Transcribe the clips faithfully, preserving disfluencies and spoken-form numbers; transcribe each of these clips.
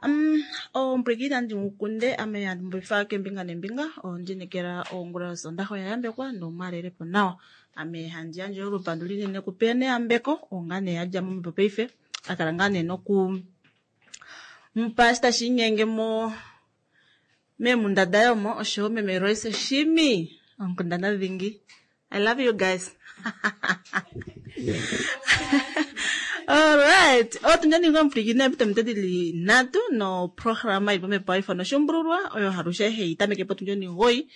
Um, ompwiki nandi mukunde ame handi mbifa kembinga nembinga ondinekela ongula yosondaxa oya yambekwa nomwalelepo nawa. Ame handi yandje olupandu linene kupene yambeko onga nee yadja momhepo paife akala ngaa nee noku mupa eshi tashi inyenge mo meemunda daye omo oshoyo meme Royce Shimi onkundana dhingi. I love you guys. Alright, otu ninga omupwilikini epito dili nhatu noprograma ili pomhepo haifano Oshuumbululwa oyo halushe hei tameke potundi onimugoyi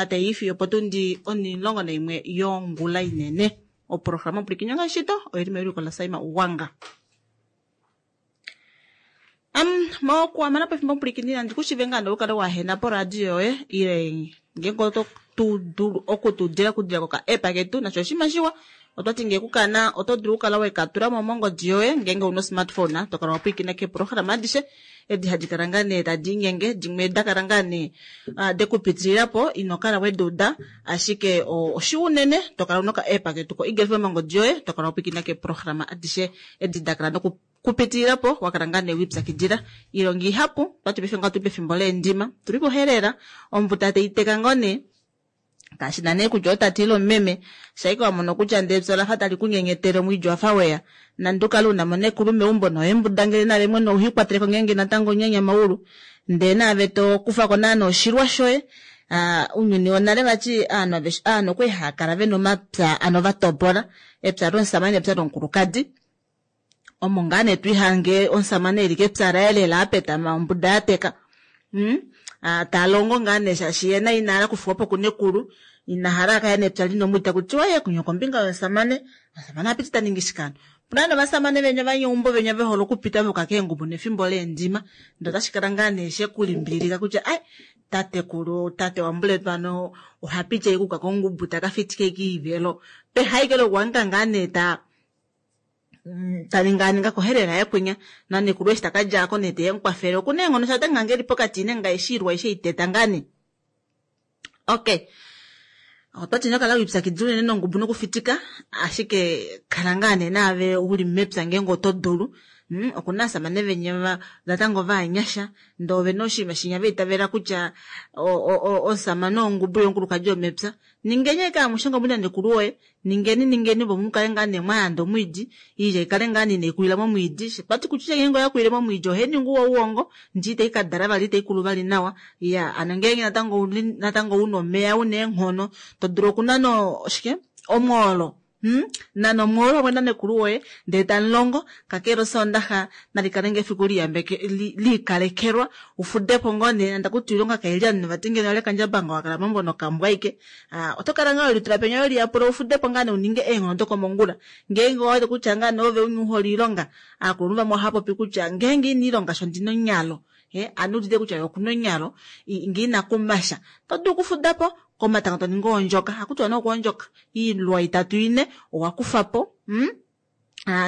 tayi fiyo potundi onimulongo naimwe yongula inene. Oprograma omupwilikini ongaashi shito oili mewiliko laSaima Uwanga. Um, mokuhamana pefimbo omupwilikini nandi kushive ngaa nee ukale wahena poradio yoye ile ngeenge oto tu dulu okutudila okudila koka app ketu nasho oshinima shiwa. Otwati ngee kukana oto dulu okukala wekatulamo mongodi yoye ngeenge una smartphone to kala wapwilikina keeprograma adishe edi hadi kala ngaa nee tadi inyenge dimwe da kala ngaa nee dekupitilila ino kala weduuda ashike oshiwa unene to kala una oka app ketu ko Eagle F M mongodi yoye to kala wapwilikina keeprograma adishe edi da kala noku kupitililapo wakala ngaa nee wipyakidila. Iilonga ihapu twati paife nga tuli pefimbo leendima tuli pohelela ombuta taiteka ngoo nee kashi na nee kutya otate ile omumeme shaike wamono kutya ndee epya olafa tali kunyenyetele omwiidi wafa weya nande ukale unamo nekulu meumbo noyembudangele nale mwene uhiikwateleko ngeenge natango onyanyamaulu ndee naave tokufako naana oshilwa shoye. Ounyuni wonale vati aanhu aveshe aanhu okwali haakala vena omapya ano vatopola epya lomusamane nepya lomukulukadi omo ngaa nee twiihange omusamane eli kepya laye lela apetama ombuda yateka hmm? Talongo ngaa nee shaashi yena inahala okufiwapo kunekulu inahala akaya nepya lina omwiidi takutiwa ye kunya kombinga yomusamane omusamane apiti taningi shikano. Opuna novasamane venya vanyeumbo venya vehole okupita voka keengubu nefimbo leendima ndee otashi kala ngaa nee shekulimbililika kutya ai tatekulu tate wambuletu ano ohapiti ashike okuka kongubu taka fitike kiivelo peha ashike lokuhangika ngaa nee ta taninganinga kohelela yekwinya nanekulu eshi takadjako nee teyemukwafele okuna eenghono sha otange eli pokati nenga eshi ilwa aishe iteta ngaa nee. Okay, otwati inokala wipyakidila unene nongubu nokufitika ashike kala ngaa nee naave uli mepya ngeenge oto dulu. Mm, okuna ovasamane venya natango vaanyasha ndee ovena oshinima shinya vaitavela kutya omusamane ongubu yomukulukadi womepya. Ningeni ashike amushe ngomuna nekulu woye ningeni ningeni opo mukale ngaa nee mwayanda omwiidi iilya ikale ngaa nee inaikulila momwiidi. Twati kutya ngeenge oyakulile momwiidi ohainingi ouwongo ndee itai kadala vali itaikulu vali nawa. Ya ano ngeenge natango natango una omeya una eenghono to dulu okunana oshike omwoolo. Hmm? Nana omwoolo pamwe nanekulu woye ndee tamulongo kakele osondaxa nalikale ngoo efiku liyambeke liikalekelwa ufudepo ngoo nee nande akuti oilonga kaili ovanhu vati ngeno lekandjabanga wakala meumbo nokambwa ashike oto kala ngaa welitula penya weliyapula ufudepo ngaa nee uninge eenghono dokomongula. Ngeenge owawete kutya ngaa nee ove umwe uhole oilonga aakulunhu vamwe ohaapopi kutya ngeenge ina ilonga sho ndina onyalo ano udite kutya okuna onyalo ngee ina kumasha oto dulu okufudapo komatango toningi oondjoka hakutiwa nee okwoondjoka iilwa itatu ine owakufapo mm?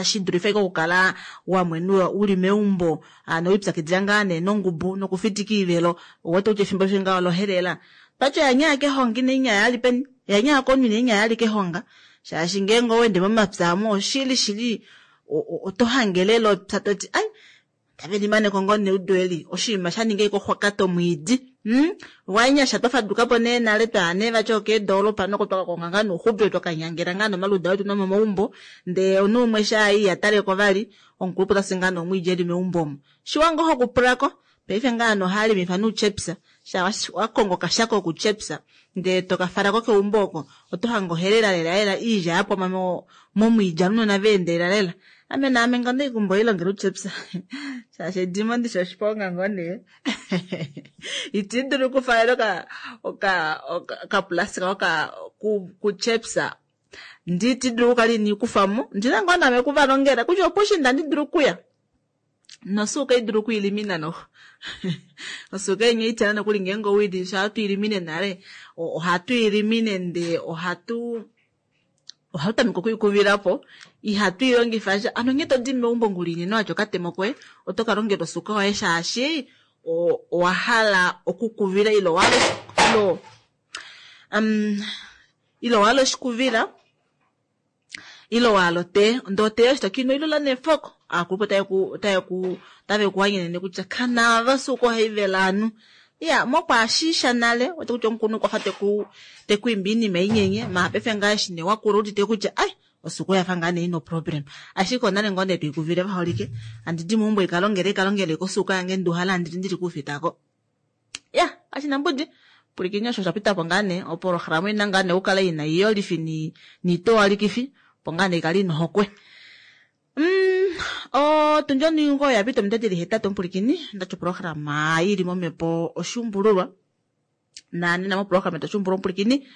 Shidulife ashike okukala wamwenwa uli meumbo nowipyakidila ngaa nee nongubu nokufitika iivelo owete kutya efimbo lishe ngaa olohelela. Twati oyanyaya kehonga ina inyaya yali peni yanyaya komunhu ina inyaya yali kehonga shaashi ngeenge owende momapya omo oshili shili oto hange lela epya toti ai tave limaneko ngoo neudo eli oshinima shaninga ashike oxwakata omwiidi. Hmm? Wanyasha twafadukapo nee nale twaya nee vati okeedolopa noko twakakonga ngaa nouxupilo twakanyangela ngaa nomaluda wetu nomomaumbo ndee omunhu umwe shaayi ihataleko vali omukulupe otasi ngaa nomwiidi eli meumbo omo. Shiwa ngoo hokupulako paife ngaa ano ohaalimifa nouchepsa sha wakonga okashako kokuchepsa ndee tokafalako keumbo oko oto hange ohelela lela lela iilya yapwama momwiidi ounona vaendelela lela. Ame naame nga ondekumba oilongela uchepsa shaashi edimo ndishi oshiponga ngoo nee iti dulu okufalela oka oka okaplastika oka kuchepsa ndi iti dulu okukala iniikufamo ndina ngoo naame okuvalongela kutya opushinda andi dulu okuya nosuuka idulu okwiilimina noxo osuuka inya itana nokuli ngeenge owili sha twiilimine nale ohatu ilimine ndee ohatu ohatu tameke okwiikuvilapo ihatu ilongifa sha ano nghee todi meumbo ngula inene watya okatemo koye oto kalongela osuuka yoye shaashi owahala okukuvila ile owahala um ile owahala oshikuvila Ilo wahala otee, ndee otee eshi tokiinwa oilula neefoko, aakulupe otaye ku otaye ku otave ku hanyenene kutya kanaava osuuka ohaivele ovanhu. Iya, mokwaashiisha nale, wete kutya omukulunhu okwafa teku tekwiimbi oinima inyenye, maala paife ngaa eshi nee wakula udite kutya ai osuuka oyafa ngaa nee ina oproblem. Ashike onale ngoo nee twiikuvile vaholike, handi di meumbo ikalongele ikalongele kosuuka yange nduhala handili ndili kuufitako. Ya, kashina mbudi. Pwilikini osho osha pitapo ngaa nee, opolohalama oina ngaa nee okukala ina iyolifi niitowalikifi, opo ngaa nee ikale ina ohokwe. Mm, otundi omugoyi oya pita ominute dili hetatu omupulikini, ndati opolohalama ili momhepo oshuumbululwa. Nanena mopolohalama yetu oshuumbululwa omupulikini,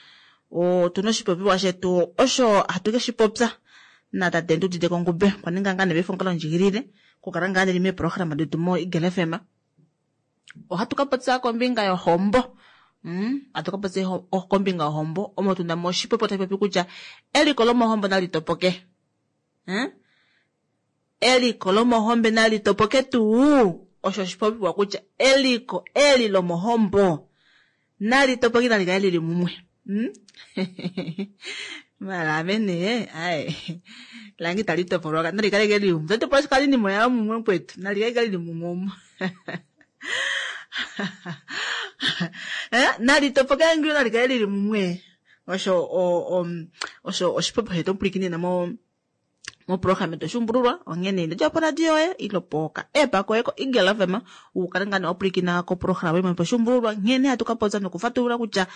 otuna oshipopiwa shetu osho hatu keshi popya natate Ndudite Kongube, okwa ninga ngaa nee paife omukalo ndjigilile okukala ngaa neli meepolohalama detu mo Eagle F M. Ohatu ka popya kombinga yohombo. Mm, ohatu ka popya kombinga yohombo, omo tuna mo oshipopiwa tashi popi kutya eliko lomohombo nali topoke. Hmm? Eliko lomohombo nali topoke tuu, osho oshipopiwa kutya eliko eli lomohombo nali topoke, nali kale lili mumwe. Hmm? Mara ame nee, ai, lange itali topolwa, nali kale lili mumwe. Tali topolwa shikali nimo ya mumwe kwetu, nali kale lili mumwe omo. Eh, nali topoke ngilo nali kale lili mumwe. Osho, o, o, osho oshipopiwa shetu omupulikini namo moprograma yetu oshuumbululwa, onghene ino dja poradio yoye, ilo poka app koye ko Eagle F M, u kale ngaa nee wa pwilikina koprograma imwe poshuumbululwa, nghene hatu ka popya nokufatulula kutya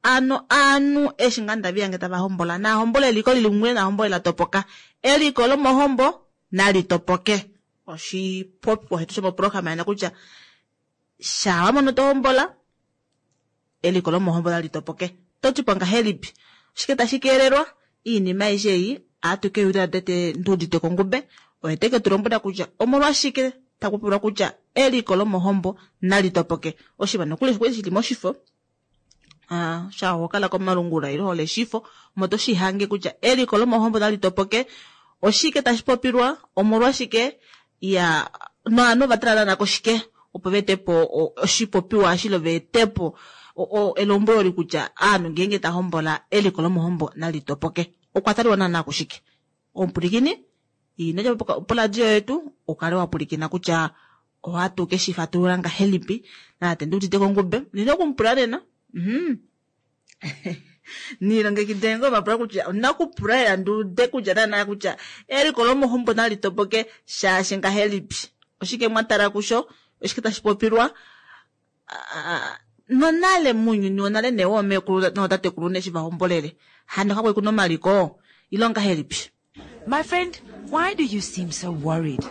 ano aanhu eshi ngaa ndavi yange tava hombola, na hombola eliko lili mumwe, na hombola la topoka. Eliko lomohombo nali topoke. Oshipopiwa shetu shomoprograma yana kutya sha wa mono to hombola, eliko lomohombo nali topoke. To ti po ngahelipi? Oshike tashi keelelwa? Iinima aishe ei atuke yula tete Ndudite Kongube, oye teke tu lombwela kutya omolwashike taku pulwa kutya eliko lomohombo nali topoke. Oshiva nokuli shikwe shili moshifo, ah, sha hokala komalungula ilo hole shifo, omo to shi hange kutya eliko lomohombo nali topoke. Oshike tashi popilwa, omolwashike, ya, noanhu va tala nako shike, opo va ete po oshipopiwa ashilo va ete po elombwelo li kutya aanhu ngeenge ta hombola eliko lomohombo nali topoke. Okwa taliwa naana kushike? Omupulikini, ino dja poradio yetu, ukale wa pulikina kutya ohatu ke shi fatulula ngahelipi, natate Ndudite Kongube, nina okumupula nena. Mhm. Nilongekide ngoo mapula kutya onda kupula lela nduude kutya naana kutya eliko lomohombo nali topoke shaashi ngahelipi. Oshike mwa tala kusho? Oshike tashi popilwa? Nonale munyuni wonale nee woomekulu nootatekulu nee eshi va hombolele, hano kakwali kuna omaliko, ilo ngahelipi? My friend, why do you seem so worried?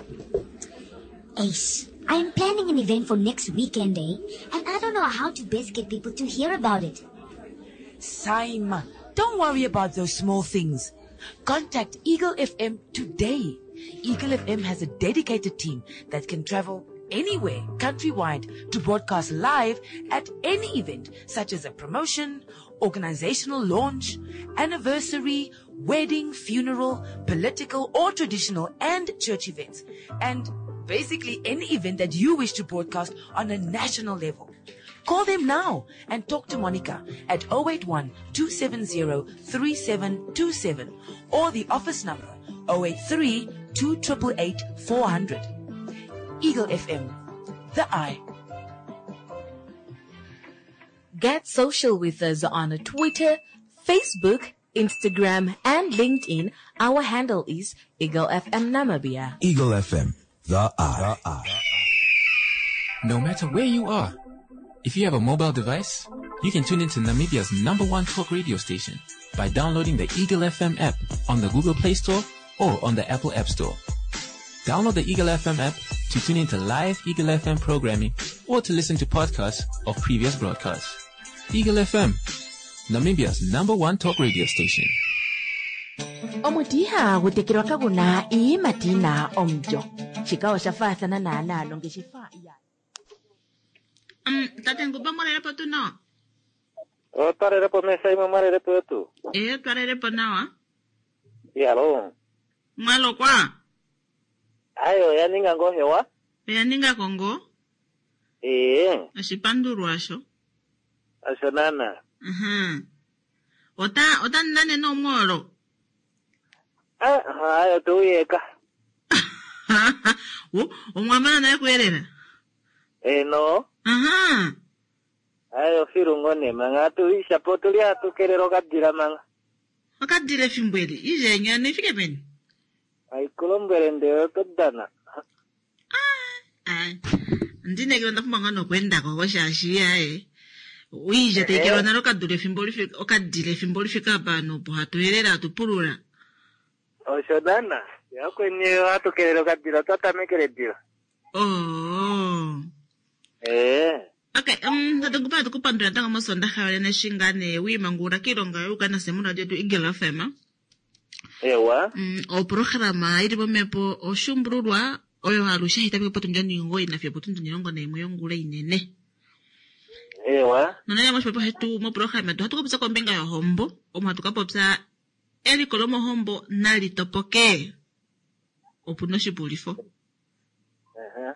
Ace, I'm planning an event for next weekend, eh? And I don't know how to best get people to hear about it. Saima, don't worry about those small things. Contact Eagle F M today. Eagle F M has a dedicated team that can travel anywhere countrywide to broadcast live at any event, such as a promotion, organizational launch, anniversary, wedding, funeral, political or traditional and church events, and basically any event that you wish to broadcast on a national level. Call them now and talk to Monica at oh eight one, two seven zero, three seven two seven or the office number oh eight three, two triple eight, four hundred. Eagle F M, the eye. Get social with us on Twitter, Facebook, Instagram, and LinkedIn. Our handle is Eagle F M Namibia. Eagle F M, the eye. The eye. No matter where you are, if you have a mobile device, you can tune into Namibia's number one talk radio station by downloading the Eagle F M app on the Google Play Store or on the Apple App Store. Download the Eagle F M app to tune into live Eagle F M programming or to listen to podcasts of previous broadcasts. Eagle F M, Namibia's number one talk radio station. Omuti ihagu tekelwa kaguna iiyimati yina omulyo. Shika osha faathana naanaa nongeshefa ya Mm, tate Ngumba mwalelepo tu nawa? Otwalelepo mesa imwe mwalelepo yetu. Eh, twalelepo nawa. Yalo. Mwalokwa? Ayo, yaninga ngo hewa? Yaninga kongo? Eh. Oshipandulwa asho. Asho nana. Mhm. Ota, ota nane no mwolo? Ah, hayo tuuyeka. Wo, omwamana naye kuyelela. Eno, Aha. ayo filungo ne manga tuisha po tuli atukelera okadila manga. Okadila efimbo eli. Ije nyana ifike peni. Aikulombwele nde otodana. Ai. Ndinekela ndapumbwa ngaa nokwendako koshaashi aye. Uije tekelwa nalo okadula efimbo lifika okadila efimbo lifika apa nopo hatu yelela hatu pulula. Osho dana. Yakweni atukelera okadila twatamekele dila. Oh. Eh. Okay, um, tatungupa tukupandula ntango mosondaha yolene shingane wiimangula kiilonga youkana semuna lyetu Eagle F M. Ewa. Mm, oprograma ili momhepo oshumbululwa oyo alushe hayi tameke potundi omugoyi nafiyo potundi omulongo naimwe yongula inene. Ewa. Nonene moshipopiwa shetu moprograma yetu ohatu kapopya kombinga yohombo, omo hatu kapopya eliko lomohombo nali topoke. Opu noshipulifo. Uh-huh.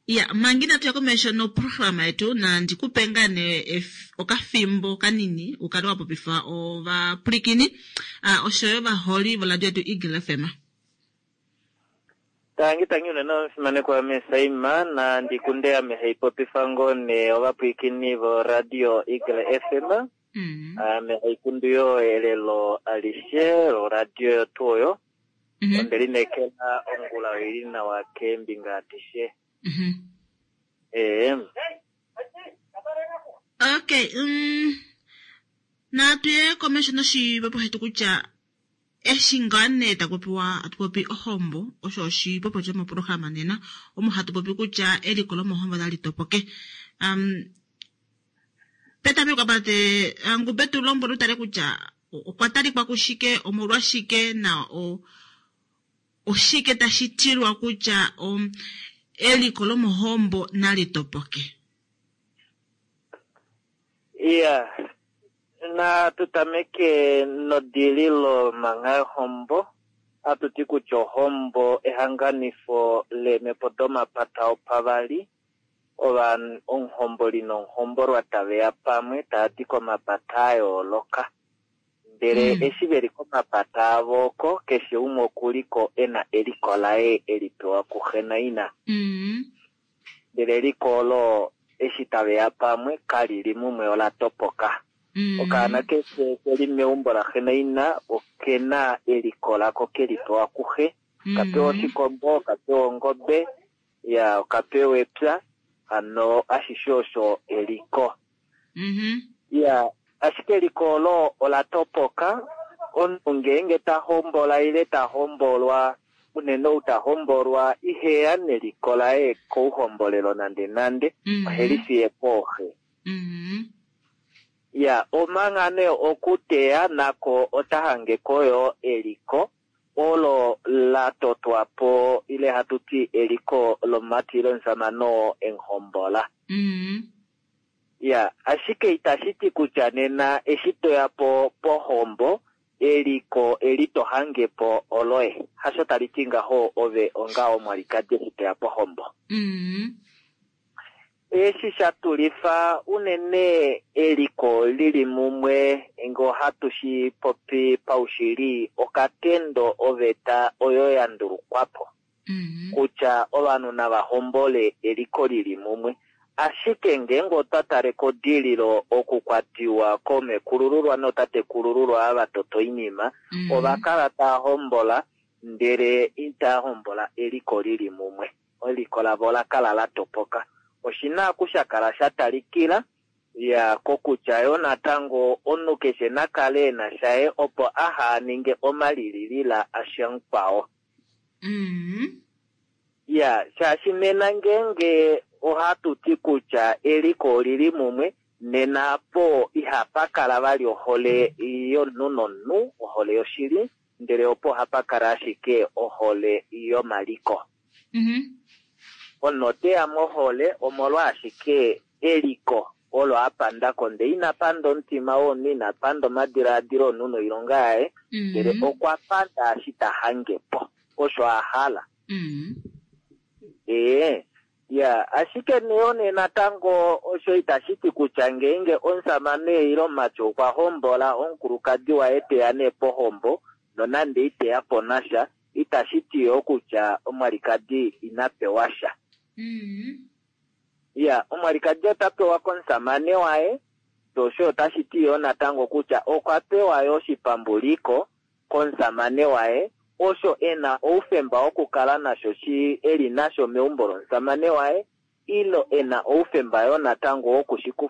Ya, manga inatu ya komesho noprograma yetu na ndikupe ngaa nee ef- okafimbo kanini ukale wa popifa ovapwilikini uh, oshoyo ovaholi voradio yetu Eagle F M. Tangi tangi unene omufimanekwa Mesaima na ndikunde ame haipopifa ngoo ne ovapwilikini voradio Eagle F M. Mm. Ame haikundu yo elelo alishe loradio yotu oyo. Mm -hmm. Onde lineekela ongula oili nawa keembinga adishe. Mm -hmm. Ee. Okay, um, natu ye komesho noshipopiwa shetu kutya eshi ngaa nee taku popiwa hatu popi ohombo osho oshipopiwa shomoprograma nena omo hatu popi kutya eliko lomohombo nali topoke. Um, petameko apate Ngube tu lombwele utale kutya okwa talikwa kushike omolwashike na o, oshike tashi tilwa kutya um, eliko lomohombo nali topoke. Iya. Na tutameke nodililo manga yohombo. Atuti kutya ohombo ehanganifo leemhepo domapata opavali. Ova omuhomboli nomuhombolwa taveya pamwe taya di komapata a yooloka. Ndele Mm. eshi veli komapata avo oko keshe umwe okuliko ena eliko laye eli pewa kuxe naina. Mm. Ndele eliko olo eshi taveya pamwe kalili mumwe ola topoka. Mm. Okaana keshe keli meumbo laxe naina okena eliko lako keli pewa kuxe. Okapewa oshikombo, okapewa ongobe, ya okapewa epya, hano ashishe osho eliko. Mm -hmm. Ya, ashike eliko olo ola topoka. Omunhu ngeenge ta hombola ile ta hombolwa, unene ou ta hombolwa iheya neliko laye kouhombolelo nande nande, Mm -hmm. oheli fiye pooxe. Mm -hmm. Ya, omanga nee okuteya nako ota hangeko yo eliko olo la totwa po ile hatu ti eliko lomumati ile omusamane oo emuhombola. Mm -hmm. Ya, ashike itashi ti kutya nena eshi toya po pohombo eliko eli to hange po oloye. Hasho tali ti ngaho ove onga omwalikadi eshi toya pohombo. Mm -hmm. Eshi sha tulifa unene eliko lili mumwe ngo hatu shi popi paushili okatendo oveta oyo ya ndulukwapo Mm -hmm. kutya ovanhu nava hombole eliko lili mumwe. Ashike ngeenge otwa tale kodililo okukwatiwa komekulululwa notatekulululwa ava toto oinima, Mm -hmm. ova kala tava hombola ndele itava hombola eliko lili mumwe. Eliko lavo ola kala la topoka. Oshina oku kala sha talikila ya kokutya yo natango omunhu keshe nakale ena shaye opo aha ninge omalililila asha mukwao. Mm -hmm. Ya, shaashi nena ngeenge ohatu ti kutya eliko olili mumwe, nena po ihapa kala vali ohole yomunhu nomunhu, ohole yoshili, ndele opo hapa kala ashike ohole yomaliko. Mm -hmm. Omunhu oteya mohole omolwa ashike eliko olo apanda ko, ndele ina panda omutima womunhu, ina panda omadilaadilo omunhu noilonga yaye, ndele Mm -hmm. okwa panda eshi ta hange po, osho a hala. Mm -hmm. Ee, ya, ashike neyo nee natango osho itashi ti kutya ngeenge omusamane ile omumati okwa hombola omukulukadi waye teya nee pohombo nonande iteya po nasha, itashi ti yoo kutya omwalikadi ina pewa sha. Ya, omwalikadi ota pewa komusamane waye, osho otashi ti yoo natango kutya okwa pewa yoo oshipambuliko komusamane waye, osho e na oufemba wokukala nasho shi eli nasho meumbo lomusamane waye, ilo e na oufemba yoo natango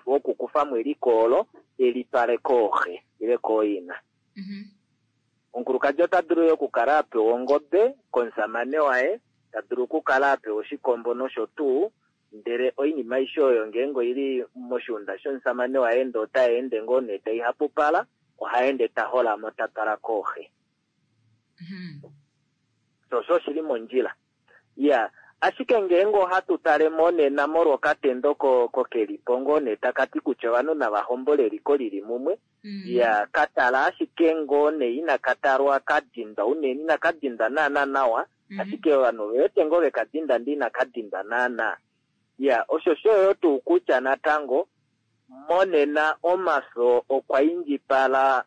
wokukufa mo eliko olo e litwale kooxe ile kooina. Omukulukadi ota dulu yoo okukala a pewa ongobe komusamane waye, ta dulu okukala a pewa oshikombo nosho tuu, ndele oinima aishe oyo ngeenge oili moshiunda shomusamane waye ndee ota ende ngoo nee tai hapupala, oha ende ta holamo ta twala kooxe. So osho oshili mondjila. Ya, ashike ngeenge ohatu tale monena molwa okatendo kokelipo ngoo nee taka ti kutya ovanhu nava hombole eliko lili mumwe, ya katala ashike ngoo nee inaka talwa ka dindwa unene, inaka dindwa naana nawa, ashike ovanhu ove wete ngoo veka dinda ndee inaka dindwa naana. Ya, osho osho tuu kutya natango monena omafyo okwa indjipala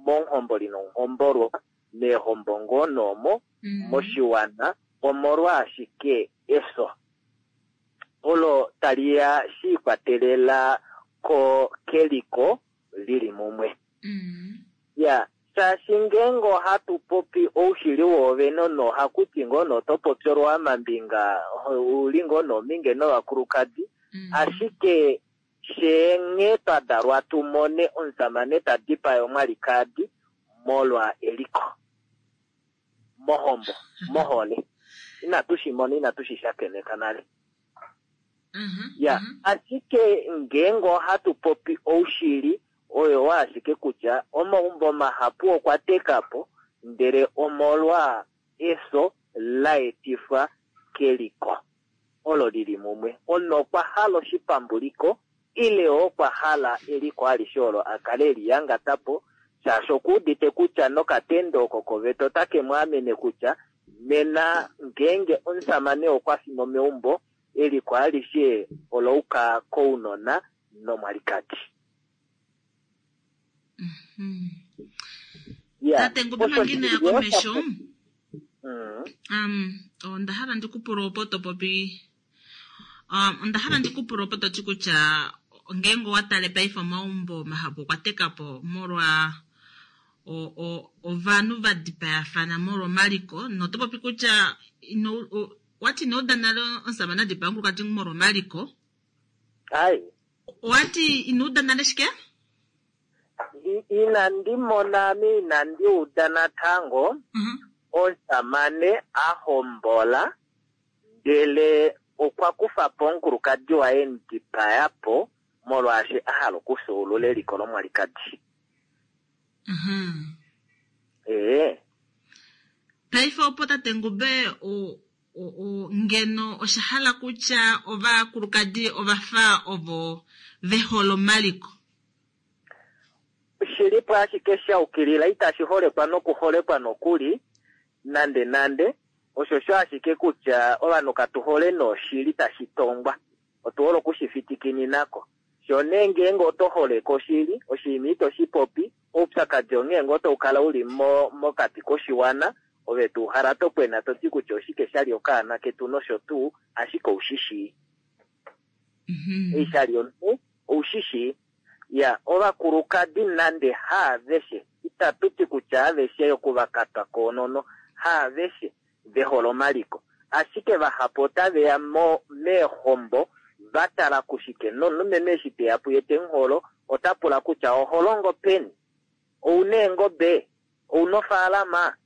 monhomboli nomuhombolwa, meehombo ngoo noomo, moshiwana, omolwa ashike efyo olo tali ya shi ikwatelela ko keliko lili mumwe. Ya, shaashi ngeenge ohatu popi oushili woovene nohakuti ngoo noto popi olwaamambinga, uli ngoo noominge novakulukadi, ashike sheenghee twa dalwa tu mone omusamane ta dipaya omwalikadi molwa eliko, mohombo, mohole, inatu shi mona, inatu shi shakeneka nale. Ya, ashike ngeenge ohatu popi oushili oyo wa ashike kutya omaumbo mahapu okwa teka po, ndele omolwa efyo la etifwa keliko olo lili mumwe. Omunhu okwa hala oshipambuliko ile okwa hala eliko alishe olo a kale eliyangata po, shaashi okuudite kutya nokatendo oko koveta otake mu amene kutya nena ngeenge omusamane okwa fi mo meumbo, eliko alishe ola uka kounona nomwalikadi. Tate Ngube mangina ya komesho, um, onda hala ndikupula opo to popi, um, onda hala ndikupula opo to ti kutya ngeenge owa tale paife omaumbo mahapu okwa teka po molwa ovanhu va dipayafana molwa omaliko, noto popi kutya ino, wati ino uda nale omusamane a dipaya omukulukadi molwa omaliko? Ai. Wati ino uda nale shike? Inandi mona ame inandi uda natango omusamane a hombola ndele okwa kufa po omukulukadi waye mudipaya po molwaashi a hala okufyuulula eliko lomwalikadi. Ee. Paife opo tate Ngube ngeno osha hala kutya ovakulukadi ovafa ovo ve hole omaliko. Shilipo ashike sha ukilila, itashi holekwa nokuholekwa nokuli nande nande. Osho sho ashike kutya ovanhu katu hole noshili tashi tongwa, otu hole okushifitikininako. Sho nee ngeenge oto holeke oshili, oshinima ito shi popi, oupyakadi onghee ngoo tau kala uli mokati koshiwana, ove tuu hala to kwena to ti kutya oshike sha li okaana ketu nosho tuu, ashike oushishii. Ei sha li omunhu, oushishii. Ya, ovakulukadi nande haaveshe, itatu ti kutya aveshe okuvakatwa koonono, haaveshe ve hole omaliko. Ashike vahapu otave ya meehombo va tala kushike, nomulumenhu eshi te ya puye te muholo, ota pula kutya oho longo peni? Ouna eengobe? Ouna ofaalama?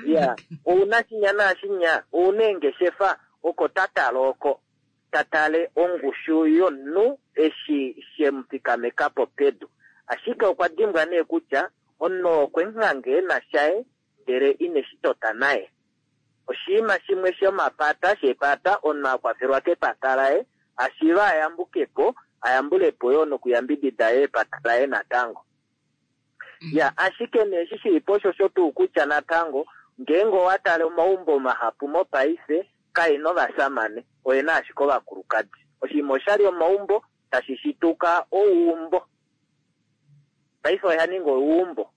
Ya, ouna shinya naashinya? Ouna eengeshefa? Oko ta tala oko. Ta tale ongushu yomunhu eshi she mu fikameka po pedu. Ashike okwa dimbwa nee kutya omunhu okwe muhange ena shaye ndele ine shi tota naye. Oshinima shimwe shomapata shepata, omunhu a kwafelwa kepata laye, ashiva a yambuke po, a yambule po yoo nokuyambidida epata laye natango. Ya, ashike nee eshi shili po osho sho tuu kutya natango ngeenge owa tale omaumbo mahapu mopaife kaena ovasamane, oyena ashike ovakulukadi. Oshinima oshali omaumbo tashi shituka ouumbo. Paife oya ninga ouumbo.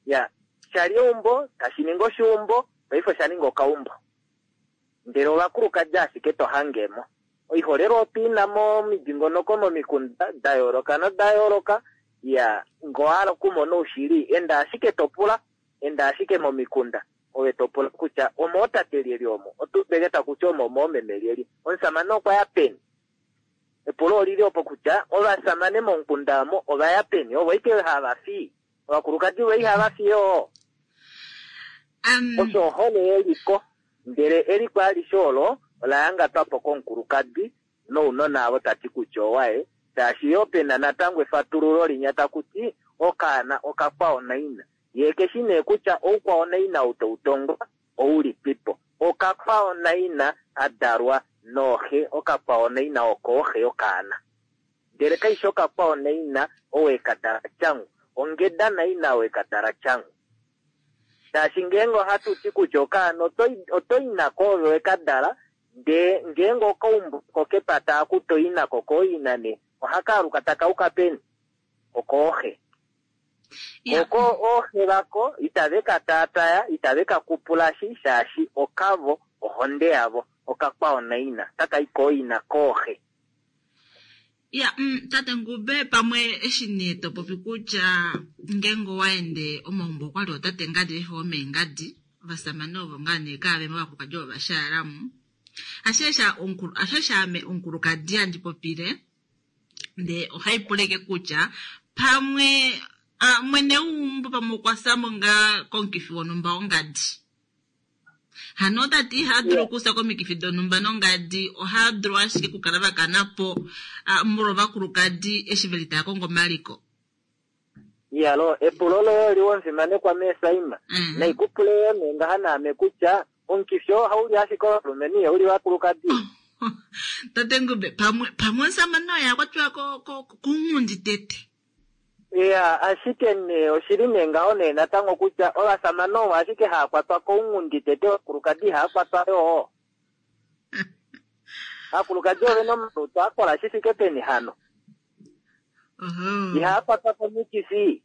Ya, Shali eumbo, tashi ningi oshiumbo, paife osha ninga okaumbo. Ndele ovakulukadi ashike to hangemo. Oiholelwa otu ina momidingonoko momikunda da yooloka noda yooloka. Ya, ngee owa hala okumona oushili, enda ashike to pula, enda ashike momikunda. Ove to pula kutya omootate lyelye omo, otu udeke taku ti omo omoomeme lyelye. Omusamane okwa ya peni? Epulo olili opo kutya ovasamane momukunda omo ova ya peni? Ovo ike hava fi. Ovakulukadi vo ihava fi yoo. Um, Osho ohole yeliko. Ndele eliko alishe olo ola yangatwa po komukulukadi nounona avo tati kutya owaye. Shaashi yoo pena natango efatululo linya taku ti okaana okakwao naina. Ye keshi nee kutya oukwao naina ou tau tongwa oulipipo. Okakwao naina a dalwa nooxe, okakwao naina okooxe yokaana. Ndele kaishi okakwao naina owe ka dala tyangu. Ongeda naina owe ka dala tyangu. Shaashi ngeenge ohatu ti kutya okaana oto i nako ove we ka dala, ndee ngeenge okaumbo ko kepata aku to i nako kooina nee, ohaka aluka taka uka peni? Okooxe. Oko ooxe vako itave ka taataya, itave ka kupulashi, shaashi okavo ohonde yavo, okakwao naina, taka i kooina kooxe. Ya, mm, tate Ngube, pamwe eshi nee to popi kutya ngeenge owa ende omaumbo okwali otate ngadi vefe omeengadi, ovasamane ovo ngaa nee kaavemo ovakulukadi ovo vashaalamo. Ashe ame omukulukadi handi popile, ndee ohai puleke kutya pamwe mwene weumbo pamwe okwa samo ngaa komukifi wonhumba wongadi. Hano otati iha dulu okusa komikifi donhumba nongadi, oha dulu ashike okukala vakana po molwa ovakulukadi eshi veli taya kongo omaliko. Iyalo, epulo loye oliwa omufimanekwa meesaima. Naikupule yo nee ngaha naame kutya omukifi oo ohauli ashike ovalumenhu ihauli ovakulukadi. Tate Ngube, pamwe pamwe omusamane oye akwatiwa kounghundi tete. Ya, ashike nee oshili nee ngaho nee natango kutya ovasamane ovo ashike haa kwatwa kounghundi tete, ovakulukadi ihaa kwatwa yoo. Ovakulukadi ove na omalutu a kola shi fike peni hano. Ihaa kwatwa komikifi.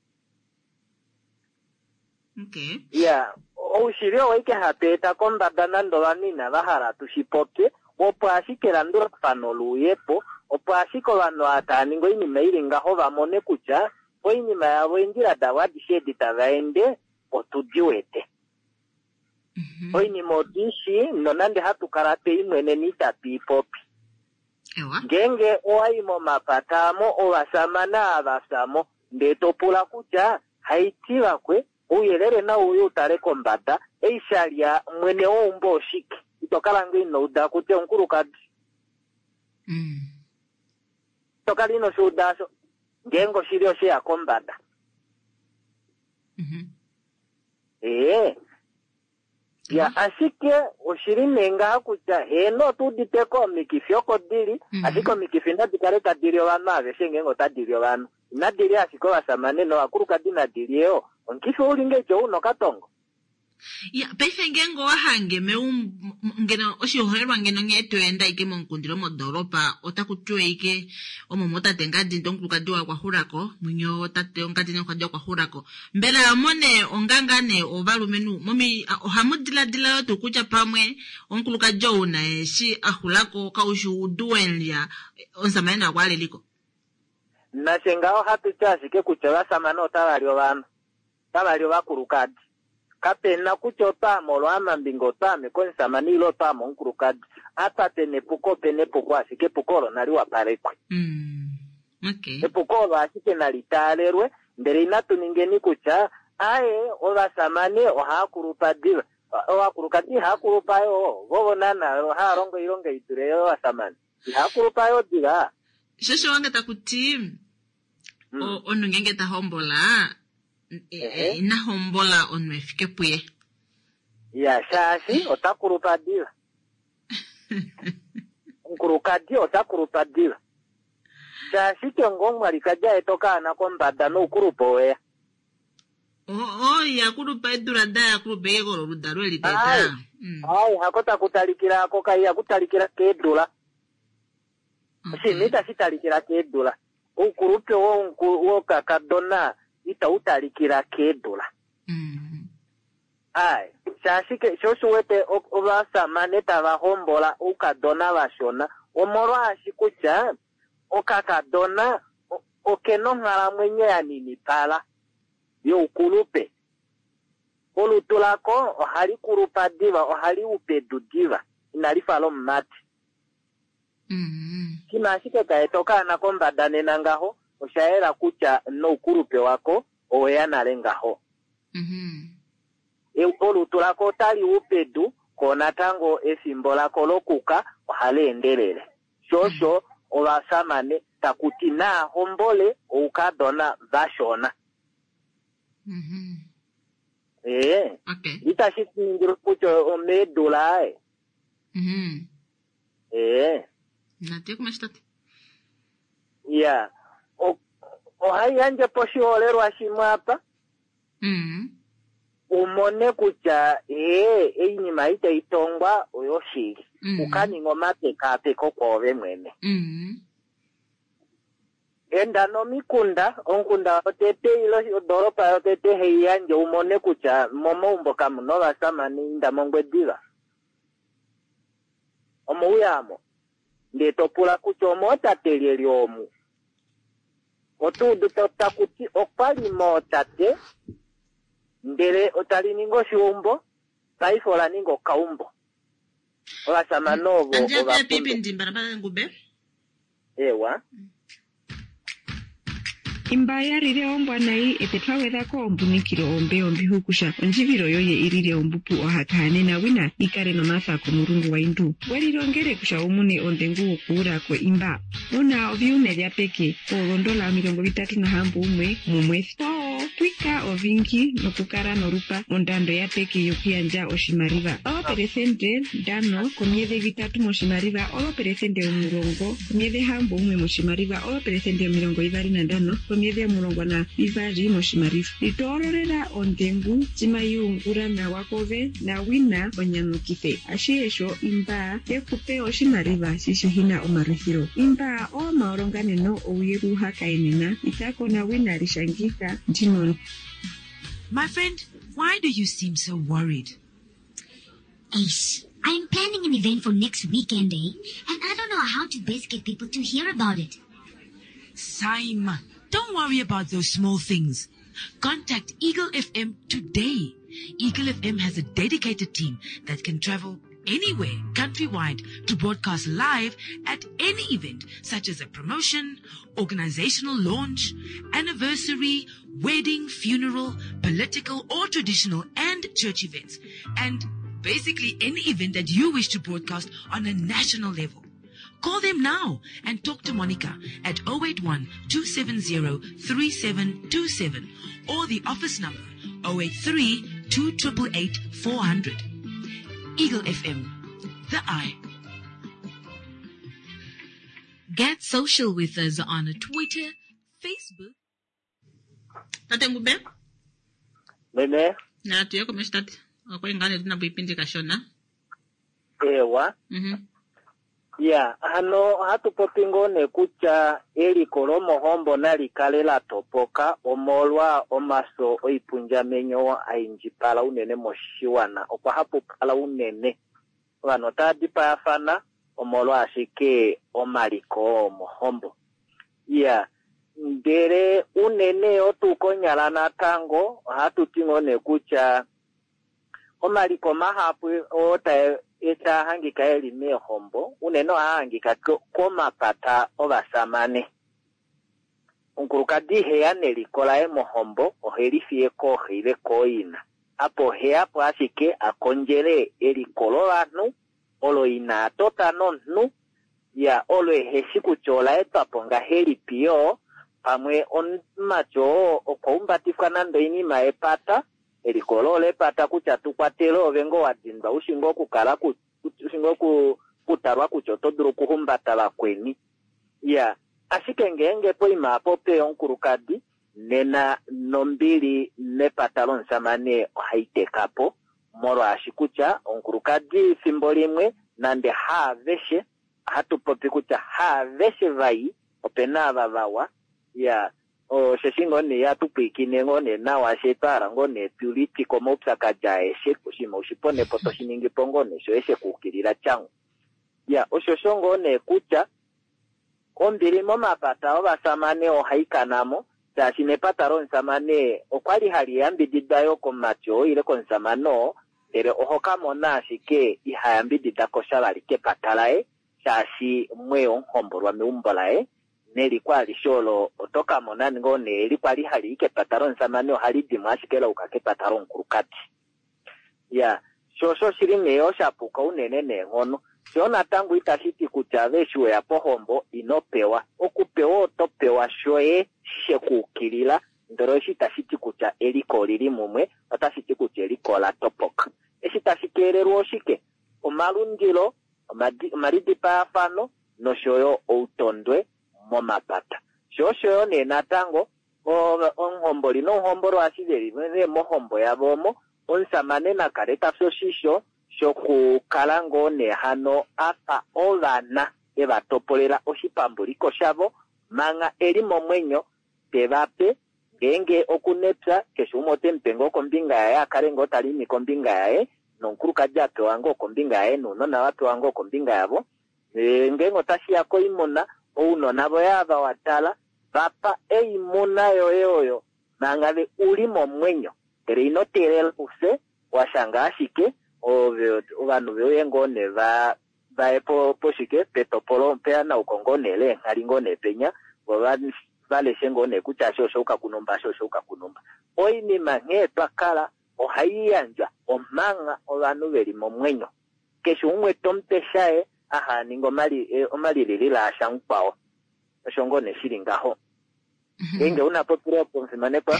Okay. Ya, oushili owo ike hatu eta kombada nande ovanhu inava hala tu shi popye, opo ashike elandulafano luuyepo, opo ashike ovanhu ava tava ningi oinima ili ngaho va mone kutya oinima yavo eendjila davo adishe edi tava ende otu di wete. Oinima otu i shii nonande hatu kala twe i mweneni itatu i popi. Ngeenge owa i momapata amo ovasamane ava fyamo ndee to pula kutya haiti vakwe ouyelele nau uye utale kombada ei shalya mwene weumbo oshike, ito kala ngoo ino uda kutya omukulukadi. Ito kala ino shi uda asho ngeenge oshili osheya kombada. Ee. Ya, ashike oshili nee ngaha kutya heeno otu udite ko omikifi oko dili, ashike omikifi nadi kale tadi li ovanhu aveshe ngeenge otadi li ovanhu. Inadi li ashike ovasamane novakulukadi nadi li yoo. Omukifi ouli ngeiti ou una okatongo. Ya, paife ngeenge owa hange meumbo ngeno oshiholelwa ngeno nghee to enda ike momukundilo modoolopa otaku tiwa ike omo motate ngadi ndee omukulukadi waye okwa xulako, mwenye otate ongadi nomukulukadi okwa xulako. Mbela mone onganga nee ovalumenhu momi ohamu diladila yo tuu kutya pamwe omukulukadi ou naye eshi a xulako kaushi oudu wemulya omusamane naye okwa aleliko? Nashe ngaho ohatu ti ashike kutya ovasamane otava li ovanhu, otava li ovakulukadi. Kapena kutya otwaame olwaamambinga otwaame komusamane ile otwaame omukulukadi. Apa pena epuko opena epuko ashike epuko olo nali wapalekwe. Epuko olo ashike nali taalelwe ndele inatu ningeni kutya aye ovasamane ohaa kulupa diva. Ovakulukadi ihaa kulupa yoo, vovo naana ohaa longo oilonga i dule yovasamane. Ihaa kulupa yoo diva. Shosho wange taku ti omunhu ngeenge ta hombola ina hombola omunhu efike puye. Ya, shaashi ota kulupa diva. Omukulukadi ota kulupa diva. Shaashi ke ngoo omwalikadi aeta okaana kombada noukulupe oweya. O, ya kulupa edula da ya kulupa eke kololudalo eli teta. Ai, hako taku talikila ako kai ihaku talikila keedula. Oshinima itashi talikila keedula. Oukulupe wokakadona itau talikila keedula. Ai, shaashike sho osho wete o- ovasamane tava hombola oukadona vashona omolwaashi kutya okakadona o- okena onghalamwenyo ya ninipala youkulupe. Olutu lako ohali kulupa diva, ohali u pedu diva, inali fa lomumati. Mm. Shima ashike kaeta okaana kombada nena ngaho, osha yela kutya noukulupe wako oweya nale ngaho. Mhm. E- olutu lako otali u pedu ko natango efimbo lako lokuka ohali endelele. Sho osho ovasamane takuti naa hombole oukadona vashona. Mhm. Ee, Okay. itashi ningilwa kutya omeedula aye. Mhm. Ee, Natu ye tate. ya O- ohai yandje po oshiholelwa shimwe apa Mhm. umone kutya ee oinima itayi tongwa oyoshili. Mm. Ukaninga omapekapeko kwoove mwene. Mhm. Enda nomikunda, omukunda wotete ile odoropa yotete hei yandje umone kutya momaumbo kamuna ovasamane inda mOngwediva. Omouyamo. Ndee to pula kutya omootate lyelye omu. Oto udu ta- taku ti okwali mootate ndele otali ningi oshiumbo, paife ola ninga okaumbo. Ovasamane ovo Andi ova ya pipi ndimba na ngube. Ewa. Imba yalile ombwa nayi ete twagwedhako ombunikilo ombe ombihukusha ondjivilo yoye ilile ombupu ohakahanena wina ikale nomatha komulungu waindu welilongele kusha umune ondhengu wokuulako imba una oviume vya peke oolondola omilongo vitatu nahambo umwe mumwesi oo twika ovingi nokukala nolupa ondando ya peke yokuyandja oshimaliwa oopelesente ndano komyedhi vitatu moshimaliwa oopelesente omulongo komyedhi hambo umwe moshimaliwa oopelesente omilongo ivali nandano komyedhi omulongo na ivali moshimaliwa litoololela ondhengu cima yuungula nawa kove nawina onyanyukithe ashihe imba yekupe oshimaliwa shishihina omalwithilo imba oomaolonganeno ouye kuhakaenena itako nawina lishangitha ndino My friend, why do you seem so worried? Ace, I'm planning an event for next weekend, eh? And I don't know how to best get people to hear about it. Saima, don't worry about those small things. Contact Eagle F M today. Eagle F M has a dedicated team that can travel anywhere countrywide to broadcast live at any event such as a promotion, organizational launch, anniversary, wedding, funeral, political or traditional and church events, and basically any event that you wish to broadcast on a national level. Call them now and talk to Monica at oh eight one two seven zero three seven two seven or the office number oh eight three two eight eight four hundred. Eagle F M, the eye. Get social with us on Twitter, Facebook. Tate Ngube. Meme, Natu ye komesho tate. Okwali ngaa nee tuna poipindi kashona. Ewa. Mhm. Ya, hano ohatu popi ngoo nee kutya eliko lomohombo nali kale la topoka omolwa omaso oipundjamenyo aindjipala unene moshiwana. Okwa hapupala unene. Ovanhu otava dipayafana omolwa ashike omaliko omohombo. Ya, ndele unene otu konyala natango ohatu ti ngoo nee kutya omaliko mahapu oo tae taa hangika eli meehombo unene ohaa hangika ko- komapata ovasamane. Omukulukadi iheya neliko laye mohombo, oheli fiye kooxe ile kooina. Apo oheya po ashike a kondjele eliko lovanhu olo ina tota nomunhu ya olo eheshi kutya ola etwa po ngahelipi yoo pamwe omumati oo okwa umbatifwa nande oinima yepata eliko olo lepata kutya tukwatele ove ngoo wa dindwa ushi ngoo okukala ku- ushi ngoo oku- okutalwa kutya oto dulu okuhumbata vakweni ya ashike ngeenge poima apo peya omukulukadi nena nombili mepata lomusamane ohai teka po molwaashi kutya omukulukadi fimbo limwe nande haaveshe ohatu popi kutya haaveshe vai opena ava vawa ya Osheshi ngoo nee ihatu pwiikine ngoo nee nawa she twa hala ngoo nee tu litike omaupyakadi aeshe, oshinima ushiponepo toshi ningi po ngoo nee shoye shekuukilila tyangu. Ya, osho sho ngoo nee kutya ombili momapata ovasamane ohai kana mo, shaashi nepata lomusamane okwali hali yambididwa yo komumati oo ile komusamane oo, ndele oho ka mona ashike iha yambidida ko sha vali kepata laye, shaashi mweya omuhombolwa meumbo laye, neliko alishe olo oto ka mona ngoo nee eli kwali hali i kepata lomusamane ohali dimo ashike la yuka kepata lomukulukadi. Ya, sho osho shili nee oshapuka unene neenghono. Sho natango itashi ti kutya ove eshi weya pohombo ino pewa. Okupewa oto pewa shoye shekuukilila, ndele eshi itashi ti kutya eliko olili mumwe, otashi ti kutya eliko ola topoka. Eshi tashi keelelwa oshike? Omalundilo, omalidipaafano nosho yo outondwe momapata. Sho osho yo nee natango omuhomboli nomuhombolwa eshi veli nee mohombo yavo omo, omusamane na kale ta fi oshisho shokukala ngoo nee hano a pa ovana e va topolela oshipambuliko shavo manga e li momwenyo, te va pe ngeenge okunepya, keshe umwe ote mu pe ngoo kombinga yaye, a kale ngoo ta limi kombinga yaye, nomukulukadi a pewa ngoo kombinga yaye, nounona va pewa ngoo kombinga yavo. Ngeenge otashi ya koimuna, ounona voye ava wa tala, va pa oimuna yoye oyo manga ve u li momwenyo, ndele ino teelela ufye, wa shanga ashike ove ovanhu veuye ngoo nee va vaye po poshike petopolo peyanauko ngoo nee leenghali ngoo nee penya, vo va leshe ngoo nee kutya eshi osha yuka kunumba, eshi osha yuka kunumba. Oinima nghee twa kala ohai yandjwa omanga ovanhu veli momwenyo. Keshe umwe tomupe shaye aha ninga omalililila asha mukwao. Osho ngoo nee shili ngaho. Ngeenge una popile opo omufimanekwa.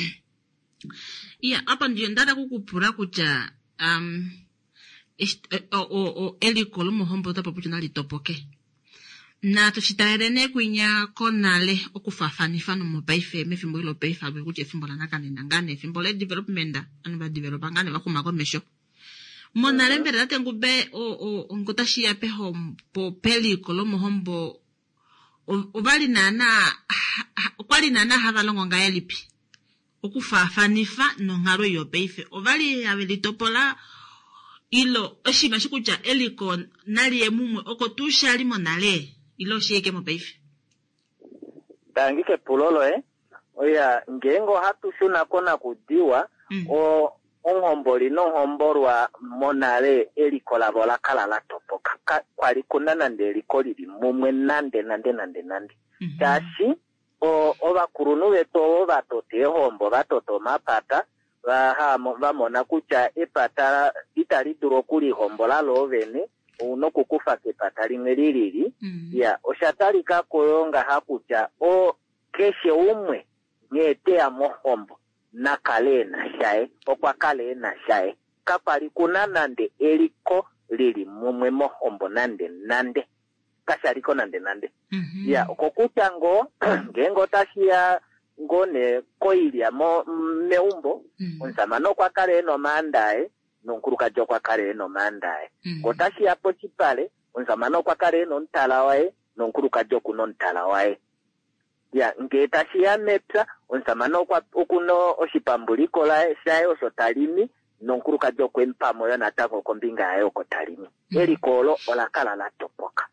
Iya, apa ndiyo ndada kukupula kutya um, eliko lomohombo ota popi nali topoke. Natu shitalele nee kwinya konale okufaafanifa nomopaife mefimbo ilo paife apo kutya efimbo lanakanena ngaa nee efimbo le development anu va developa ngaa nee va xuma komesho. Monale mbela tate Ngube ngotashi ya pehombo peliko lomohombo ovali naana okwali naana hava longo ngahelipi okufaafanifa nonghalo yopaife ovali have litopola ilo oshinima shi kutya eliko nali ye mumwe oko tuu shali monale ilo oshiike mopaife. Tangi kepulo loye. Oya, ngeenge ohatu shuna konakudiwa, o omuhomboli nomuhombolwa monale eliko lavo ola kala la topoka. Kwali kuna nande eliko lili mumwe nande nande nande nande. Shaashi ovakulunhu vetu ovo va tota eehombo, va tota omapata, va mona kutya epata itali dulu okulihombola loo vene, ouna okukufa kepata limwe lilili. Ya, osha talika ko yo ngaha kutya o keshe umwe nghee teya mohombo na kale ena shaye, okwa kale ena shaye. Kakwali kuna nande eliko lili mumwe mohombo nande nande. Kashaliko nande nande. Ya, okokutya ngoo ngeenge otashi ya ngoo nee koilya meumbo, omusamane okwa kala ena omaanda aye nomukulukadi okwa kala ena omaanda aye. Otashi ya pochipale, omusamane okwa kala ena omutala waye nomukulukadi okuna omutala waye. Ya, ngee tashi ya mepya, omusamane okuna oshipambuliko shaye osho talimi nomukulukadi okwe mu pa yo natango kombinga yaye oko talimi. Eliko olo ola kala la topoka.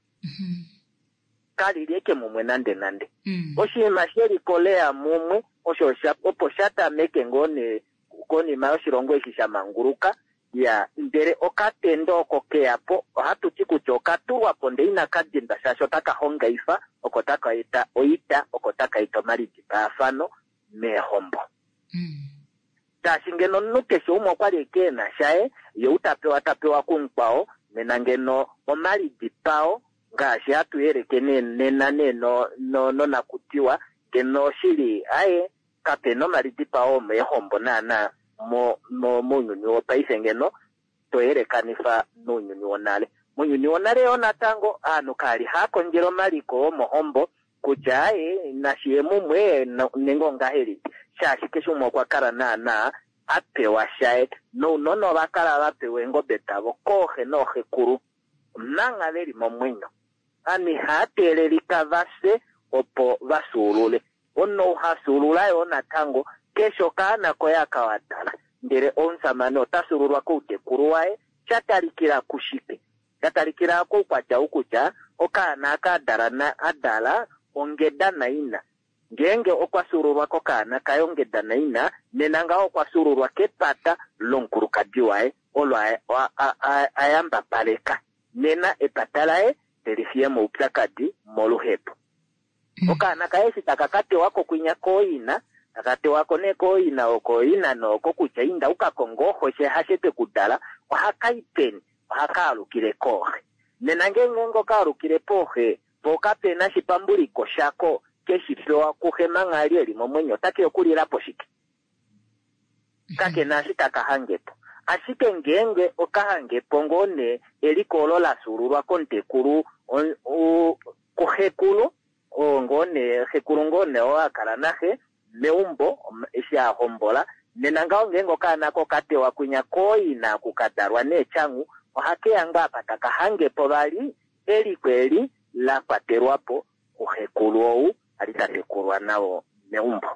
Kali li eke mumwe nande nande. Oshinima sheliko leya mumwe osho opo sha tameke ngoo nee konima yoshilongo eshi sha manguluka. Ya, ndele okatendo oko keya po, ohatu ti kutya okatulwa po ndele inaka dindwa shaashi otaka hongaifa, oko taka eta oita, oko taka eta omalidipaafano meehombo. Shaashi ngeno omunhu keshe umwe okwali eke ena shaye, ye uta pewa ta pewa kumukwao, nena ngeno omalidipao ngaashi hatu yeleke nena nee nonakutiwa, ngeno oshili aye kapena omalidipao omeehombo naana mounyuni wopaife ngeno to yelekanifa nounyuni wonale. Mounyuni wonale yo natango aanhu kali haa kondjele omaliko omohombo kutya aye nashiye mumwe nenge ongahelipi, shaashi keshe umwe okwa kala naana a pewa shaye, nounona ova kala va pewa eengobe davo kooxe nooxekulu manga veli momwenyo. Aanhu ihaa teelelika vafye opo va fyuulule. Omunhu ou ha fyuulula yoo natango keshe okaana koye aka wa dala, ndele omusamane ota fyuululwa koutekulu waye, sha talikila kushike? Sha talikila koukwatya ou kutya okaana aka a dala na a dala ongeda naina. Ngeenge okwa fyuululwa kokaana kaye ongeda naina, nena ngaho okwa fyuululwa kepata lomukulukadi waye olo a, a, a, a, a yambapaleka. Nena epata laye teli fiye moupyakadi moluhepo. Okaana kaye eshi taka ka tewa ko kwinya kooina, taka tewa ko nee kooina okooina nooko kutya inda u ka konge ooxo hashe twe ku dala, ohaka i peni? Ohaka alukile kooxe. Nena ngeenge oka alukile pooxe, po kapena shipambuliko shako keshi pewa kuxe manga ali eli momwenyo, otake okulila po shike? Kakena eshi taka hange po. Ashike ngeenge oka hange po ngoo nee eliko olo la fyuululwa komutekulu, on-, u-, kuxekulu, oo ngoo nee, xekulu ngoo nee oo a kala naxe meumbo, om-, eshi a hombola, nena ngaho ngeenge okaana ko katewa kwinya kooina ku ka dalwa neetyangu, ohake ya ngoo apa taka hange po vali eliko eli la kwatelwa po kuxekulu ou a li ta tekulwa nao meumbo.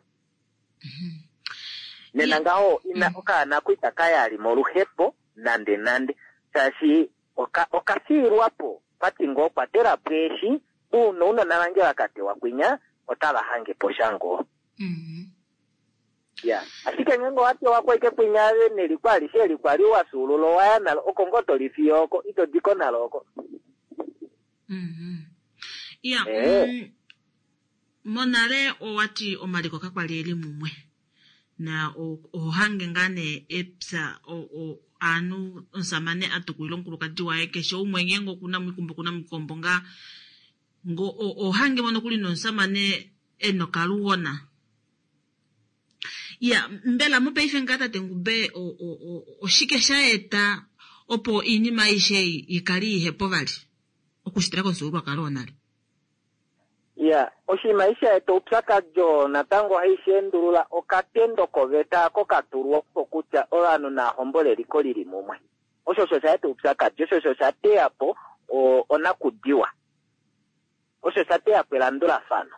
Nena ngaho ina okaana ko itaka ya li moluhepo nande nande, shaashi oka, oka fiilwa po pati ngoo kwatela po eshi uuna ounona vange va ka tewa kwinya otava hange po sha ngoo. Ya, ashike ngeenge owa tewa ko ike kwinya neliko alishe eli kwali wa fyuulula owa ya nalo, oko ngoo to li fiyo oko, ito di ko nalo oko. Ya, Eh. mm, monale owati omaliko kakwali eli mumwe. Na o-, ohange ngaa nee epya, o-, o-, aanhu omusamane a tukulila omukulukadi waye, keshe umwe ngeenge okuna omuikumbo, okuna omuikombo ngaa. Ngo, o-, ohange mono kuli nomusamane e nokaluona. Ya, mbela mopaife ngaa tate Ngube, o-, o-, o-, oshike sha eta opo iinima aishe i-, ikale ihepo vali? Okushitila komufyuululwakalo wonale. Ya, oshinima eshi sha eta oupyakadi oo natango ohai shi endulula okatendo koveta ako ka tulwa po kutya ovanhu naa hombole eliko lili mumwe. Osho osho sha eta oupyakadi, osho osho sha teya po o-, onakudiwa. Osho sha teya po elandulafano.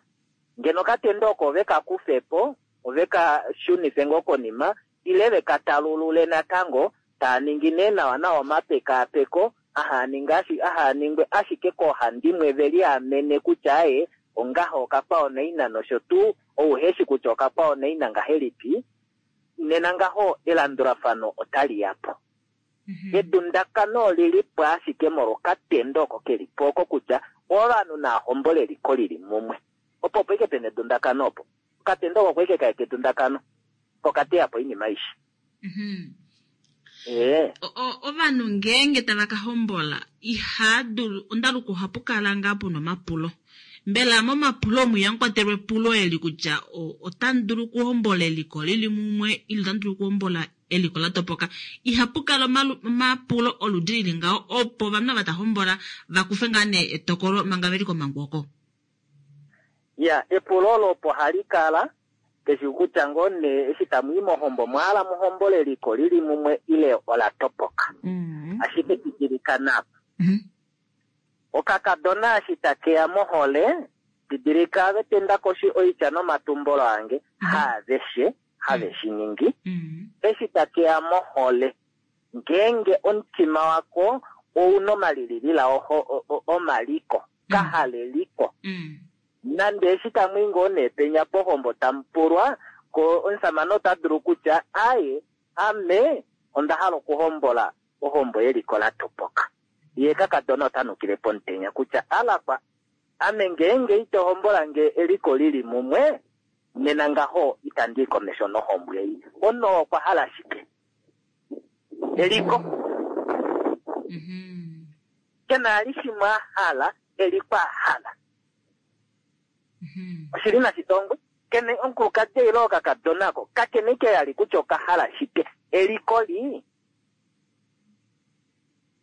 Ngeno okatendo oko ove ka kufe po, ove ka shunife ngoo konima, ile ve ka talulule natango, taa ningi nee nawa nawa omapekaapeko, aha ninge ashi-, aha ningwe ashike koohandimwe ve liamene kutya aye, ongaho okakwao naina nosho tuu, ou heshi kutya okakwao naina ngahelipi, nena ngaho elandulafano otali ya po. Mhm. Edundakano oli li po ashike molwokatendo oko ke li po oko kutya ovanhu naa hombole eliko lili mumwe. Opo opo ike pena edundakano opo. Okatendo oko ike kaeta edundakano. Kokateya po oinima aishe. Mhm. Eh. O-, o-, ovanhu ngeenge tava ka hombola, iha dulu, ondaluko ohapu kala ngaa puna omapulo. Mbela momapulo omu ihamu kwatelwa epulo eli kutya o-, otamu dulu okuhombola eliko lili mumwe, ile otamu dulu okuhombola eliko la topoka. Ihapu kala omalu-, omapulo oludi lili ngaho, opo ovanhu ava ta hombola va kufe ngaa nee etokolo manga veli komangu oko. Ya, epulo olo opo hali kala, keshe kutya ngoo nee eshi tamu i mohombo, mwa hala mu hombole eliko lili mumwe ile ola topoka. Mm. Ashike didilikana apa. Mm-hmm. Okakadona eshi take ya mohole, didilika ave tenda koshi oitya nomatumbolo ange, Mm-hmm. haaveshe, have shi ningi. Mm-hmm. Eshi take ya mohole, ngeenge omutima wako ouna omalililila oho-, o-, o-, omaliko, Mm. kahaleliko. Mm. Nande eshi tamu i ngoo nee penya pohombo tamu pulwa, ko omusamane ota dulu kutya, aye, ame onda hala okuhombola ohombo yeliko la topoka. Ye kakadona ota nukile pomutenya kutya, alakwa, ame ngeenge ito hombola nge eliko lili mumwe, nena ngaho itandi i komesho nohombo ei. Ono okwa hala shike? Eliko. Mhm. Kena ali shimwe a hala, eliko a hala. Mhm. Oshili nashitongwe. Kene omukulukadi ile okakadona ko, kakene ke ali kutya oka hala shike? Eliko li.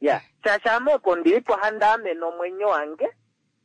Ya, shaashi ame opo ndili po handi amene omwenyo wange,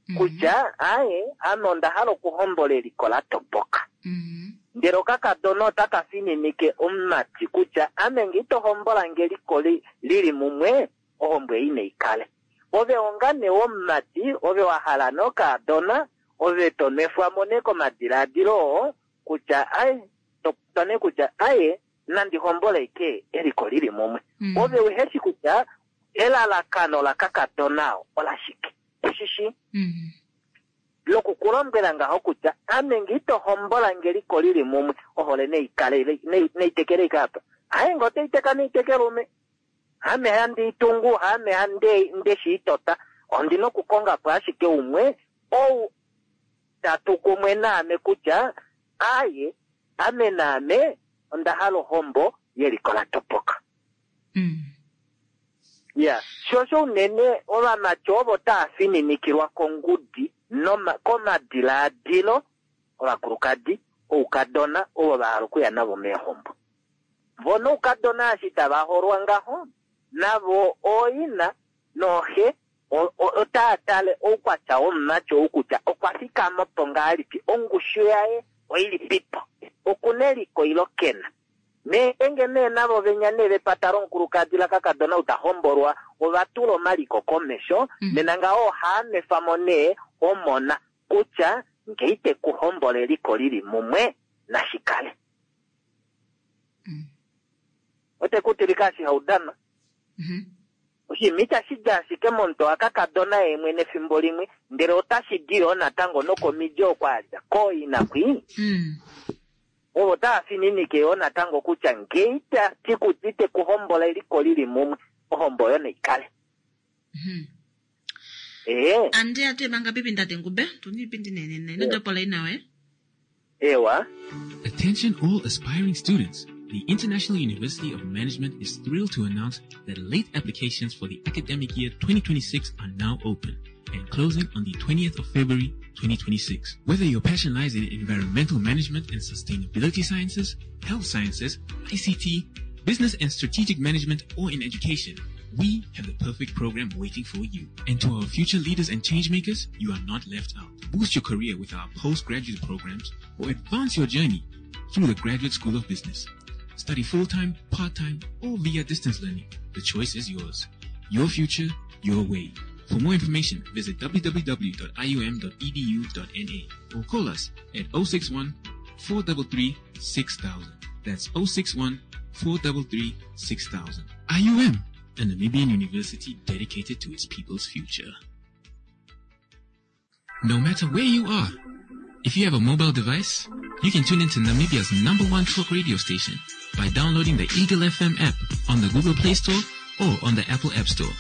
Mhm. kutya, aye, ame onda hala okuhombola eliko la topoka. Mhm. Ndele okakadona otaka fininike omumati kutya, ame nge ito hombola nge eliko li-, lili mumwe, ohombo ei nei kale. Ove ongane womumati, ove wa hala nokadona, Ove to nwefwa mo nee komadilaadilo oo kutya aye to nee kutya aye nandi homboleke eliko lili mumwe. Mm. Ove uheshi kutya elalakano lakakadona ola shike. Ushishi Mm. lokukulombwela ngaho kutya ame nge ito hombola ngeliko lili mumwe ohole neikale neitekele ikapa aye nge oteiteka neitekelume ame handi itungu ame hande ndeshiitota ondina okukonga po ashike umwe ou tatu kumwe naame kutya aye ame naame onda hala ohombo yeliko la topoka. Mm. Ya, shosho unene ovamati ovo taa fininikilwa kongudi noma komadilaadilo ovakulukadi oukadona ovo va hala okuya navo meehombo. Vo noukadona eshi tava holwa ngaho navo ooina nooxe otaa tale oukwatya womumati ou kutya okwa fikama po ngahelipi, ongushu yaye oilipipo, okuna eliko ilo kena. Ngeenge nee navo venya nee vepata lomukulukadi lakakadona ou ta hombolwa ova tula omaliko komesho, nena ngaho ohaa nwefa mo nee omona kutya nge ite ku hombola eliko lili mumwe nashikale. Ote ku tilika eshi haudana. Oshinima itashi di ashike momutwe wakakadona ye mwene efimbo limwe, ndele otashi di yoo natango nokomidi oko a dja kooina kwii. Ovo tava fininike yoo natango kutya nge itati kutya ite ku hombola eliko lili mumwe, ohombo oyo naikale. Ee. Andi atu emanga pipi ndate ngube tuni ipindi nenene inotopola inawe. Ewa. Attention all aspiring students. The International University of Management is thrilled to announce that late applications for the academic year twenty twenty-six are now open and closing on the twentieth of February twenty twenty-six. Whether your passion lies in environmental management and sustainability sciences, health sciences, I C T, business and strategic management, or in education, we have the perfect program waiting for you. And to our future leaders and change makers, you are not left out. Boost your career with our postgraduate programs or advance your journey through the Graduate School of Business. Study full-time, part-time, or via distance learning. The choice is yours. Your future, your way. For more information, visit w w w dot i u m dot e d u dot n a or call us at oh six one, four three three, six thousand. That's oh six one, four three three, six thousand. I U M, a Namibian university dedicated to its people's future. No matter where you are, if you have a mobile device, you can tune into Namibia's number one talk radio station by downloading the Eagle F M app on the Google Play Store or on the Apple App Store.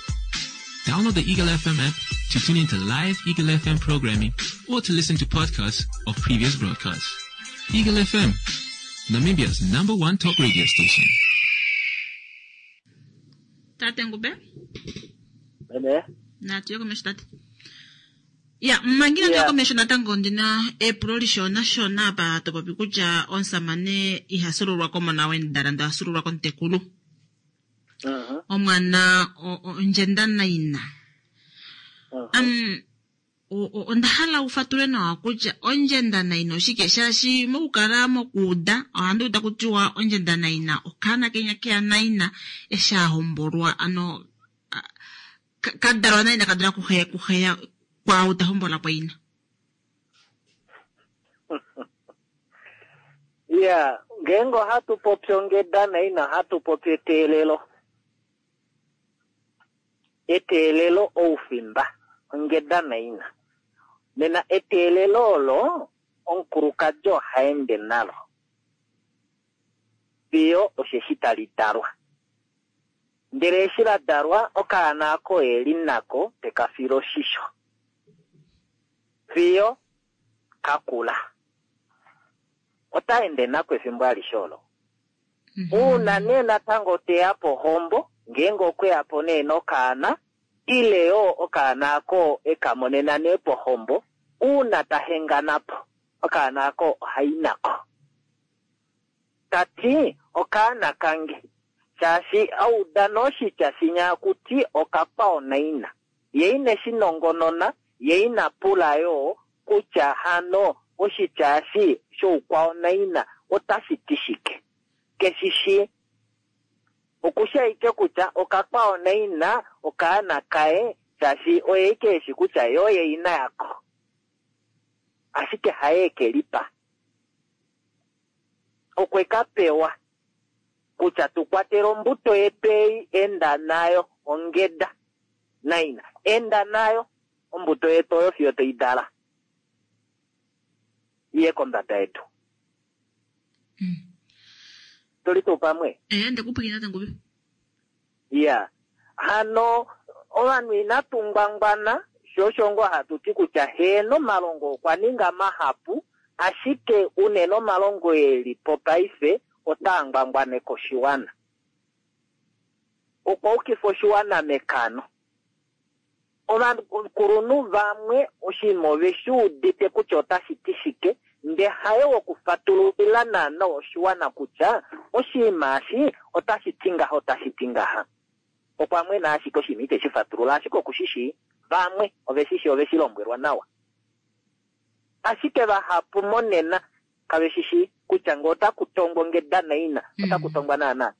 Download the Eagle F M app to tune into live Eagle F M programming or to listen to podcasts of previous broadcasts. Eagle F M, Namibia's number one talk radio station. Tate Ngube? Ene? Natu yoko mesho tate. Ya, mangina Yeah. yoko mesho natango ndina epulo lishona shona apa to popi kutya omusamane iha sululwa komona wendala nda sululwa komutekulu. Mhm. Omwana o-, o-, ondjenda naina. Mhm. Um, o-, o-, onda hala ufatule nawa kutya ondjenda naina oshike shaashi mokukala mokuuda ohandi uda kutiwa ondjenda naina okaana kenya keya naina eshi a hombolwa ano, a-, ka-, kadalwa naina kadalwa kuheya, kuheya kwaau ta hombola poina. Ya, ngeenge ohatu popi ongeda naina ohatu popi eteelelo. Eteelelo oufimba, ongeda naina. Nena eteelelo olo omukulukadi oha ende nalo fiyo osheshi tali dalwa. Ndele eshi la dalwa okaana ako e li nako teka file oshisho fiyo kakula. Ota ende nako efimbo alishe olo. Mhm. Uuna nee natango teya pohombo, ngeenge okweya po nee nokaana, ile yo okaana ako e ka monena nee pohombo, uuna ta hengana po, okaana ako ohai nako. Ta ti, okaana kange, shaashi auda noshitya shinya kuti okakwao naina. Ye ine shi nongonona, ye ina pula yo kutya hano oshitya eshi shoukwao naina otashi ti shike. Keshishi okusha ike kutya okakwao naina okaana kaye, shaashi oye ike eshi kutya yo oye ina yako. Ashike haye ke lipa. Okwe ka pewa kutya tu kwatele ombuto yetu ei, enda nayo ongeda naina, enda nayo ombuto yetu oyo fiyo toi dala iye kombada yetu. Tuli tuu pamwe? Eh, ndekupwikina tangubi. Ya hano ovanhu inatu ngwangwana, sho osho ngoo hatu ti kutya heeno omalongo okwa ninga mahapu, ashike unene omalongo eli po paife otaa ngwangwaneke oshiwana. Okwa ukifa oshiwana mekano. Ovakulunhu vamwe oshinima ove shi udite kutya otashi ti shike, nde haye wokufatululila naana oshiwana kutya oshinima eshi otashi ti ngaha, otashi ti ngaha. Okwa mwena ashike oshinima ite shi fatulula, ashike oku shi shii. Vamwe ove shi shii, ove shi lombwelwa nawa. Ashike vahapu monena kave shi shii kutya ngee otaku tongwa ongeda naina, otaku tongwa naana.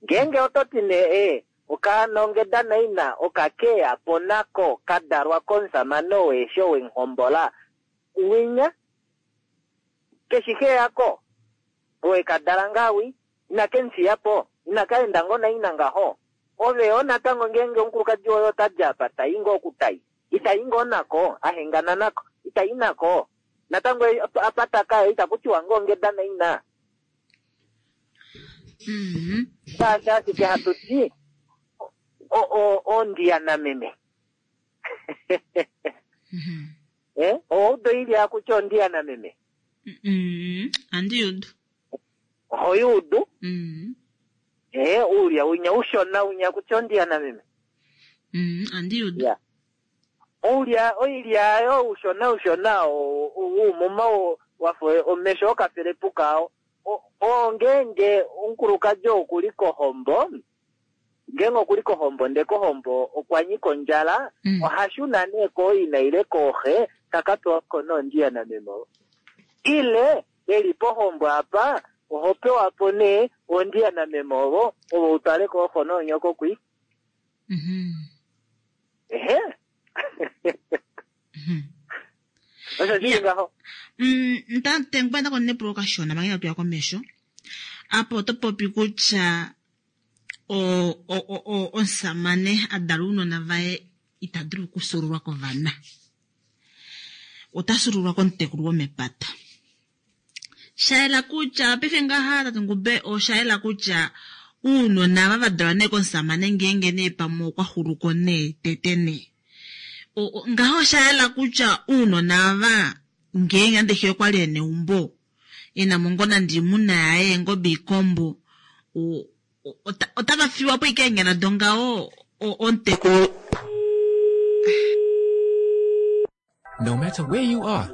Ngeenge oto ti nee, ee, okaana ongeda naina okakeya po nako ka dalwa komusamane oo eshi owemuhombola, winya keshi xe yako, owe ka dala ngaa wi, ina ke mu fiya po, ina ka enda ngoo naina ngaho. Ove yo natango ngeenge omukulukadi woye ota di apa, tai ngoo okutai, itai ngoo nako, a hengana nako, itai nako. Natango apa taka itaku tiwa ngoo ongeda naina. Shaashi ashike hatu ti ondiya nameme. Eh, oudo ili akutya ondiya nameme. Andi udu. Oho udu? Eh, ulya unya ushona unya kutya ondiya nameme. Mm, andi udu. Ya. Ulya oilya yo ushona ushona uumuma wafo omesho okafelepuka o ngeenge omukulukadi okuli kohombo, ngeenge okuli kohombo nde kohombo okwa nyika ondjala, oha shuna nee kooina ile kooxe taka pewa ko nondiya nameme. Ile eli pohombo apa oho pewa po nee ondiya nameme ovo ovo utwale kooxo noonyoko kwi. Ehe. Osho shili ngaho. Nta konnepulo kashona manga inatu ya komesho. Apo oto popi kutya omusamane a dala ounona vaye ita dulu okusululwa kovana. Ota sululwa komutekulu womepata. Shaela kutya paife ngaha Tate Ngube oshaela kutya uunona ava va dalwa nee komusamane ngeenge nee pamwe okwa xuluko nee tete nee. Ngaho oshaela kutya uunona ava ngeenge nande xe okwa li e neumbo ena mo ngoo nande oimuna yaye eengobe iikombo otava fiwa po ike eenyala dongaho omutekulu. No matter where you are,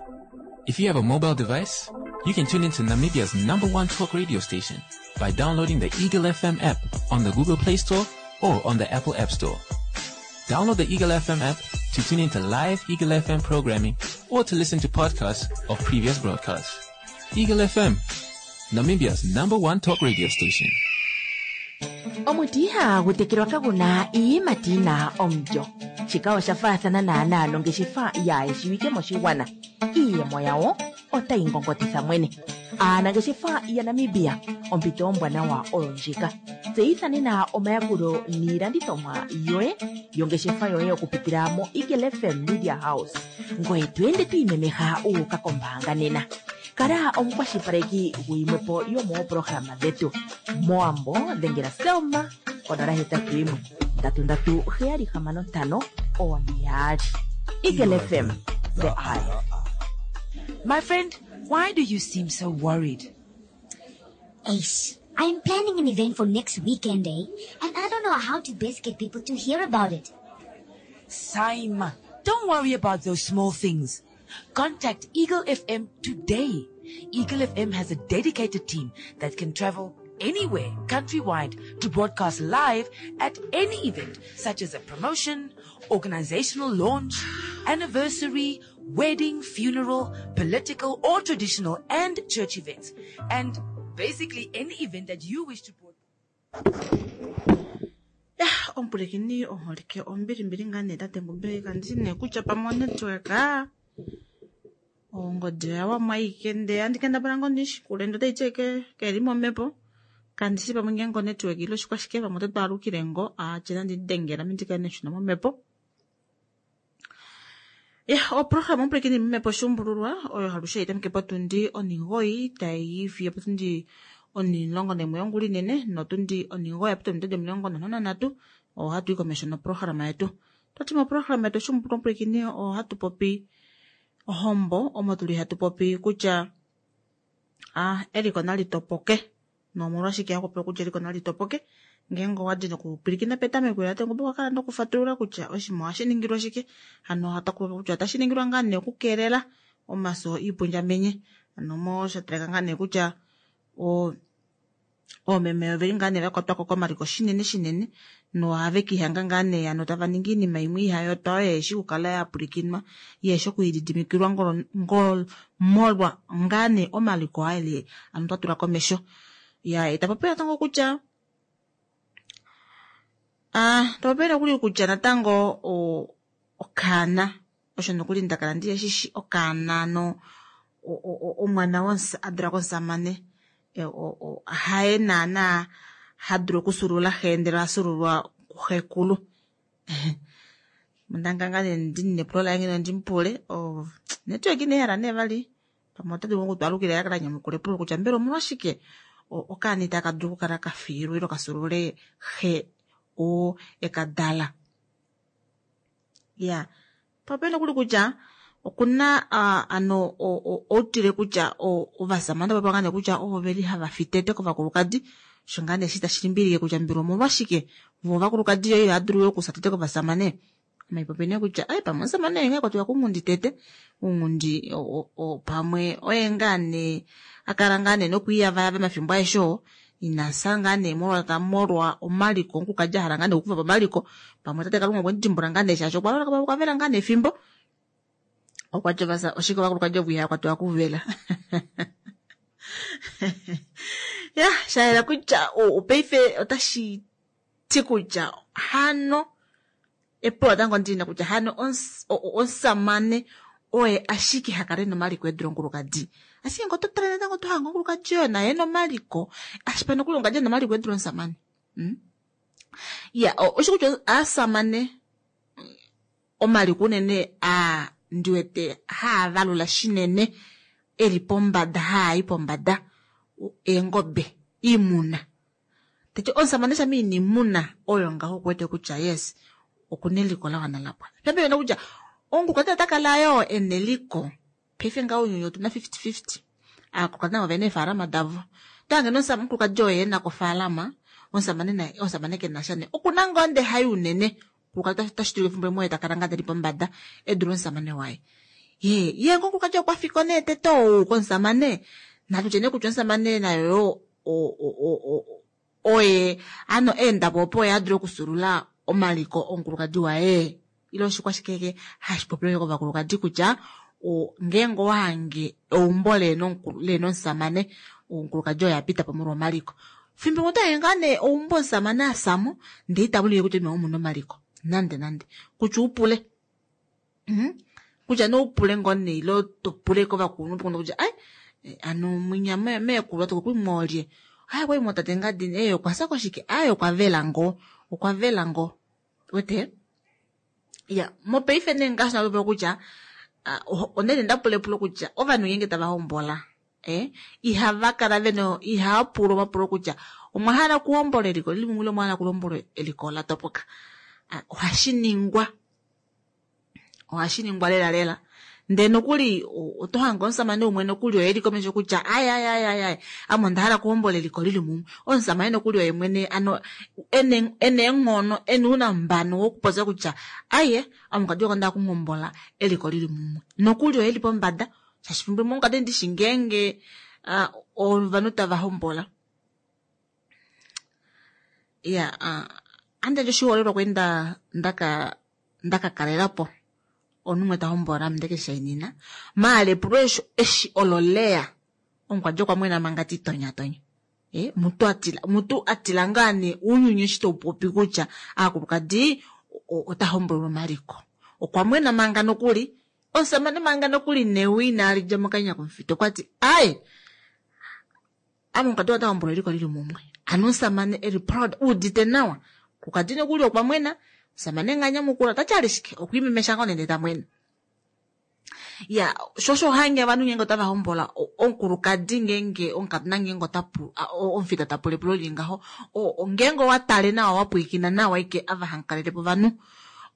if you have a mobile device, you can tune into Namibia's number one talk radio station by downloading the Eagle F M app on the Google Play Store or on the Apple App Store. Download the Eagle F M app to tune into live Eagle F M programming or to listen to podcasts of previous broadcasts. Eagle F M, Namibia's number one talk radio station. Omuti ihagu tekelwa kaguna iiyimati yina omulyo. Shika osha faathana naanaa nongeshefa yaayeshiwike moshigwana. Iiyemo yawo otayi ngongotitha mwene. Aanangeshefa yaNamibia, ompito ombwanawa oyo ndjika. Tseyitha nena omayakulo niilandithomwa yoye yongeshefa yoye okupitila mo Eagle F M Media House. Ngoye to ende to imemeha u uka kombaanga nena. Kala omukwashilipaleki guyimwepo yomoopolohalama dhetu. Moambo dhengela Selma konola hetatu yimwe ndatu ndatu heyali hamano ntano one yaali. Eagle F M, the eye. My friend, why do you seem so worried? Ace, I'm planning an event for next weekend, eh? And I don't know how to best get people to hear about it. Saima, don't worry about those small things. Contact Eagle F M today. Eagle F M has a dedicated team that can travel anywhere countrywide to broadcast live at any event, such as a promotion, organizational launch, anniversary, wedding, funeral, political or traditional and church events, and basically any event that you wish to broadcast. Yeah, ompulekeni oholike ombili mbili ngaa nee Tate Ngube kandi nee kutya pamwe onetwork. Ongodi oya aike ndee handi kendabala ngoo ndishikule ndee otaiti ashike keli momhepo. Kandishi pamwe ngeenge onetwork ile oshikwashike pamwe oto twaalukile ngoo atye nandi dengela ame ndikale neshina momhepo. Ya, oprograma omupwilikini momhepo Shuumbululwa oyo alushe haitameke potundi onhingoyi taiyi fiyo potundi onimulongo naimwe yongula inene notundi onhingoyi yapita ominute omilongo nhano nanhatu ohatu i komesho noprograma yetu. Twati moprograma yetu Shuumbululwa omupwilikini ohatu popi ohombo omo tuli hatu popi kutya ah, eliko nali topoke nomolwashike hakupopiwa kutya eliko nali topoke ngeenge owadi nokupwilikina petameko lela tango okwa kala nokufatulula kutya oshinima ohashi ningilwa shike hano otaku popi kutya otashi ningilwa ngaa nee okukeelela omaso iipundjamenye hano mo shatalika ngaa nee kutya o oomeme oveli ngaa nee vakwatwako komaliko shinene shinene nohave kiihanga ngaa nee ano tava ningi iinima imwe ihayotwa oyo yeshi okukala ya pwilikinwa yeshi okwiididimikilwa ngol molwa ngaa nee omaliko aele ano twa tula komesho. Ya itapopi natango kutya ah tapopi nokuli kutya natango okaana osho nokuli ndakala ndiyeshishi okaana no omwana adula komusamane haye naana hadulu okusulula xe ndele asululwa kuxekulu. Mondanganga nee ndine epulo laye ngeno ndimupule network ine hala nee vali pamwe ota dulu okutwalukila yakala nyamukula epulo kutya mbela omolwashike okaana itaka dulu okukala kafiilwa ile kasulule xe oo ekadala. Ya popeni nokuli kutya okuna ano outile kutya ovasamane popa ngane kutya ovo veli hava fitete kovakulukadi osho ngaa nee shi tashi limbilike kutya mbela omolwashike vo ovakulukadi yo ihadulu okusa tete kovasamane. Maipopi nee kutya ai pamwe omusamane oye ngaa kwatiwa kunghundi tete unghundi pamwe oye ngaa nee akala ngaa nee nokwiiyavayava mafimbo aeshe oo inasa ngaa nee molwa molwa omaliko omukulukadi ahala ngaa nee okukufa po omaliko pamwe tate Kalunga okwe mudimbula ngaa nee shaashi okwa loloka okwa vela ngaa nee efimbo okwa tya oshike ovakulukadi ovo ihaya kwatiwa kuvela. Ya shayela kutya paife otashi ti kutya hano epulo natango ndina kutya hano omusamane oye ashike hakale nomaliko edula omukulukadi ashike ngo oto tale natango tohanga omukulukadi oyo naye nomaliko ashike nokuli omukulukadi nomaliko edula omusamane. Ya osho kutya aasamane omaliko unene a ndiwete haavalula shinene eli pombada haayi pombada eengobe iimuna teti omusamane shampa ina iimuna oyo ngaho okuwete kutya yes okuna eliko la wana lapwa. Pembe kutya omukulukadi ota kala yoo ena eliko paife ngaho ounyuni otuna fifty fifty aakulukadi navo ovena eefalama davo tohange omukulukadi oye ena kofaalama omusamane naye omusamane kenasha nee okuna ngoo ndee hayi unene omukulukadi otashi dulika efimbo limwe oye takala ngaa tali pombada edule omusamane waye. Ye ye ngo omukulukadi okwa fika nee tete ou komusamane natutye nee kutya omusamane nayo oye ano eendapo opo oye adule okusulula omaliko omukulukadi waye ile oshikwashike hashi popiwa kovakulukadi kutya ngeenge owahange eumbo leena omusamane omukulukadi oye apita po molwa omaliko. Fimbo limwe otohange ngaa nee eumbo omusamane asamo ndee ita ulike kutya omuna omaliko nande nande kutya upule kutya nee upule ngoo nee ile topule kovakulunhu kutya ai ano mwinya meekulu atokokwimwa olye ai okwali tate ngadini ee okwasa koshike ai okwa vela ngoo okwa vela ngoo wete ya mopaife nee ngaashi napopiwa kutya onene ndapula epulo kutya ovanhu ngeenge tava hombola eh ihava kala vena ihava pulwa omapulo kutya omwa hala okuhombola eliko lili mumwe ile omwa hala okuhombola eliko la topoka. Ohashi ningwa ohashi ningwa lela lela ndee nokuli oto hange omusamane umwe nokuli oye eli komesho kutya ai ai ai ai ai ame onda hala okuhombola eliko lili mumwe omusamane nokuli oye mwene ano ena eenghono ena ounambano wokupopya kutya aiye ame omukadi wange onda hala okuhombola eliko lili mumwe nokuli oye eli pombada shaashi fimbo limwe omukadi ndishi ngeenge ovanhu tava hombola. Ya andandje oshiholelwa kwali ndaka ndakakalelapo omunhu umwe tahombola ame ndekeshainina maala epulo eshi olo leya omukwadi okwa mwena manga titonyatonya eh mutu atila mutu atila ngaa nee ounyuni eshi taupopi kutya aakulukadi ota hombolwa omaliko okwa mwena manga nokuli Omusamane manga nokuli newi inali dja mokanya komufita okwa ti ai ame omukadi ota hombola eliko lili mumwe. Ano omusamane eli proud udite nawa. Kukadi nokuli okwa mwena omusamane nganyamukula tati alishike okwiimemesha ngoo nende ta mwena. Ya shosho hange ovanhu ngenge otava hombola omukulukadi ngenge omukadona ngenge ota omufita ta pula epulo lili ngaho ngenge owa tale nawa wa pwilikina nawa ike ava hankalelepo ovanhu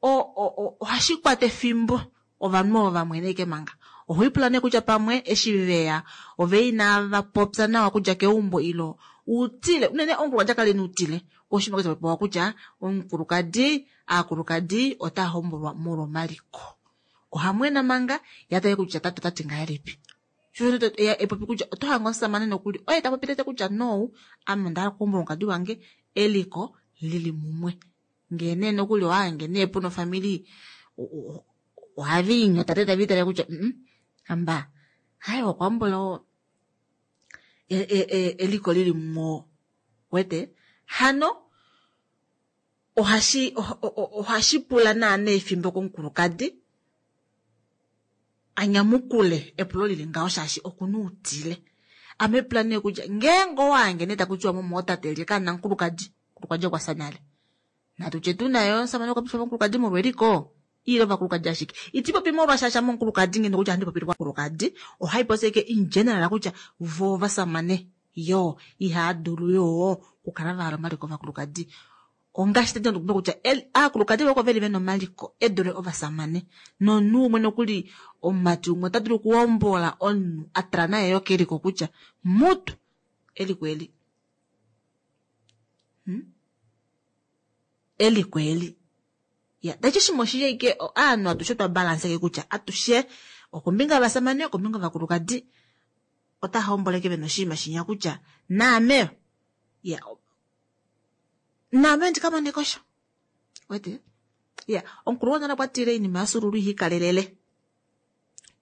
ohashi kwata efimbo ovanhu ovo vamwene ike manga. Ohoipula nee kutya pamwe eshi veya ove inava popya nawa kudja keumbo ilo utile unene omukulukadi akale nuutile oshima kesha kutya omukulukadi aakulukadi ota hombolwa molwomaliko. Ohamwena manga yatale kutya tate tati ngahelipi. Sho epopi kutya oto hanga omusamane nokuli oye ta popi tete kutya no ame onda hala okuhombola omukadi wange eliko lili mumwe. Ngee nee nokuli owahange nee puna ofamili ohavi inyota tete tavi tale kutya amba hai okwa hombola eliko lili mumwe wete hano ohashi ohashi pula naana efimbo komukulukadi anyamukule epulo lili ngaho shaashi okuna utile. Ame pula nee kutya ngeenge owange nee takutiwa momo tate lye kana mukulukadi mukulukadi okwa fya nale natutye tu nayo omusamane okwa pifa mukulukadi molweliko ile ovakulukadi ashike iti popi molwashasha momukulukadi ngeno kutya handi popile kwakulukadi ohai popi ashike in general kutya vo ovasamane yo ihaa dulu yo okukala va hala omaliko ovakulukadi. Ongaashi tete ndikupe kutya aakulukadi voko veli vena omaliko edule ovasamane nomunhu umwe nokuli omumati umwe ota dulu okuhombola omunhu a tala naye yo keliko kutya mutu eliko eli eliko eli ya tachi shimwe oshili ike aanhu atushe twa balanse kutya atushe okombinga yovasamane okombinga yovakulukadi ota homboleke vena oshinima shinya kutya naame ya naame ndikamone kosha wete ya omukulu wonale okwa tile iinima yasululu ihikalelele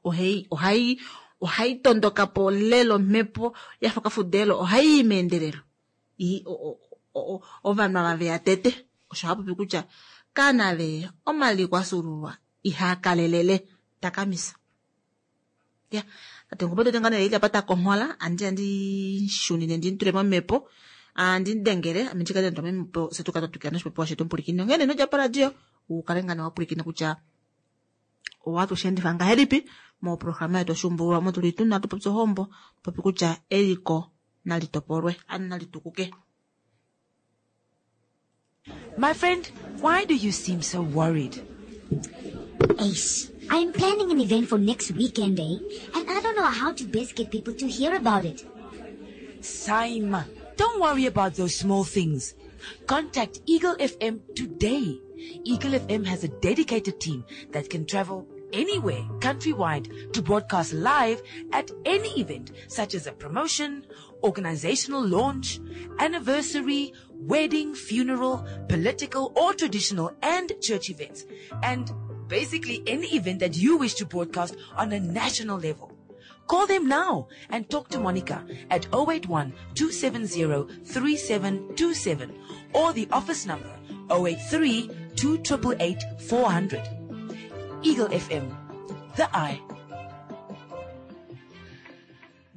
ohai ohai ohai tondoka po lelo omhepo yafa okafudelo ohai i meendelelo ovanhu ava veya tete osho hapopi kutya kanave omaliko asululwa ihaa kalelele takamisa. Ya tate ngopo tete ngane ili apa takonghola andi andi shunine ndi ntule momhepo andi dengele ame ndikale nditula momhepo se tukale twatwikila noshipopiwa shetu omupulikini onghene nodja paradio ukale ngane wapwilikina kutya owatu shendifa ngahelipi moprograma yetu oshuumbululwa mo tuli tuna tupopye ohombo popi kutya eliko nali topolwe ano nali tukuke. My friend, why do you seem so worried? Ace, I'm planning an event for next weekend, eh? And I don't know how to best get people to hear about it. Saima, don't worry about those small things. Contact Eagle F M today. Eagle F M has a dedicated team that can travel anywhere countrywide to broadcast live at any event such as a promotion, organizational launch, anniversary, wedding, funeral, political or traditional and church events, and basically any event that you wish to broadcast on a national level. Call them now and talk to Monica at oh eight one, two seven zero, three seven two seven or the office number oh eight three, two triple eight, four hundred. Eagle F M, the eye.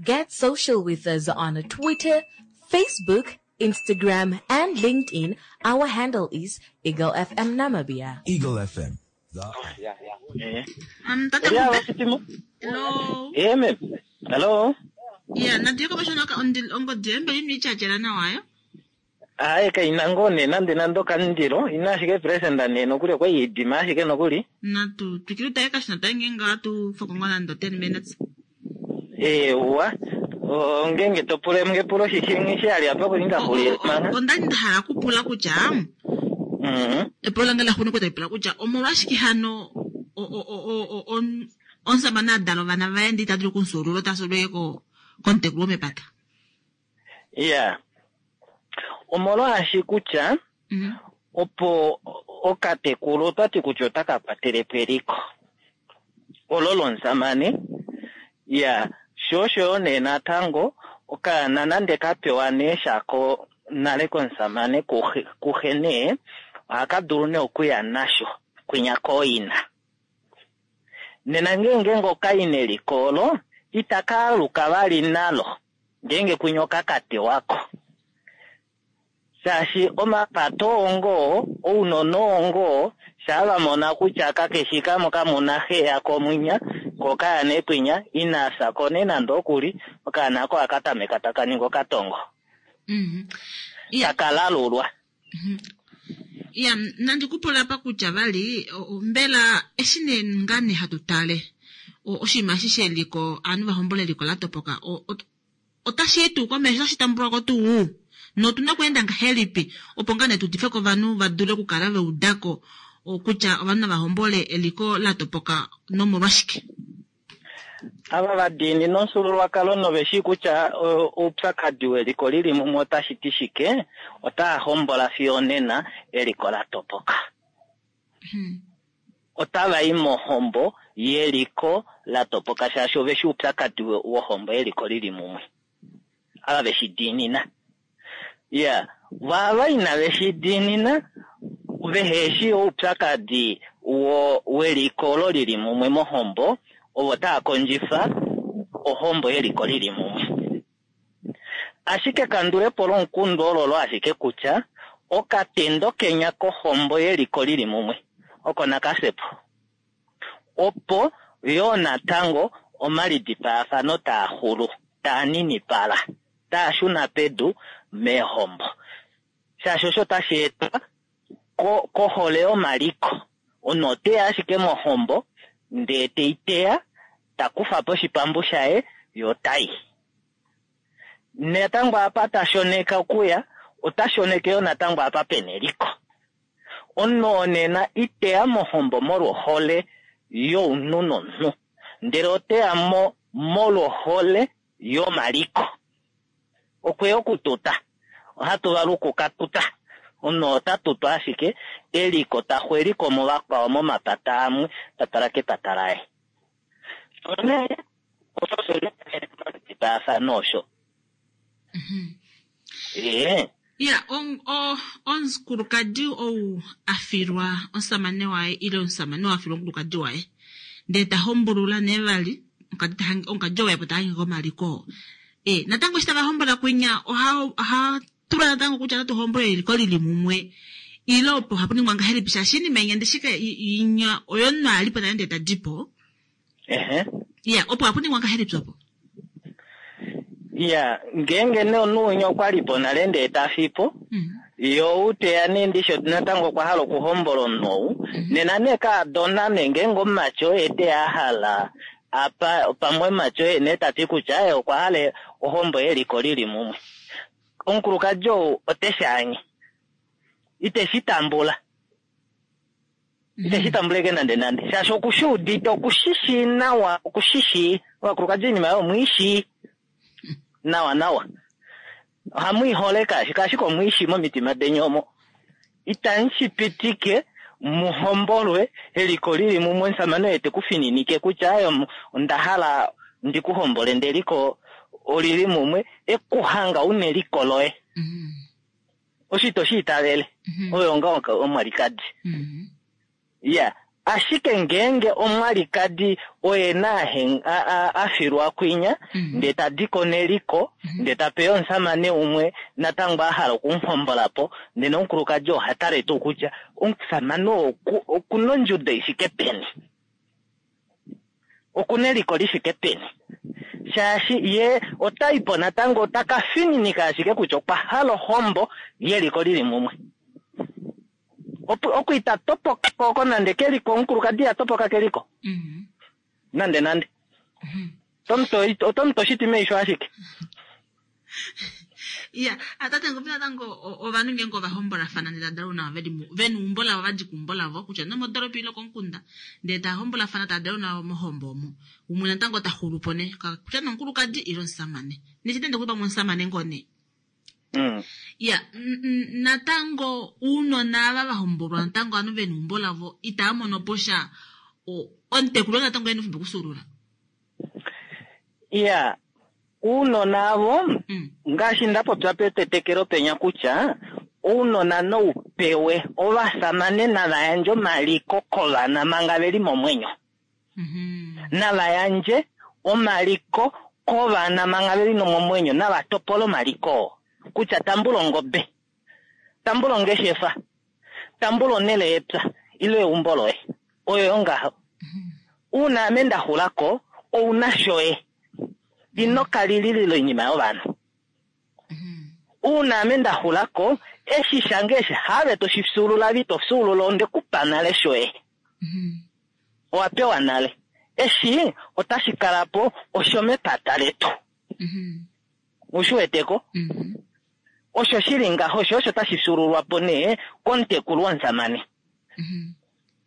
Get social with us on Twitter, Facebook, Instagram, and LinkedIn. Our handle is Eagle F M Namibia. Eagle F M. The eye. Yeah, yeah. Um, Tata Yeah, Ngumbe. Timo. Hello. Yeah, ma'am. Hello. Yeah, nandiyoko bashona ongodhi embe yini ichajela nawayo? Hayi ka inangone nande nando kandilo ina ashike present ne nokuli okwa yidima ashike nokuli. Natu twikile taye kashina taye ngenga atu fokongo nando ten minutes. Eh, wa. Ongenge topule mngepulo shishingi shali apa kulinga huli mana. Onda nda hala kupula kutya. Mhm. Epulo lange la hunu kutya ipula kutya omolwashike hano o o o o o omusamane a dala ovana vaye ndi ita dulu okunsuulula ota suululwe ko komutekulu womepata. Yeah. Omolwaashi kutya Mhm. opo okatekulu otwati kutya otaka kwatele po eliko olo lomusamane. Yeah. Sho osho nee natango okaana nande ka pewa nee shako nale komusamane kuhe, kuhe nee ohaka dulu nee okuya nasho kwinya kooina. Nena ngeenge okai neliko olo itaka aluka vali nalo ngeenge kwinya okakatewako. Shaashi omapato ongo ounona ongo shaa vamona kutya kakeshi kamwe kamuna xe yako mwinya ko kaya nekwinya inafya ko nee nande okuli okaana ako akatameka taka ningi okatongo. Mm -hmm. yeah. Takalalulwa. Mm -hmm. Ya, nandi kupula pa kutya vali mbela eshi nee ngane hatu tale oshinima eshi sheliko ovanhu vahombola eliko la topoka otashi yi tuu komesho otashi tambulwa ko tuu notuna okweenda ngahelipi opo ngane tu dife kovanhu va dule okukala va udako kutya ovanhu nava hombole eliko la topoka nomolwashike? Ava vadiinina omufyuululwakalo noveshi kutya oupyakadi weliko lili mumwe otashi ti shike, otaa hombola fiyo onena eliko la topoka. Hmm. Otava i mohombo yeliko la topoka shaashi oveshi oupyakadi wohombo yeliko lili mumwe. Ava veshi diinina. Ya, vava inave shi diinina veheshi oupyakadi wo weliko olo lili mumwe mohombo, ovo taa kondjifa ohombo yeliko lili mumwe. Ashike kandulepo lomukundu ololo ashike kutya okatendo kenya kohombo yeliko lili mumwe oko nakasepo, opo yoo natango omalidipaafano taa xulu taa ninipala taa shuna pedu meehombo, shaashi osho tashi etwa kohole yomaliko. Omunhu oteya ashike mohombo ndee teiteya takufa po oshipambu shaye yo tai. Natango apa tashoneka okuya ota shoneke yo natango apa pena eliko. Omunhu onena iteya mohombo molwohole younhu nomunhu, ndele oteya mo molwohole yomaliko. Okweya okututa, ohatu valuku katuta. Omunhu ota tutwa ashike eliko taxu eliko movakwao momapata amwe tatala kepata laye. One osho osho. Eh. Ya, omukulukadi ou afilwa omusamane waye ile omusamane ou afilwa omukulukadi waye ndee ta hombulula nee vali omukadi ou yapo tahange komaliko. Eh, natango eshi tava hombola kwinya oha oha tula natango kutya otatu hombola eliko lili mumwe ile opo hapu ningwa ngahelipi shaashi iinima inya ndishike inya oyo omunhu alipo nale ndee tadipo. Ehe. Ya, opo hapu ningwa ngahelipi opo? Ya, ngeenge nee omunhu winya okwalipo nale ndee tafipo, yo uteya nee ndisho natango okwa hala okuhombola omunhu ou, nena nee kaadona nee ngeenge omumati oye teya ahala apa pamwe omumati oye nee tati kutya aye okwa hala ohombo yeliko lili mumwe. Omukulukadi ou oteshi anye. Iteshi tambula. Iteshi tambuleke nande nande. Shaashi okushiudite, okushishi nawa, okushishi. Ovakulukadi oinima oyo omwiishi nawa nawa. Ohamu kaashi kaashike omwiishi momitima deni omo. Itamu pitike muhombolwe eliko lili mumwe omusamane oye tekufininike kutya aye onda hala ndikuhombole ndele eliko olili mumwe ekuhanga una eliko loye. Oshito shiitavele. Oyo nga omwalikadi. Ya, ashike ngeenge omwalikadi oye na afilwa kwinya ndee tadiko neliko ndee tapeya omusamane umwe natango ahala okumuhombolapo, nena omukulukadi oha tale tuu kutya omusamane okuna ondjudo ifike peni, okuna eliko lifike peni, shaashi ye otaipo natango otaka fininika ashike kutya okwa hala ohombo yeliko lili mumwe. Oku ita topoka koko nande keliko, omukulukadi ya topoka keliko. Nande nande. Otomuto shiti meisho ashike. Ya, atate ngopi natango ovanhu ngeenge ovahombolafana ndele tadala una vena eumbo lavo vadi keumbo lavo kutya nomodoropa ile komukunda ndele tava tadala una mohombo omo. Umwe natango ta xulupo ne kutya nomukulukadi ile omusamane. Neshitende kuti pamwe omusamane ngoo nee. Mm. Ya, natango uunona ava vahombolwa natango ovanhu vena eumbo lavo itava mono po sha omutekuli natango ena efimbo okusuulula. Ya, uunona avo ngaashi ndapopya petetekelo penya kutya ounona noupewe ovasamane nava yandje omaliko kovana manga veli momwenyo. Nava yandje omaliko kovana manga veli nomomwenyo, nava topole omaliko oo. Kutya tambula ongobe, tambula ongeshefa, tambula onhele yepya ile eumbo loye. Oyo yongaho. Uuna ame nda xulako, ouna shoye. Ino kalililila oinima yovanhu. Uuna ame nda xulako, eshi shange eshi have toshi fyuulula vi to fyuulula onde kupa nale shoye. Owa pewa nale. Eshi otashi kala po oshomepata letu. Ushi weteko? Osho shili ngaho, osho osho tashi fyuululwa po nee komutekulu womusamane.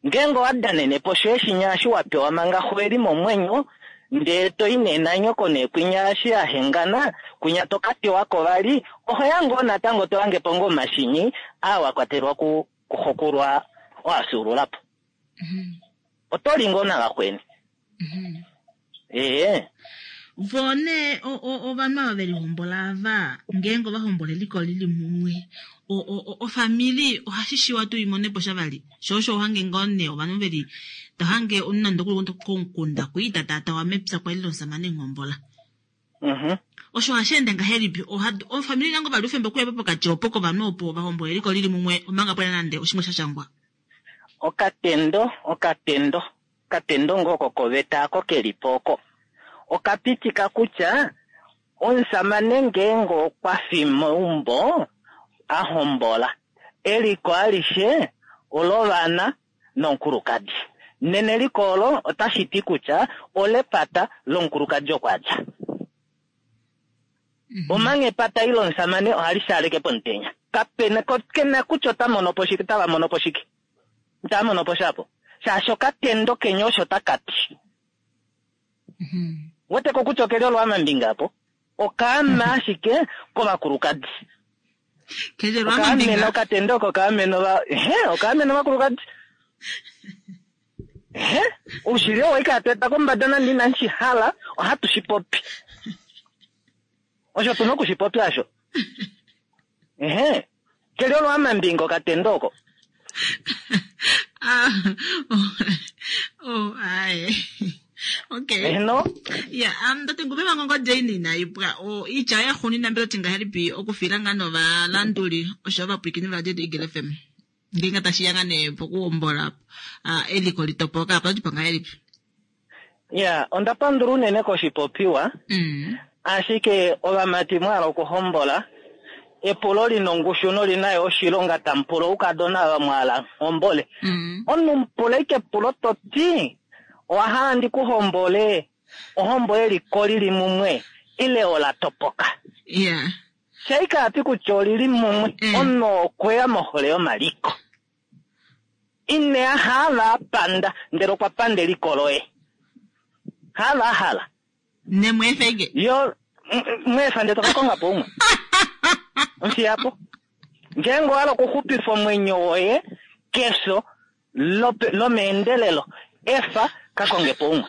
Ngeenge owa danene po shoye shinya eshi wa pewa manga xo eli momwenyo, ndee to i nee nanyoko nee kwinya eshi ya hengana, kwinya to ka tewa ko vali, oho ya ngoo natango to hange po ngoo omashinyi aa wa kwatelwa ku kuxokulwa wa fyuulula po. Oto li ngoo navakweni. Ee. Vo nee ovanhu ava ve lihombola ava, ngeenge ova hombola eliko lili mumwe, ofamili ohashi shiwa tuu imone po sha vali. Sho osho ohange ngoo nee ovanhu veli tohange omunhu nande okuli komukunda kwii ta taatawa mepya kwali lomusamane nghombola. Osho ohashi ende ngahelipi? Ofamili nango vali oufemba okuya po pokati opo kovanhu opo va hombola eliko lili mumwe omanga pwena nande oshimwe sha shangwa. Okatendo, okatendo, okatendo ngoo kokoveta ako keli po oko. Okapitika kutya omusamane ngeenge okwa fi meumbo a hombola, eliko alishe olovana nomukulukadi. Nena eliko olo otashi ti kutya olepata lomukulukadi oko a dja. Omanga epata ile omusamane ohali shaaleke pomutenya. Kapena kena kutya ota mono po shike, otava mono po shike. Itava mono po shapo. Shaashi okatendo kenya osho taka ti. Weteko kutya okeli olwaamambinga apo. Okaama ashike kovakulukadi. Okaameno okatendo oko okaameno va ehe, okaameno ovakulukadi. Ehe, oushili oo waika hatu eta kombada nande inashi hala, ohatu shi popi. Osho tuna okushi popya osho. Ehe, keli olwaamambinga okatendo oko. Ah, oh, aye. Okay. No. Yeah, um tate ngube mangongo Jane inaipwa. O itya ya xuni nambelo tingahelipi okufila nga novalanduli osho ovapwilikini va Radio Eagle F M. Ngeenge tashi ya nga nee pokuhombola uh, eliko litopoka apa otipa ngahelipi? Yeah, onda pandula unene koshipopiwa. Mm. Ashike ovamati mwa okuhombola epulo lina ongushu nolina yo oshilonga tamu pula oukadona ava mwahala hombole. Mm. Omunhu mupula ike epulo toti owa hala ndi kuhombole ohombo yeliko lili mumwe ile ola topoka. Yeah. Shaika ati kutya olili mumwe Mm. omunhu okweya mohole yomaliko. Ine hala apanda ndele okwa panda eliko loye. Hala hala. Nemweefege. Yo mweefa ndele tokakonga po umwe. Mfiyapo. Ngeenge owa hala okuxupifa omwenyo woye kefyo lomeendelelo, efa kakonge po umwe.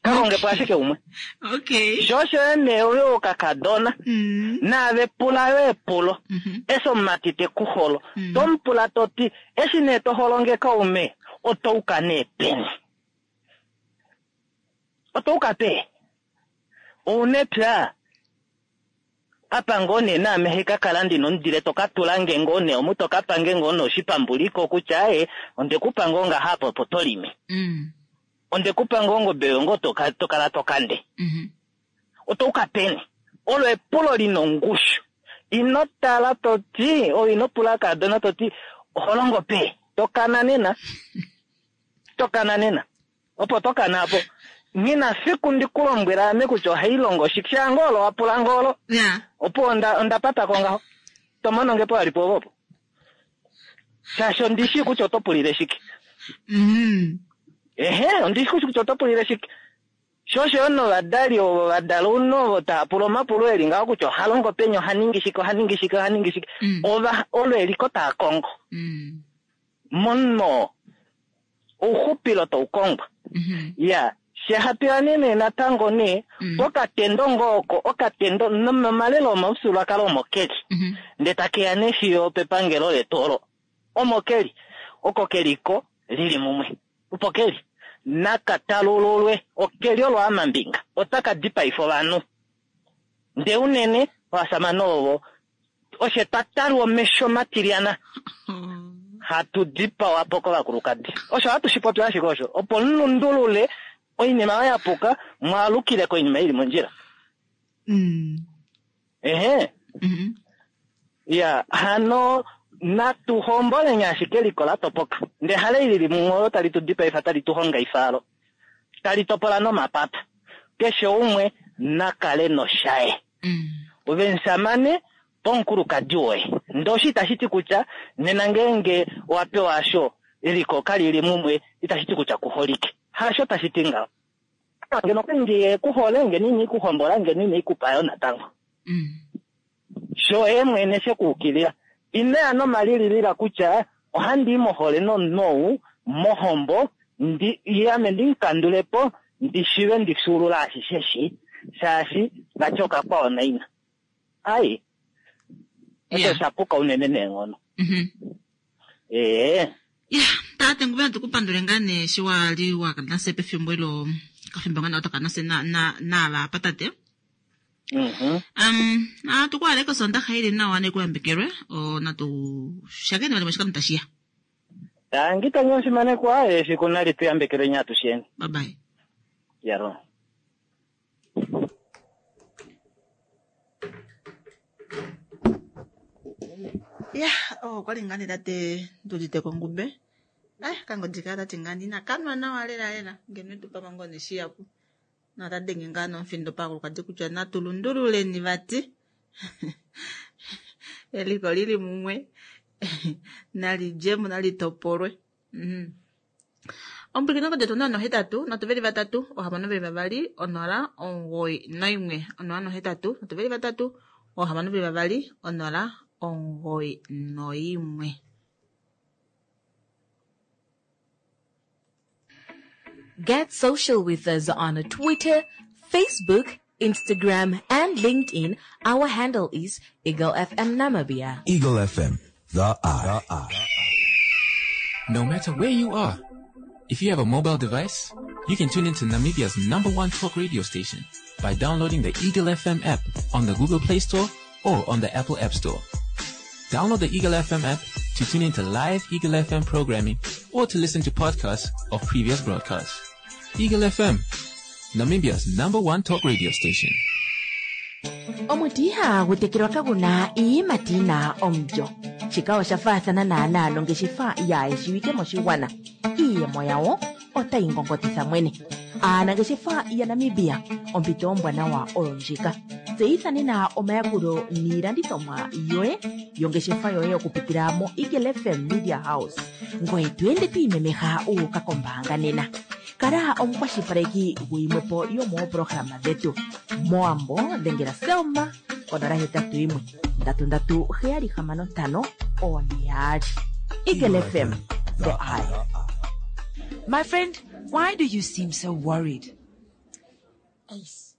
Kakonge po ashike umwe. Okay. Sho osho nee oyo okakadona Mm. naave pula yo epulo. Mm-hmm. Eshi omumati te ku holo, Mm. tomupula toti eshi nee to holonge kaume, otouka nee peni? Otouka pe? Ouna epya? Apa ngoo nee naame heka kala ndina omudile toka tula nge ngoo nee omu toka pange ngoo nee oshipambuliko kutya aye onde kupa ngoo ngaha apa opo to lime. Mm. Onde kupa ngoo ongobe yoye ngoo toka, tokala tokande. Mm-hmm. Otouka peni? Olo epulo lina ongushu. Ino tala toti, o ino pula kadona toti, oho longo pe? Tokana nena. Tokana nena. Opo tokana apo. Ngina fiku ndikulombwela ame kutya ohai longo shike. Sha ngolo wa pula ngolo. Yeah. Opo onda, onda pata ko ngaho. Tomono nge po alipo opo. Shaashi ondishi kutya oto pulile shike. Mm. Ehe, ondishi kutya oto pulile shike. Sho osho yo novadali ovo vadala uno ovo tava pula omapulo eli ngaho kutya oha longo peni, oha ningi shike, oha ningi shike, oha ningi shike. Mm. Ova, olo eliko taa kongo. Mm. Mono, ouxupilo tau kongwa. Mm-hmm. Ya, shehapila nee natango nee, Mm. okatendo ngoo oko, okatendo nomalelo omaufyuululwakalo omo keli. Mm-hmm. Nde takeya nee fiyo pepangelo letu olo. Omo keli. Oko keliko lili mumwe. Opo keli. nakatalululwe okeli olwaamambinga otaka dipaifa ovanhu ndee unene ovashamane ovo oshe twa talwa omesho matilyana hatu dipawa po kovakulukadi osho hatu shi popi ashike osho opo mulundulule oinima oyo ya puka mwaalukile koinima ili mondjila Mm. ehe Mhm. ya hano natu homboleni ashike eliko la topoka ndee hale ili mumwe olo tali tu dipaifa tali tu hongaifa alo tali topola nomapapa keshe umwe nakale noshaye Mm. ove musamane pomukulukadi woye ndee osho itashi ti kutya nena ngeenge owa pewa asho eliko kalili mumwe itashi ti kutya kuholike hasho tashi ti ngaho ngeno nge kuhole ngeno ina ikuhombola ngeno ina ikupayo natango Mm. sho ye mwene shekuukilila inaya nomalililila kutya ohandi i mohole nomunhu ou mohombo ndi ye ame ndimukandulepo ndi shive ndi fyuulula ashishe shi shaashi vati okakwawo naina ai osho Yeah. osha puka unene neenghono Mhm. ee ya tate nguve natukupandule ngaa nee eshi wali wakanase pefimbo ilo kafimbo ngaa otokanase naava apa tate mhm um atukuhaleka osondaxa ili nawa nekuyambekelwe o natu shakeni vali moshikando tashiya tangi tangi omufimanekwa efiku nali tuyambekelweni atusheni bye bye yaro ya oh kwali ngaa nee tate ndudite kongube eh kangodika tati ngaa ndinakanwa nawa lela lela ngeno etupa mango neshiyapu natadenge ngaa nomufindo pakulukadi kutya natu lundululeni vati eliko lili mumwe nalidjemo nalitopolwe mm. Omupulikino detu onola nohetatu nhatu veli vatatu oohamano veli vavali onola omugoyi noimwe onola nohetatu nhatu veli vatatu oohamano veli vavali onola omugoyi noimwe Get social with us on Twitter, Facebook, Instagram, and LinkedIn. Our handle is Eagle FM Namibia. Eagle F M, the Eye. The Eye. No matter where you are, if you have a mobile device, you can tune into Namibia's number one talk radio station by downloading the Eagle F M app on the Google Play Store or on the Apple App Store. Download the Eagle F M app to tune into live Eagle F M programming or to listen to podcasts of previous broadcasts. Eagle F M, Namibia's number one talk radio station. Omuti ihagu tekelwa kaguna iiyimati yina omulyo. Shika osha faathana naanaa nongeshefa yaayeshiwike moshigwana. Iiyemo yawo otayi ngongotitha mwene. Aanangeshefa yaNamibia, ompito ombwanawa oyo ndjika. Tseyitha nena omayakulo niilandithomwa yoye yongeshefa yoye okupitila mo Eagle F M Media House. Ngoye to ende to imemeha uuka kombaanga nena. Kala omukwashilipaleki guyimwepo yomoopolohalama dhetu. Mowambo dhengela Selma konola hetatu yimwe ndatu ndatu heyali hamano ntano one yaali. Eagle F M, the Eye. My friend, why do you seem so worried? Ace.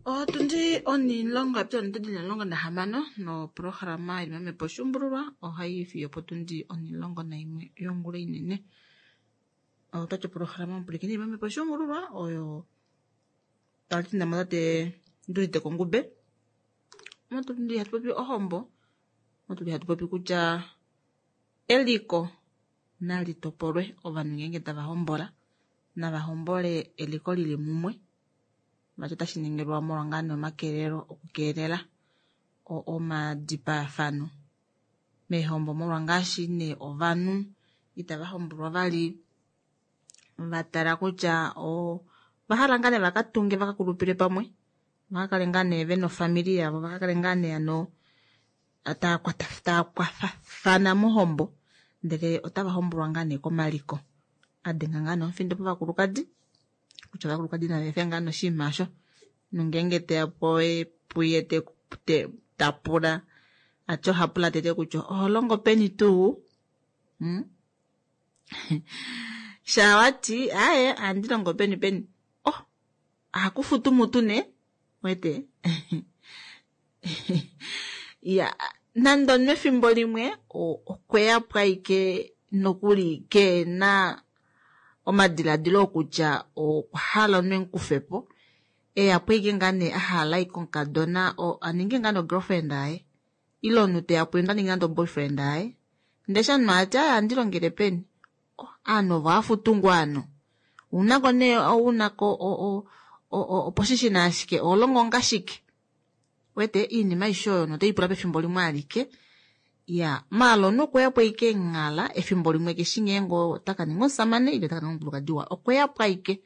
Otundi onilongo yapita onitundi omulongo nahamano noprograma yili mamepo oshuumbululwa ohayi fiyo potundi onilongo naimwe yongula inene. Otati oprograma omupulikini yili mamepo oshuumbululwa oyo tali mo tate ndulite kongube motundi hatu popi ohombo motuli hatu popi kutya eliko nali topolwe ovanhu ngeenge tava hombola nava hombole eliko lili mumwe vati otashi ningilwa molwa ngaa nee omakelelo okukeelela omadipayafano meehombo molwa ngaashi nee ovanhu itava hombolwa vali vatala kutya ovahala ngaa nee vakatunge vakakulupile pamwe vakakale ngaa nee vena ofamili yavo vakakale ngaa nee ano tava kwafafana mohombo ndele otava hombolwa ngaa nee komaliko adenga ngaa nee omufindo povakulukadi kutya ovakulukadi nava efe ngaa noshinima osho nongeenge teya puye tapula ati ohapula tete kutya oho longo peni tuu hmm? Shawati aye ohandi longo peni peni oh ohakufutu mutu nee wete ya nande mefimbo limwe okweya po ashike nokuli kena omadiladilo okutya okwa hala omunhu emukufepo, eyapo ashike ngaa nee ahala ashike omukadona aninge ngaa no-girlfriend yaye ile omunhu teya puye ota ningi nande o-boyfriend yaye ndee eshi omunhu ati aaye ohandi longele peni, ovanhu ovo ohafutu ngoo ovanhu ounako nee ounako oposhishina ashike oholongo onga shike, uwete oinima aishe oyo otoipula pefimbo limwe alike. Iya maala omunhu okweyapo ashike nghala efimbo limwe keshi ngeenge otakaninga omushamane ile otakaninga omukulukadi waye, okweyapo ashike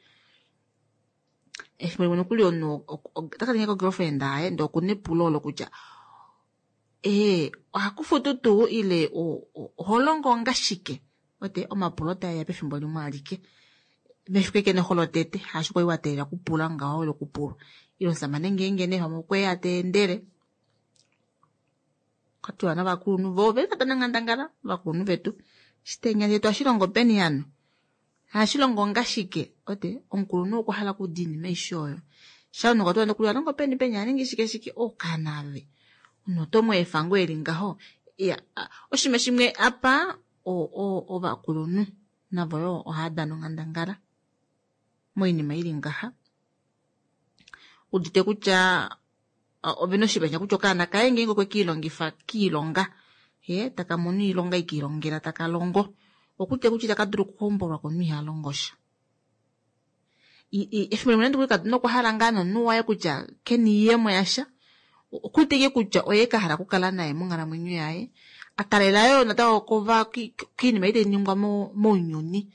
efimbo limwe nokuli omunhu otakaninga girlfriend yaye ndee okuna epulo olo kutya ee ohakufutu tuu ile oholongo onga shike, uwete omapulo taeya pefimbo limwe alike mefiku ashike noxo lotete haashi kwali wateelela okupula ngaho ile okupulwa ile omushamane ngeenge nee pamwe okweya teendele okwatiwa novakulunhu voo oveli tadana onghandangala ovakulunhu vetu shitenya shetu ohashilongo peni hano ohashilongo onga shike, uwete omukulunhu okwa hala okuuda oinima aishe oyo shaa omunhu okwatiwa nokuli ohalongo peni peni ohaningi shike shike okaana ove omunhu oto mweefa ngoo eli ngaho. Iya oshinima shimwe apa ovakulunhu navo yoo ohava dana onghandangala moinima ili ngaha, udite kutya ovena oshipanya kutya okaana kaye ngeenge okwe kiilongifa kiilonga ye taka mono oilonga ikiilongela taka longo okutya kutya itaka dulu okuhombolwa komunhu iha longo sha. Efimbo limwe nande okadona okwa hala ngaa nomunhu waye kutya kena oiyemo yasha, okuwete ashike kutya oye kahala okukala naye monghalamwenyo yaye, atalela yoo natango kova koinima ei tainingwa mounyuni,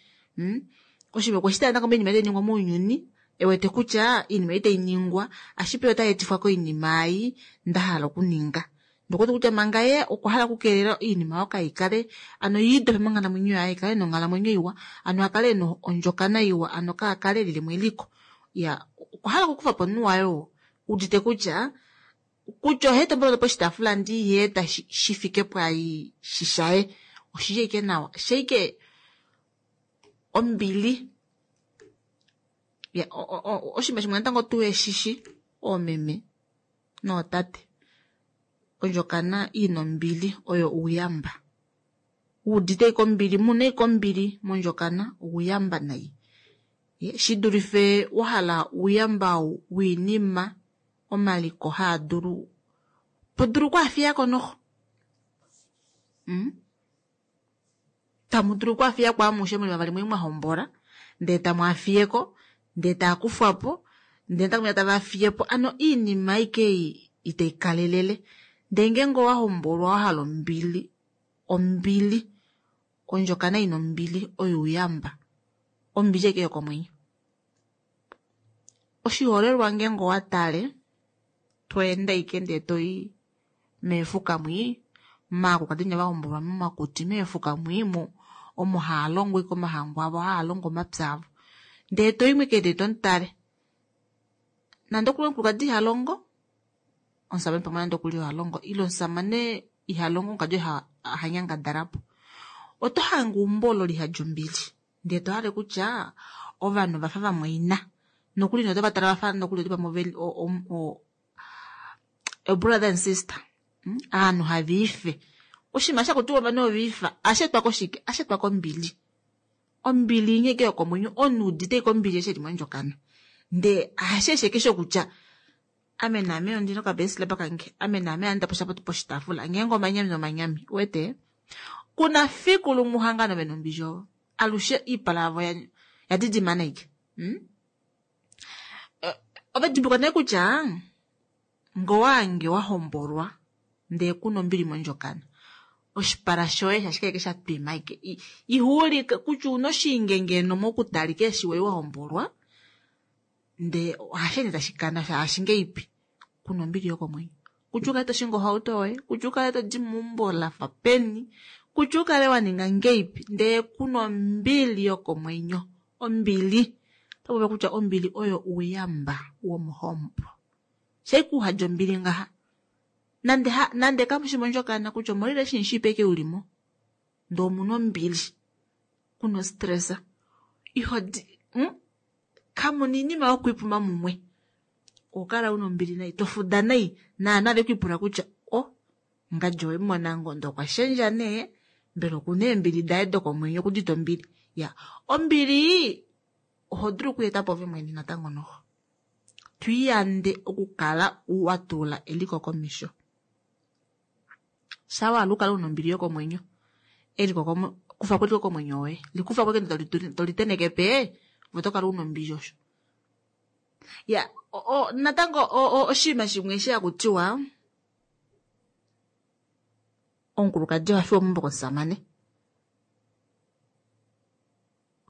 oshinima okweshi tala natango moinima ei tainingwa mounyuni ewete kutya oinima ei tainingwa ashipe otayeetifwa koinima ei ndahala okuninga ndee okuwete kutya manga ye okwa hala okukeelela oinima oyo kaikale ano yiidope monghalamwenyo yaye ikale nonghalamwenyo iwa ano akale ena ondjokana iwa ano kaakale elilemo eliko, iya okwa hala okukufapo omunhu waye oo udite kutya kutya ohaeta omboloto poshitaafula ndee ihaeta shifike pwaai shishaye oshili ashike nawa shaike ombili. Oshinima shimwe natango tuheshishi oomeme nootate, ondjokana ina ombili oyo ouyamba, wuudite ashike ombili muna ashike ombili mondjokana ouyamba nai, shidulife wahala ouyamba woinima omaliko haadulu todulu okwaafiyako noxo, tamudulu okwaafiyako amushe muli vavali mwali mwahombola ndee tamwaafiyeko ndee taakufwapo ndee natango tavaafiyepo ano oinima ashike ei itaikalelele ndee ngeenge owahombolwa wahala ombili, ombili ondjokana ina ombili oyo ouyamba, ombili ashike yokomwenyo. Oshiholelwa ngeenge owatale tweende ashike ndee toyi meefuka mwii maakulukadi venya vahombolwa momakuti meefuka mwii omo haalongo ashike omahangu avo haalongo omapya avo ndee toyimo ashike ndee tomutale nande okuli omukulukadi ihalongo omushamane pamwe nande okuli ohalongo ile omushamane ihalongo omukulukadi ohanyangadalapo, oto hange eumbo olo lihadi ombili ndee tohale kutya ovanhu ovafa vamwaina nokuli notovatala vafa nokuli oti pamwe o-brother and sister, ovanhu haviife oshinima shakutiwa ovanhu oviifa ohasheetwa koshike, ohasheetwa kombili, ombili inya ashike yokomwenyo omunhu udite ashike ombili eshi eli mondjokana ndee hasheeshi ashike shokutya ame naame ondina okabeslep kange ame naame ohandi posha poshitaafula ngeenge omanyami omanyami uwete kuna fiku lumwe uhangane vena ombili ovo alushe oipala yavo yadidimana ashike. Ove dimbuluka nee kutya ngee owahange wahombolwa ndee kuna ombili mondjokana oshipala shoye shashike ashike shatwima ashike ihuulike kutya una oshinge ngeno mokutalika eshi wali wahombolwa ndee ohasheende tashikana shaashi ngeipi kuna ombili yokomwenyo, kutya ukale toshingi ohauto yoye, kutya ukale todi meumbo lafa peni, kutya ukale waninga ngeipi ndee kuna ombili yokomwenyo, ombili otapopiwa kutya ombili oyo ouyamba womohombo, shaike uhadja ombili ngaha nande nande kamushi mondjokana kutya omo relationship ashike ulimo ndee omuna ombili kuna ostress ihodi kamuna oinima yokwiipuma mumwe ohokala una ombili nai tofuda nai naanhu have kwiipula kutya oh ngadi owemumona ngoo ndee okwashendja nee Mbela okuna eembili daye dokomwenyo okudita ombili. Ya, ombili oho dulu okuyeta po ove mwene natango noho. Twiyande okukala wa tula eliko komesho. Sawa alukala una ombili yokomwenyo. Eliko komo kufa kweliko komwenyo woye. Likufa kweke toliteneke pe, votokala una ombili osho. Ya, o, o, natango oshinima shimwe eshi hakutiwa omukulukadi oha fiwa meumbo komusamane.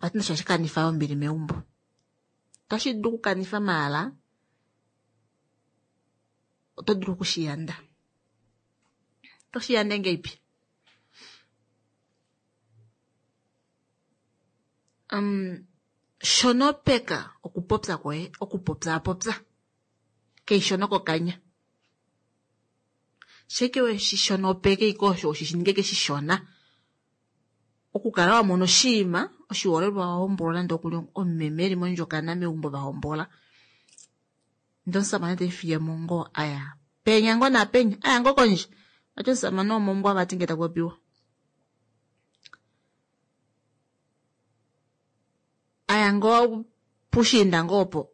Vati nosho hashi kanifa ombili meumbo. Otashi dulu okukanifa maala, oto dulu okushiyanda. Oto shiyande ngeipi? Um, shonopeka okupopya kwoye, okupopyaapopya. Keishono kokanya. Sheke weshi shonopeke ike osho oshi ninge keshishona. Okukala wa mona oshinima, oshiholelwa wa hombola nande okuli omumeme eli mondjokana meumbo va hombola. Ndele omusamane te fiye mo ngoo aya. Penya ngoo napenya, aya ngoo kondje. Vati omusamane womombwa vati ngee taku popiwa. Aya ngoo pushiinda ngoo opo.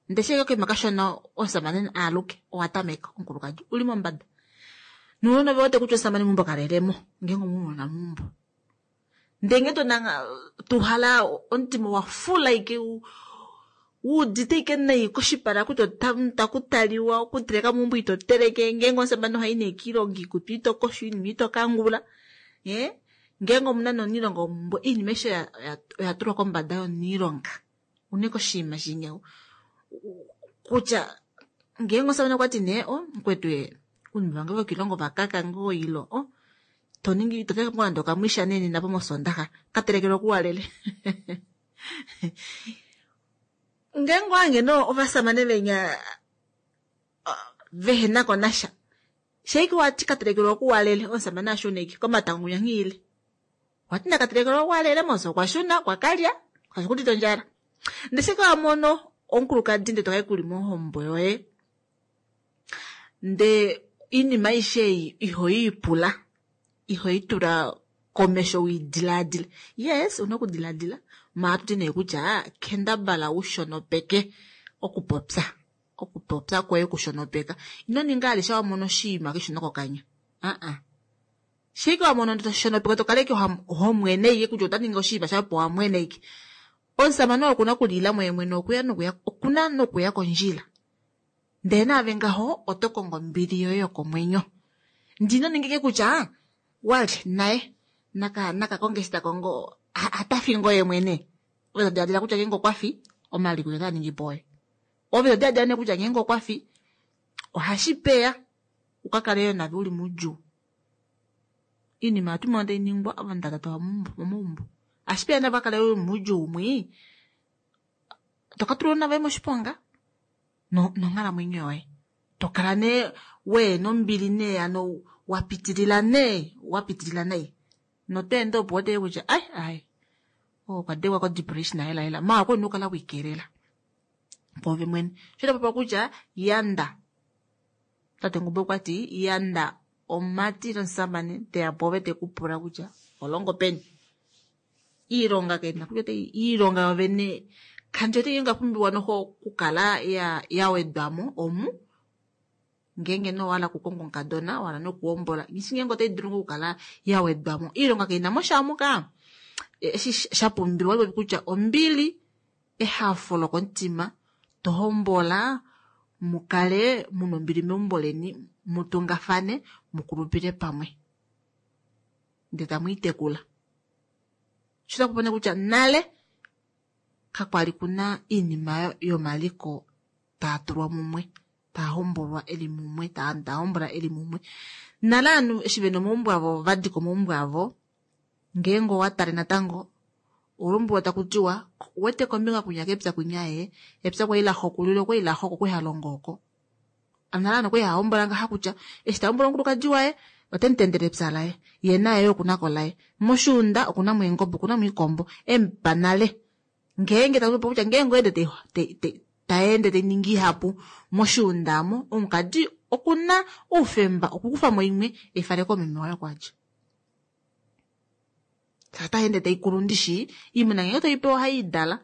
Ndele sheke okaima kashona omusamane aaluke owa tameka omukulukadi uli mombada. Nuunona ve wete kutya omusamane meumbo kalelemo ngeenge omunona meumbo. Ndele ngee tonanga tuhala omutima wa fula ike wuudite ike nai koshipala kutya taku taliwa okuteleka meumbo ito teleke ngeenge omusamane ohayi nee kiilonga iikutu ito kosho iinima ito kangula. Eh? Ngeenge omuna nomuniilonga womeumbo iinima aishe oya tulwa kombada yomuniilonga. Une koshinima shinya kutya ngeenge omusamane okwati nee o mukwetu ye uunima vange vokiilongo vakaka ngoo ilo o toningi to teleke ngoo nande okamwisha nee nena pomosondaxa ka telekelwa okuwalele. Ngeenge owange no ovasamane venya vehenako nasha. Sheike wati ka telekelwa okuwalele omusamane ashuna ike komatango kunya nghiile. Wati naka telekelwa okuwalele mos okwa shuna okwa kalya kashikudita ondjala. Ndele sheke wa mono omukulukadi ndele tokai kuli mohombo yoye. Nde iinima aishe ei ihoyi pula, ihoyi tula komesho widilaadile. Yes, una okudilaadila, maala tuti nee kutya kendabala ushonopeke okupopya. Okupopya kwoye kushonopeka. Ino ninga alisha wa mona oshinima keshona kokanya. Uh-uh. Shike wa mono shonopeka to kala ike homwene ike kutya ota ningi oshinima shapo wa mwene ike. Omusamane okuna okulila mwene mwene okuya nokuya, okuna nokuya kondjila. Ndele naave ngaho oto kongo ombili yoye yokomwenyo. Ndino ningike kutya wali naye naka naka konge eshi ta kongo atafi ngo ye mwene. Ove to diladila kutya ngeenge okwa fi omaliko otaa ningi po oye. Ove to diladila nee kutya ngeenge okwa fi ohashi peya uka kale yo nave uli moudjuu. Iinima ohatu mono tai ningwa ovanhu tava tatawa momaumbo. Ohashi peya nave ukakale uli moudjuu mwii toka tulwa nave moshiponga nonghalamwenyo yoye. Tokala nee wehena ombili nee hano wapitilila nee wapitilila nai. Noto ende opo wete kutya ai ai okwa dengwa ko depression hela hela maala okwali una okukala wiikelela pwoove mwene. Sho tapopiwa kutya yanda, tate Ngumba okwati yanda omumati nomusamane teya pwoove teku pula kutya oho longo peni. Iilonga kaina kutya otayi iilonga yovene kandi wete ngeenge oyapumbiwa noho okukala ya yawedwamo omu ngeenge nee owahala okukonga omukadona wahala nokuhombola nghishi ngeenge otai dulu ngoo okukala yawedwamo. Iilonga kaina mo sha omu ka. Eshi shapumbiwa otapopi kutya ombili, ehafo lokomutima, tohombola mukale muna ombili meumbo leni, mutungafane, mukulupile pamwe. Ndele tamwiitekula. Sho takupopi nee kutya nale kakwali kuna iinima yomaliko taa tulwa mumwe, taa hombolwa eli mumwe, taa hombola eli mumwe. Nale ovanhu eshi vena omaumbo avo vadika omaumbo avo, ngeenge owa tale natango olombwelwa taku tiwa owete kombinga kwinya kepya kwinya ee, epya kwali la xokulile okwali la xoko okwali halongo oko. Nale ovanhu okwali hava hombola ngaha kutya eshi ta hombola omukulukadi waye ote mutendele epya laye, ye naye okuna ko laye. Moshuunda okuna mo eengobe, okuna mo iikombo, emupa nale. Ngeenge taku popi kutya ngeenge oende taende tai ningi ihapu moshuunda omo, omukadi okuna oufemba okukufamo imwe eifale komeme waye oko adja. Otai ende taikulu ndishi iimuna ngenge toipewa ohaidala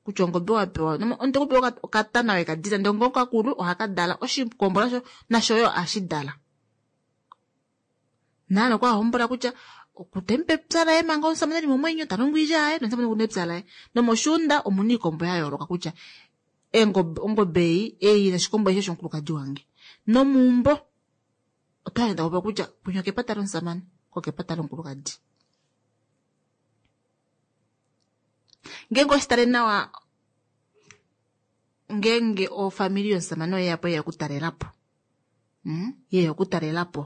kutya ongobe wapewa omuntu okupewa okatana wekadila ndee ongo kakulu ohakadala oshikombo nasho nasho yo ohashidala. Naana okwa hombola kutya okutemupa epya laye manga omusamane eli momwenyo talongo oilya yaye nomusamane okuna epya laye nomoshuunda omuna oikombo ya yooloka kutya eengobe ongobe ei ei noshikombo eshi oshomukulukadi wange nomuumbo otwaenda kupa kutya kwinya okepata lomusamane kokepata lomukulukadi. Ngeenge oshitale nawa ngeenge ofamili yomusamane oyeyapo yeya okutalelapo mm? yeya okutalelapo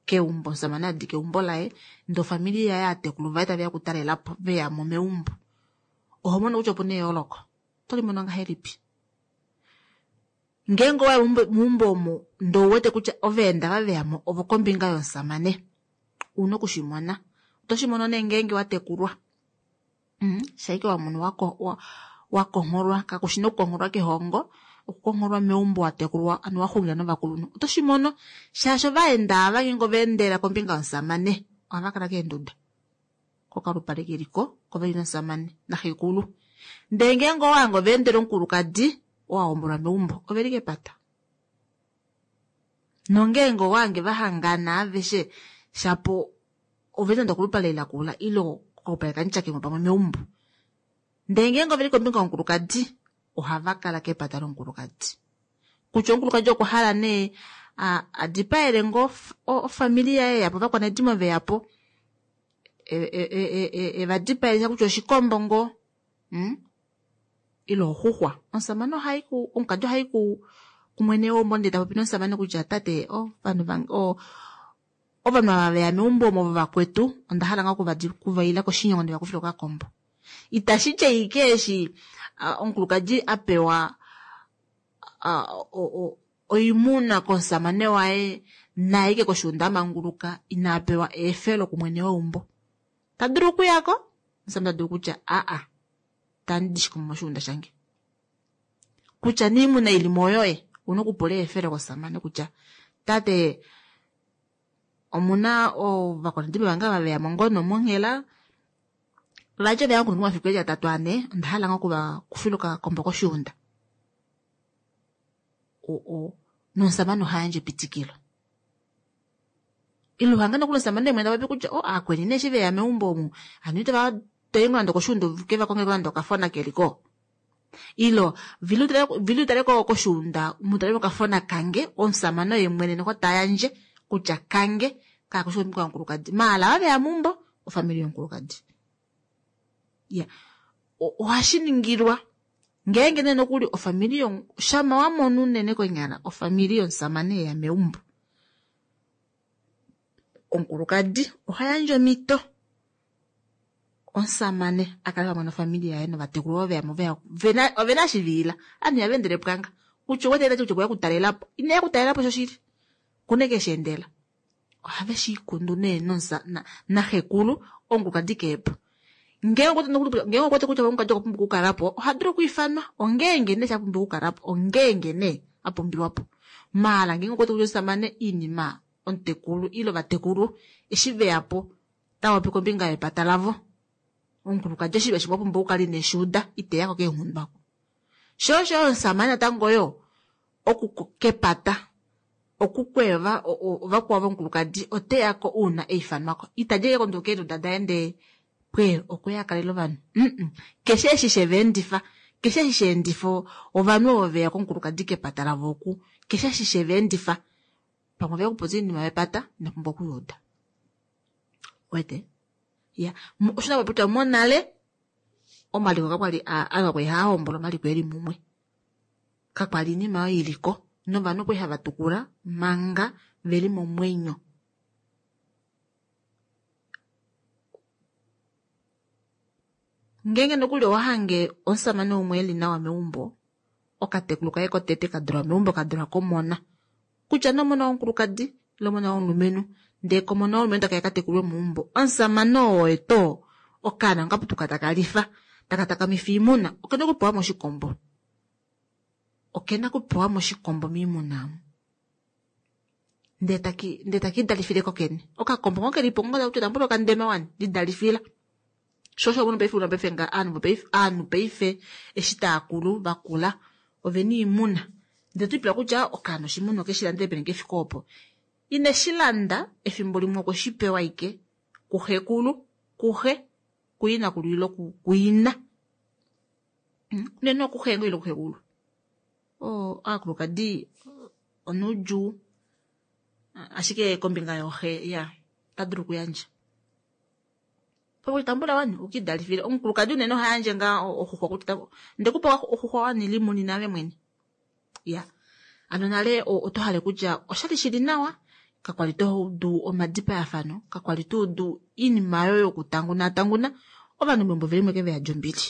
keumbo omusamane adi keumbo laye ndee ofamili yaye aatekulu vaye taveya okutalelapo veyamo meumbo oho mono kutya opuna eyooloko oto limono ngahelipi ngeenge owaya meumbo omo ndee ouwete kutya ovaenda ava veyamo ovokombinga yomusamane una okushimona oto shimono nee ngeenge watekulwa mm? shaike wamono wakongholwa kakushi okukongholwa kehongo okukongholwa meumbo watekulwa ano waxungila novakulunhu oto shimono shaashi ovaenda ava ngeenge ovaendela kombinga yomusamane ohava kala keenduda kokalupale keliko koveli nomusamane naxekulu ndee ngeenge owahange ovaendela omukulukadi owahombolwa meumbo oveli kepata nongeenge owahange vahangana aveshe shapo oveli nande okolupale lakula ile kokalupale kamutyakemo pamwe meumbo ndee ngeenge oveli kombinga yomukulukadi ohava kala kepata lomukulukadi kutya omukulukadi okwa hala nee adipaele ngoo ofamili yaye yapo ovakwanedimo veyapo evadipaele kutya oshikombo ngoo mm? ile oxuxwa omusamane ohayi ku omukadi ohayi ku kumwene weumbo ndee tapopi nomusamane kutya tate ovanhu vange ovanhu ava veya meumbo omo vakwetu onda hala ngoo okuvaila koshinyongo ndeva kufile okakombo itashi ti ashike eshi omukulukadi a pewa oimuna komusamane waye naye ike koshuunda amanguluka ina pewa eefelo kumwene weumbo tadulu okuyako omusamane tadulu kutya aa tandi shikombo moshuunda shange kutya niimuna ilimo oyoye una okupula eefelo komusamane kutya tate omuna ovakwanedimo vange ava veyamo ngoo nomonghela vati oveya okunhu omafiku eli atatu ane onda hala ngoo okuvakufila okakombo koshuunda nomusamane ohayandje epitikilo ile uhange nokuli omusamane mwene tapopi kutya o aakweni nee eshi veya meumbo omu hano itava toyi ngoo nande okoshuunda keva nande okafona keliko ilo vili utale koshuunda mutale mokafona kange omusamane oye mwene noho tayandje kutya kange kakushi kombinga yomukulukadi maala ava veya meumbo ofamili yomukulukadi ya ohashi ningilwa ngeenge nee nokuli ofamili shama wamona unene konyala ofamili yomusamane yeya meumbo omukulukadi ohayandje omhito omusamane akale pamwe nofamili yaye novatekulu ovo veyamo ovena oshiviila ovanhu ihava endele pwanga kutya owete tati kutya okweya okutalelapo ineya okutalelapo shoshili okuna eke sheendela ohave shiikundu nee naxekulu omukulukadi keepo ngeenge okuwete kutya omukulukadi okwa pumbwa okukalapo ohadulu okwiifanwa ongeenge nee shapumbwa okukalapo ongeenge nee apumbiwapo maala ngeenge okuwete kutya omusamane iinima omutekulu ile ovatekulu eshi veyapo tavapopi kombinga yepata lavo omukulukadi oshinima shimwe wapumbwa okukala ineshiuda iteyako keenghundwako sho osho omusamane natango yo okukepata okukweva ovakwao vomukulukadi oteyako uuna eifanwako itadi eke konduka eenduda daye ndee pwe okweya akalela ovanhu mm keshe eshi sheveendifa keshe eshi sheendifa ovanhu ovo veya komukulukadi kepata lavo oku keshe eshi sheveendifa pamwe veya okupopya oinima yepata ina pumbwa okuyuuda wete ya osho napopi kutya monale omaliko kakwali ava kwali haa hombola omaliko eli mumwe kakwali iinima oyo iliko novanhu okwali hava tukula manga veli momwenyo ngeenge nokuli owahange omusamane umwe eli nawa meumbo okatekulu kaye kotete kadulwa meumbo kadulwa komona kutya nomona womukulukadi ile omona womulumenhu ndee komona womulumenhu takaya katekulwe meumbo omusamane oo eto okaana okaputuka taka lifa taka takamifa oimuna okena okupewa moshikombo okena okupewa moshikombo miimuna ndee taki ndee takidalifile kokene okakombo ngoo kelipo ngoo kutya tambula okandema wani lidalifila Sho osho omunhu paife una paife nga aanhu paife aanhu paife eshi taakulu vakula ovena oimuna ndele twiipula kutya okaana oshimuna okeshi landele peni kefike opo ineshi landa efimbo limwe okweshi pewa ashike kuxekulu kuxe kuyinakulu ile kuina unene okuxe ngoo ile kuxekulu oo aakulukadi onoudjuu ashike kombinga yooxe ya ota dulu okuyandja tambula wani ukidalifile omukulukadi unene ohayandje ngaa oxuxwa kutya ndekupa oxuxwa wani limunina ave mwene ya ano nale oto hale kutya oshali shili nawa kakwali toudu omadipayafano kakwali toudu iinima oyo yokutanguna tanguna ovanhu meumbo velimwe ke veyadi ombili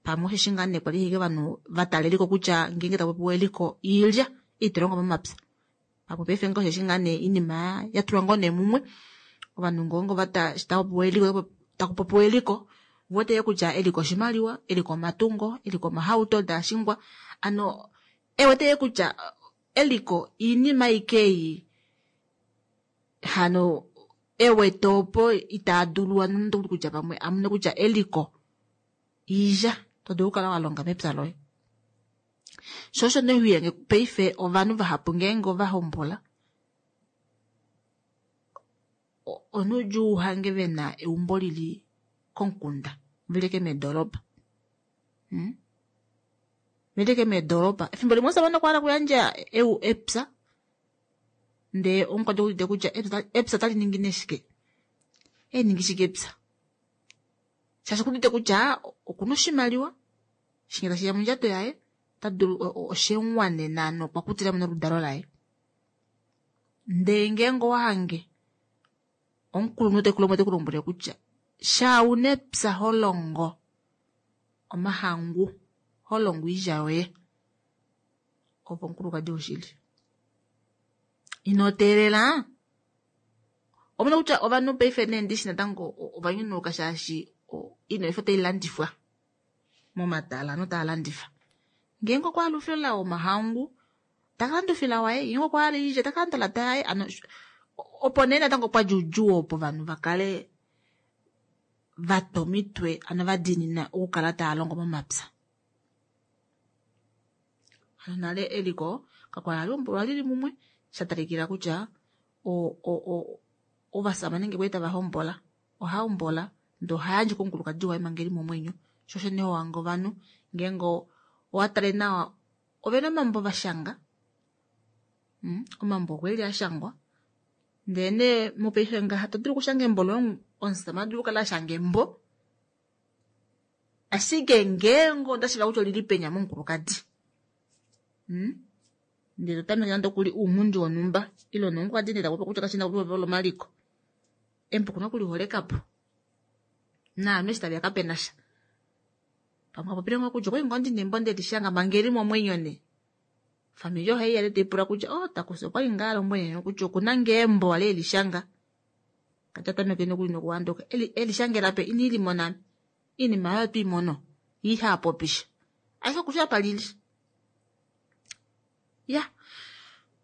pamwe osheshi ngaa nee kwali ashike ovanhu vatala eliko kutya ngeenge tapopiwa eliko iilya itolongo momapya pamwe paife ngoo osheshi ngaa nee iinima yatulwa ngoo nee mumwe ovanhu ngongo vata tapopiwa eliko takupopiwa eliko vote kutya eliko oshimaliwa eliko omatungo eliko omahauto daashingwa ano ewete kutya eliko iinima ikeyi hano ewete opo itaadulu ano kutya pamwe amune kutya eliko iilya todulu okukala walonga mepya loye sho osho nee huyange paife ovanhu vahapu ngeenge ovahombola onoudjuu uhange vena eumbo lili komukunda velike meedoropa hmm? velike meedoropa efimbo limwe omushamane okwa hala okuyandja epya ndee omukwati okuudite kutya epya otali ningi nee shike eningi shike epya shaashi okuudite kutya okuna oshimaliwa shinge tashiya mondjato yaye ota dulu oshemuwanena nokwa kutilamo noludalo laye ndee ngeenge owahange omukulunhu teku teku lombwele kutya sha una epya holongo omahangu holongo oilya yoye opo omukulukadi woshili ino teelela omona kutya ovanhu paife nee ndishi natango ovanyunuka shaashi iinima ife otai landifwa momatala notaa landifa ngeenge okwa hala oufila womahangu taka landa oufila waye ngeenge okwa hala oilya taka landa olata yaye ano opo nee natango pwadja oudjuu opo ovanhu vakale vatwa omitwe ano vadiinina okukala tava longo momapya hano nale eliko kakwali hali lili mumwe shatalikila kutya ovashamane ngee kwali tava hombola ohahombola ndee ohayandje komukulukadi waye manga eli momwenyo sho osho nee hohange ovanhu ngeenge owatale nawa ovena omambo vashanga omambo okweli ashangwa ndee nee mopaife ngaha todulu okushanga embo loye omushamane adulu okukala ashanga embo ashike ngeenge ondashiiva kutya olili penya momukulukadi ndee totameke nande okuli ounghundi wonhumba ile nomukulukadi nee tapopi kutya kashina lomaliko embo okuna okuliholekapo naame eshi taveya kapenasha pamwe apopile ngoo kutya okwali ngoo ndina embo ndelishanga manga eli momwenyo nee ofamili ohaiya nee taipula kutya oh takusi okwali ngaa alombwele kutya okuna ngee embo ali elishanga kati atameke nokuli nokuhanduka elishangela pe iniilimona iinima oyo twiimono ihapopisha ashike okushi apa lili ya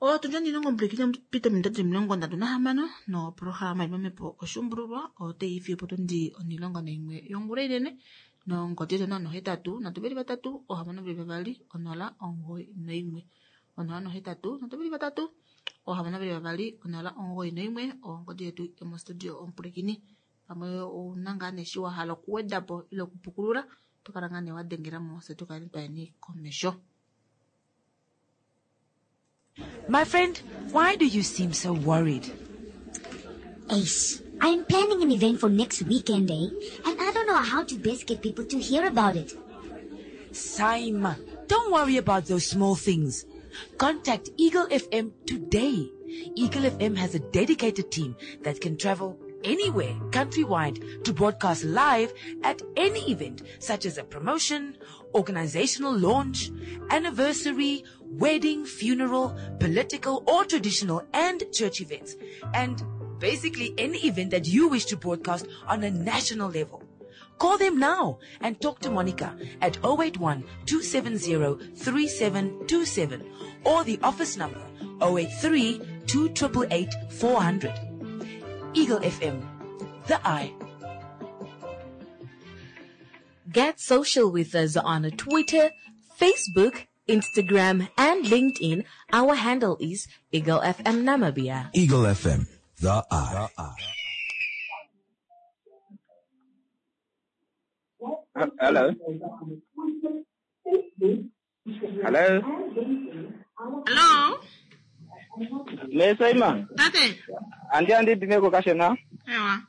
otundi onilongo mbili pita ominute omilongo ndatu nahamano noprograma yomamhepo oshuumbululwa otaifi potundi onilongo naimwe yongula inene nongodi yetu onhano nohetatu nhatu veli vatatu ohamano veli vavali onola omugoyi noimwe onola nohetatu nhatu veli vatatu ohamano veli vavali onola omugoyi noimwe ongodi yetu yomostudio omupulakeni pamwe ouna ngaa nee eshi wahala okuwedapo ile okupukulula tokala ngaa nee wadengelamo fye tukale twayeni komesho. My friend, why do you seem so worried? Ace, I'm planning an event for next weekend, eh? And I don't know how to best get people to hear about it. Saima, don't worry about those small things. Contact Eagle F M today. Eagle F M has a dedicated team that can travel anywhere countrywide to broadcast live at any event such as a promotion, organizational launch, anniversary, wedding, funeral, political or traditional and church events, and basically any event that you wish to broadcast on a national level. Call them now and talk to Monica at oh eight one, two seven zero, three seven two seven or the office number oh eight three, two triple eight, four hundred. Eagle F M, the eye. Get social with us on Twitter, Facebook, Instagram, and LinkedIn. Our handle is Eagle F M Namibia. Eagle F M, The Eye. Hello. Hello. Hello. Mesaima. Tate. Andi andi bimeko kashena. Ewa.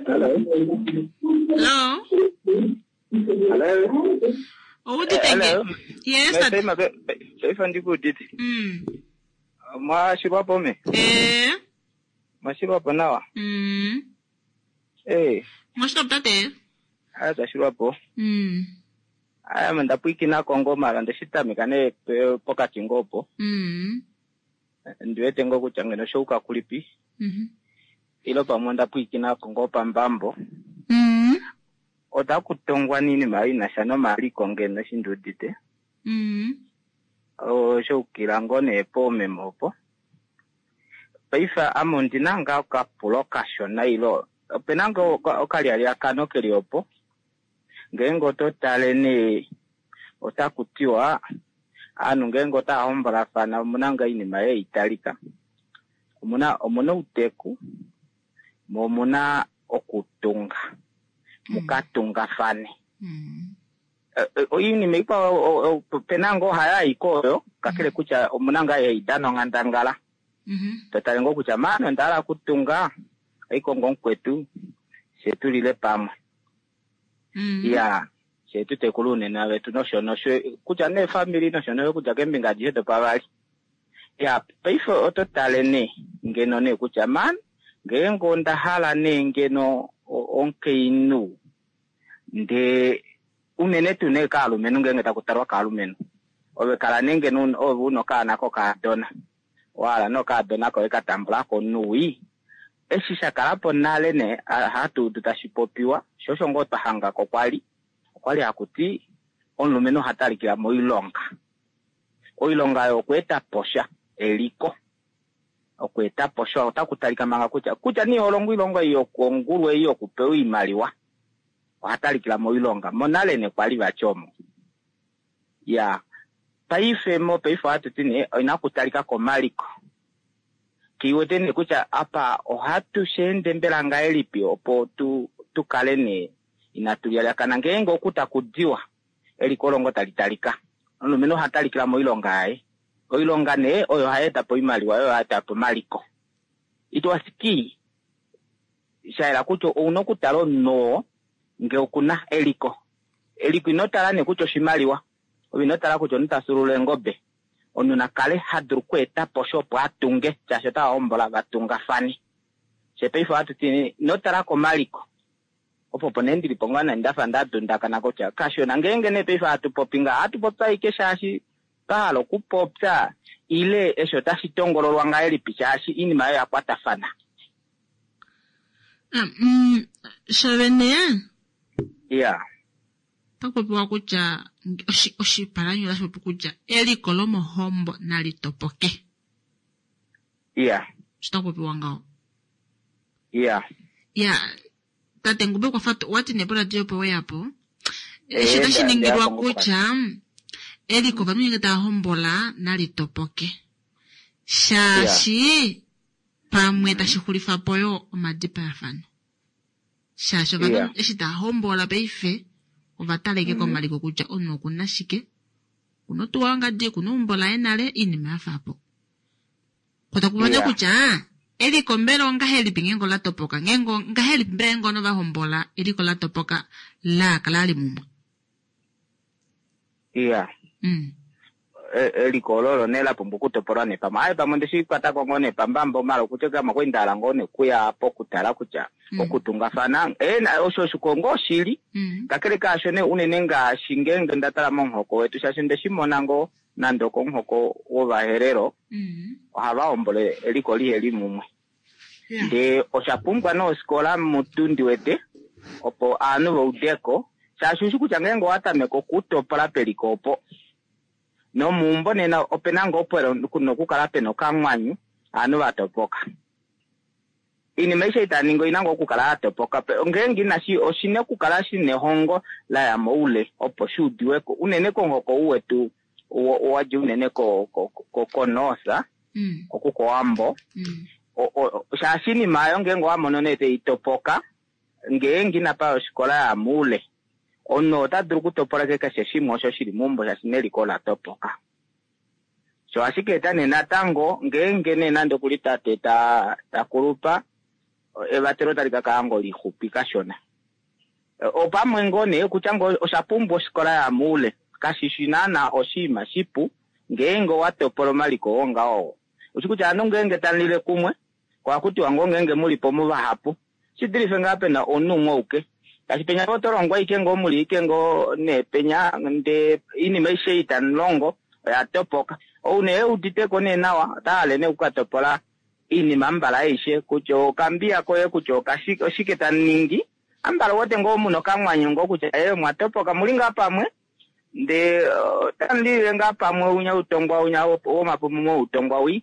Hello. Hello. Hello. Oudite nge? Hello. Yes, tate. Mesaima paife ndikuudite. Mm. Mwashilwapo me. Eh. Mwashilwapo nawa. Mm. Eh, Mwashilwapo tate. aya twashilwapo. Mm. Aya ndapwikina kongo mala ndeshitamika ne pe- pokati ngopo. Mm. Ndiwete ngo kutya ngeno shouka kulipi. Mhm. Ilo pamwe ndapwikina kongo pambambo. Mm. Otakutongwa nini ina sha nomaliko ngeno shindudite. Mm. Oshoukila ngoo nee poomeme opo. Paife ame ondina ngaa okapulo kashona ilo opena ngoo oka- okalyalyaakano keli opo. Ngeenge oto tale nee otaku tiwa aanhu ngeenge otava hombolafana omuna ngaa oinima ei talika. Omuna omuna outeku mo omuna okutunga. Mukatungafane. Eh, eh, oinima ikwao o- o- opena ngoo hayayi oyo kakele kutya omuna ngaa haidana onghandangala. Totale ngoo kutya maana onda hala okutunga oikongo mukwetu she tulile pamwe. Ya she tutekule uunona wetu nosho nosho kutya neefamili nosho nosho kutya keembinga adishe dopavali. Ya paife oto tale nee ngeno nee kutya man ngeenge onda hala nee ngeno o- omukainhu ndee unene tuu nee kaalumenhu ngeenge taku talwa kaalumenhu ove kala nee ngeno una- ove una okaana kokaadona wahala nee okaadona koye ka tambulako nuwi eshi sha kalapo nale nee a- hatu udu tashi popiwa sho osho ngoo twa hangako kwali okwali hakuti omulumenhu oha talikila moilonga oilonga oyo okweeta posha eliko okweeta posha otaku talika manga kutya kutya nee olongo oilonga ei yokongulu ei yokupewa oimaliwa oha talikila moilonga monale nee kwali vati omo ya paife mo paife ohatu ti nee oina kutalika komaliko kiwete nee kutya apa ohatu sheende mbela ngahelipi opo tu tu kale nee inatu lyalakana ngeenge oku taku diwa eliko longo tali talika omulumenhu oha talikila moilonga yaye oilonga nee oyo hayi eta po oimaliwa oyo hayi eta po omaliko it was key shayela kutya ouna okutala omunhu oo ngee okuna eliko eliko ino tala nee kutya oshimaliwa ove ino tala kutya omunhu ta eengobe omunhu na kale ha dulu okweeta po sha opo atunge shaashi otava hombola vatungafane she paife ohatu ti ino tala komaliko opo opo nee ndilipo ngaa nai ndafa ndadundakana kutya kashona ngeenge nee paife hatu popi ngaa ohatu popi ashike shaashi twahala okupopya ile eshi otashi tongololwa ngahelipi shaashi iinima oyo yakwatafana. Ah, mm, shavene iya otaku popiwa kutya oshi- oshipalanyole otashi popi kutya eliko lomohombo nali topoke. Iya Osho taku popiwa ngaho. Iya Ya tate Ngube kwafa wati nee poradio opo weyapo. Eshi Eh, otashi nda- ningilwa ndeya po kutya eliko ovanhu ngenge tava hombola nali topoke. Shaashi pamwe tashi xulifa po yo omadipayafano. Shaashi ovanhu Iya. eshi tava hombola paife ova taleke komaliko kutya omunhu okuna shike, okuna otuwa yongadi, okuna eumbo laye nale, iinima yafa po. Ko taku vane Iya. kutya eliko mbela ongahelipi ngeenge ola topoka, ngeenge ongahelipi mbela ngeenge ovanhu va hombola eliko la topoka la kala li mumwe. Iya. Mm. E- eliko ololo nee la pumbwa okutopolwa nee pamwe aye pamwe ndeshikwatako ngoo nee pambambo mala okutya kamwe kwali ngoo nee kuya pokutala kutya Mm. okutungafana eh, na- osho oshiko ngoo shili Mm. kakele kaasho nee unene ngaashi ngeenge nda tala momuhoko wetu shaashi ndeshimona ngoo nande okomuhoko wovaherero Mm. ohava hombole eliko liheli mumwe Yeah. ndee osha pumbwa noosikola mutu ndiwete opo aanhu vaudeko shaashi ushi kutya ngeenge owa tameka okutopola peliko opo nomuumbo nena opena ngoo pwelo nokukala pena okamwanyu aanhu vatopoka Iinima aishe itaningi oina ngoo okukala ya topoka. Ngeenge inashi oshina okukala shina ehongo la ya moule opo shi udiweko unene komuhoko ou wetu wadja unene ko ko ko koNorth oku kOwambo. Shaashi iinima oyo ngeenge owa mono nee tai topoka ngeenge inapa ya oshikola ya moule omunhu ota dulu okutopola keshe shimwe osho shili meumbo shaashi neliko ola topoka. Sho ashike eta nee natango ngeenge nee nande okuli tate ta takulupa evatelo tali ka kala ngoo lixupi kashona. Opamwe ngoo nee kutya ngoo osha pumbwa oshikola ya moule kashishi naana oshinima shipu ngeenge owa topola omaliko oo ngaho. Ushi kutya ovanhu ngeenge tamulile kumwe ohaku tiwa ngoo ngeenge mulipo muvahapu shidulife ngaa pena omunhu umwe auke. Shaashi penya oto longwa ashike ngoo muli ashike ngoo nee penya ndee oinima aishe ei tamulongo oya topoka. Ou nee euditeko nee nawa ota hale nee okukatopola iinima ambala aishe kutya okambiya koye kutya okashike oshike tamuningi ambala ouwete ngoo muna okamwanyo ngoo kutya ee omwa topoka muli ngaa pamwe ndee otamulilile ngaa pamwe unya utongwa unya womapumu outongwa wii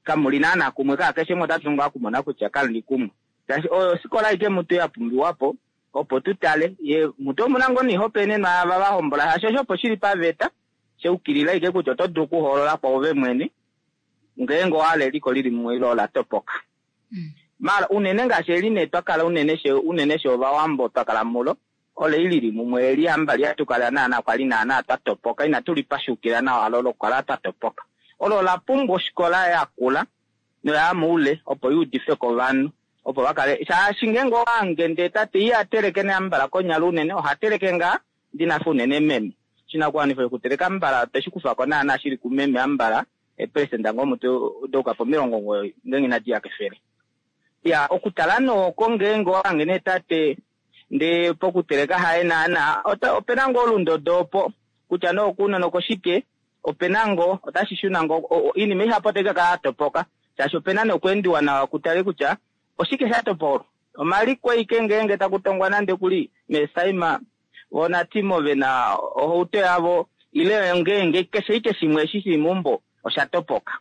kamuli naana kumwe kaa keshe umwe ota dulu ngaa okumona kutya kamuli kumwe. Shaashi oyo ofikola aike mutu ya pumbiwapo opo tutale ye mutu omuna ngoo noihopaenenwa yaava vahombola shaashi osho opo shili paveta shaukilila ashike kutya oto dulu okuhoolola kwoove mwene ngeenge owahala eliko lili mumwe ile ola topoka. Maala unene ngaashi eli nee twakala unene she unene she ovawambo twakala mulo ole lili mumwe eli ambali hatukala naana kwali naana twa topoka inatu lipashukila nawa lo lokukala twa topoka. Olo ola pumbwa oshikola yakula noya moule opo yuudifwe kovanhu opo vakale shaashi ngeenge owange ndee tate iha teleke nee ambala konyala unene oha teleke ngaa ndinafa unene meme. Oshinakuwanifwa shokuteleka ambala oteshi kufako naana shili kumeme ambala eeperesenda ngoo mutu doka pomilongo omugoyi ngeenge inadi ya kefele. Ya okutala nooko ngeenge owange nee tate ndee pokuteleka haye naana opena ngoo olundodo opo kutya nee okounona okoshike opena ngoo otashi shuna ngoo oinima ihapu otai kakala ya topoka shaashi opena nee okweendiwa nawa kutale kutya oshike sha topolwa. Omaliko ashike ngeenge taku tongwa nande kuli meesaima voo natimo vena ohauto yavo ile ngeenge keshe ashike shimwe eshi shili meumbo osha topoka.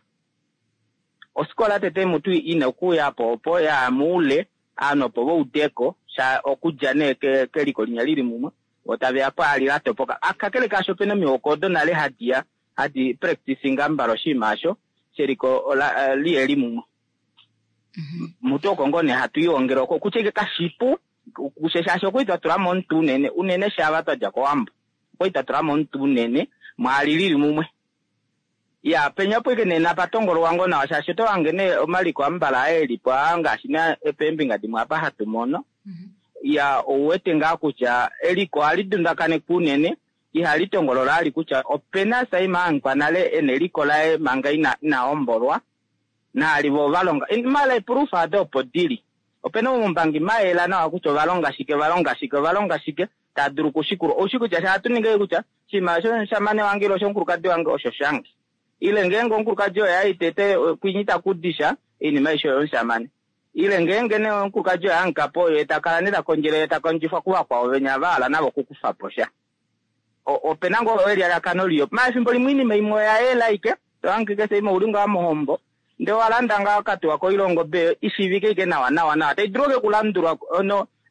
Ofikola tete mutu ina okuuya po opo ya moule ovanhu opo vaudeko sha okudja nee keliko linya lili mumwe vo taveya pwaali la topoka. Kakele kaasho opena omihoko odo nale hadiya hadi practicing ambala oshinima osho sheliko liheli mumwe. Mutu oko ngoo nee hatu ihongele oko kutya ashike kashipu kushe shaashi okwali twa tulamo omutwe unene unene shaava twadja kOwambo okwali twa tulamo omutwe unene mwaali lili mumwe. Ya penya opo ashike nee napatongolwa ngoo nawa shaashi oto hange nee omaliko ambala elipo aa ngaashi nee peembinga dimwe apa hatu mono ya ouwete ngaa kutya eliko ohali dundakanekwa unene ihali tongolola ali kutya opena saima ahangikwa nale ena eliko laye manga ina inahombolwa naali vo ovalonga mala eproof ado opo dili. Opena oumbangi mayela nawa kutya ovalonga shike ovalonga shike ovalonga shike taa dulu okushikulwa. Oushi kutya sha hatu ningi kutya oshinima oshomushamane wange ile oshomukulukadi wange osho shange. Ile ngeenge omukulukadi oye ai tete kwinyi takudisha oinima aishe oyomushamane. Ile ngeenge nee omukulukadi oye ahangikapo oye takala nee takondjele takondjifwa kuvakwao venya vahala navo okukufapo sha. Opena ngoo elialakano liyo. Maala efimbo limwe oinima imwe oya yela ashike tohange keshe imwe ouli ngaa mohombo ndee owalanda ngaa okatuwa koilongo be ishiivike ashike nawa nawa nawa tai dulu ashike okulandulwa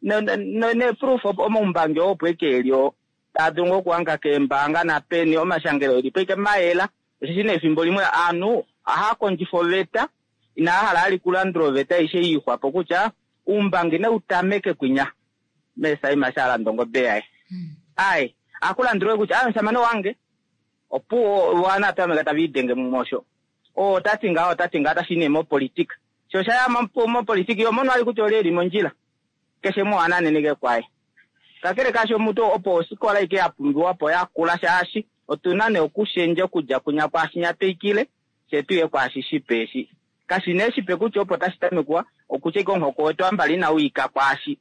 no neproof omaumbangi oo opo ashike eli oo taa dulu ngoo okuhanga keembaanga napeni omashangelo elipo ashike mayela. Osheshi nee efimbo limwe ovanhu ohaya kondjifa oveta inaa hala ali kulandula oveta aishe yiixwapo kutya oumbangi nautameke kwinya meesaima shalanda ongobe yaye. Ai akulandulwe kutya omushamane wange opuwo ovanhu tameka tava idenge mumwe osho. Oo otati ngaho otati ngaho otashi nee mopolitika. Sho oshaya mopolitika iho mono ali kutya oli eli mondjila keshe umwe ohananeneke kwaye. Kakele kaasho omutu opo ofikola ashike ya pumbiwapo yakula shaashi otuna nee okushendja okudja kunya kwaashinya twikile fye tuye kwaashi shipe eshi. Kashi nee shipe kutya opo tashi tamekwa okutya ashike omuhoko wetu ambala inau ika kwaashi.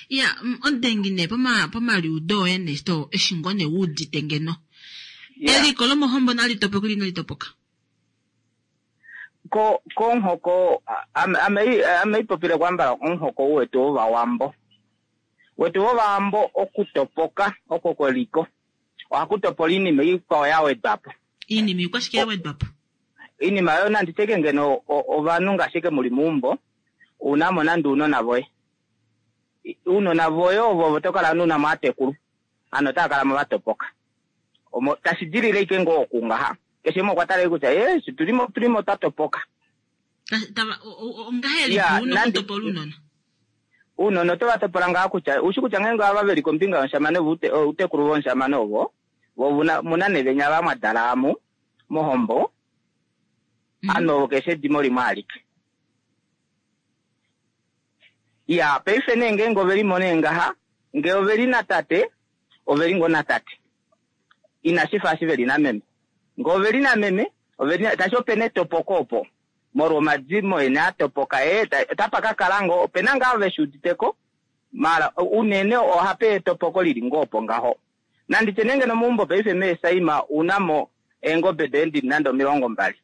Ya omudengi nee poma pomaliudo oye nee to eshi ngoo nee wuudite ngeno. Eliko lomohombo nali topoka ile inali topoka? Ko komuhoko ame ame ipopile kwambala omuhoko wetu wovawambo. Wetu wovawambo okutopoka oko kweliko ohaku topola iinima ikwao ya wedwapo. Iinima ikwashike ya wedwapo? Iinima oyo nandi tye ngeno ovanhu ngaashi ashike muli meumbo Una mo nande uunona voye. I- Uunona voye ovo ovo to kala nuna mo aatekulu. Ano otaya kala mo va topoka. Omo tashi dilile ike ngoo okungaha. Keshe umwe okwa tala ike kutya eh shi tuli mo tuli mo twa topoka. Ta- tava- o- o- ongahelipi Ya, una nande- okutopola uunona Uunona oto va topola ngaa kutya ushi kutya ngeenge ava veli kombinga yomushamane voute- outekulu vomushamane ovo vo vuna- muna nevenya va mwadala amu mohombo ano keshe edimo limwe alike. Ya paife nee ngeenge oveli mo nee ngaha ngee oveli natate oveli ngoo natate inashi fa eshi veli nameme ngee oveli nameme oveli na- tashi opena etopoko opo molwa omadimo ene a topoka ee ta- otapa ka kala ngoo opena ngaa veshi uditeko mala unene ohape etopoko lili ngoo opo ngaho nanditye nenge nomeumbo paife meesaima unamo eengobe doye ndili nande omilongo mbali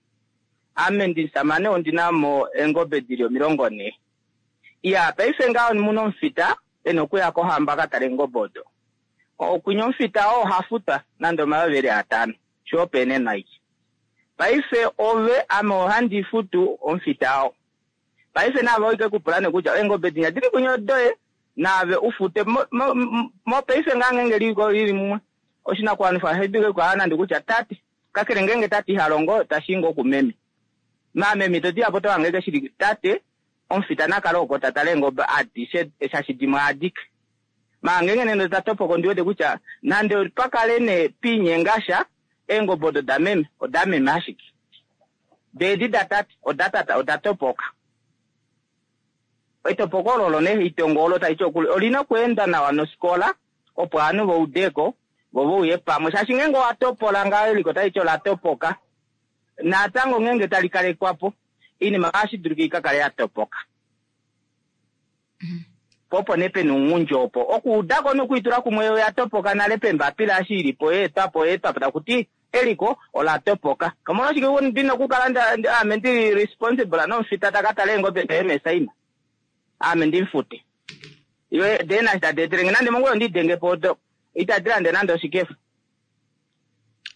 ame ndisamane ondina mo eengobe dili omilongo nhee iya paife ngaho muna omufita ena okuya kohamba ka tale eengobe odo okwinya omufita oo oha futwa nande omayovi eli atano sho opo enenwa ike paife ove ame ohandi futu omufita oo paife naave oike kupula nee kutya eengobe dinya dili kwinya odoye naave ufute mo- mo- mo- mopaife ngaa ngenge liko lili mumwe oshinakuwanifwa ohashi kukala nande kutya tate kakele ngenge tate iha longo tashi ngoo kumeme maameme to diyapo to hange shili tate omufita nakale oko ta tale eengobe adishe shashi dimwe adike maa ngenge nende ta topoko ndi wete kutya nande pakale nee piinyengasha eengobe odo dameme odameme ashike deedi datate odatata oda topoka etopoko olo olo nee itongo olo taiti okuli olina okweenda nawa nosikola opo ovanhu vaudeko vo vauye pamwe shaashi ngeenge owa topola ngaho eliko taliti ola topoka natango ngeenge tali kalekwapo iinima ohashi dulika ika kale ya topoka po opo nee pena ounghundi opo okuudako nokwiitula kumwe oya topoka nale pembapila eshi ilipo yeetwapo yeetwapo takuti eliko ola topoka omolwashike ndina okukala nda- nda- ame ndili responsible nomufita taka tala eengobe doye mesaima ame ndimufute iwe dee nashi tadi etelenge nande mongula ondidenge po odo itadi lande nande oshikefa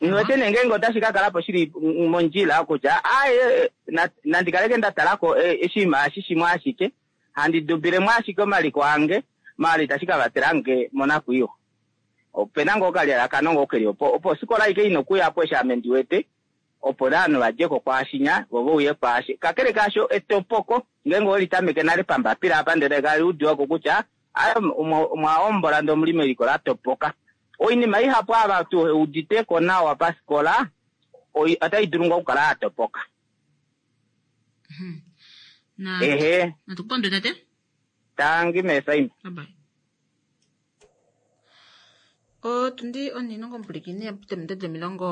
niwete nee ngeenge otashi ka kala po shili mm, mondjila kutya aye na- nandi kaleke nda talako eh, oshinima eshi shimwe ashike handi dubilemo ashike omaliko ange maala itashi ka vatela nge monakwiiwa opena ngoo okalyalakano ngoo keli opo opo osikola aike ina okuyapo eshi ame ndi wete opo ovanhu vadjeko kwaashinya vo vauye kwaashi kakele kaasho etopoko ngeenge oweli tameke nale pambapila apa ndele kali udiwako kutya aye omwa hombola ndee omuli meliko la topoka oinima ihapu ava tu uditeko nawa pasikola oi- otai dulu ngoo okukala ya topoka na ehe natukupandwe tate tangi mesaima Bye-bye. Otundi onhinongo omupulikini yapita omilongo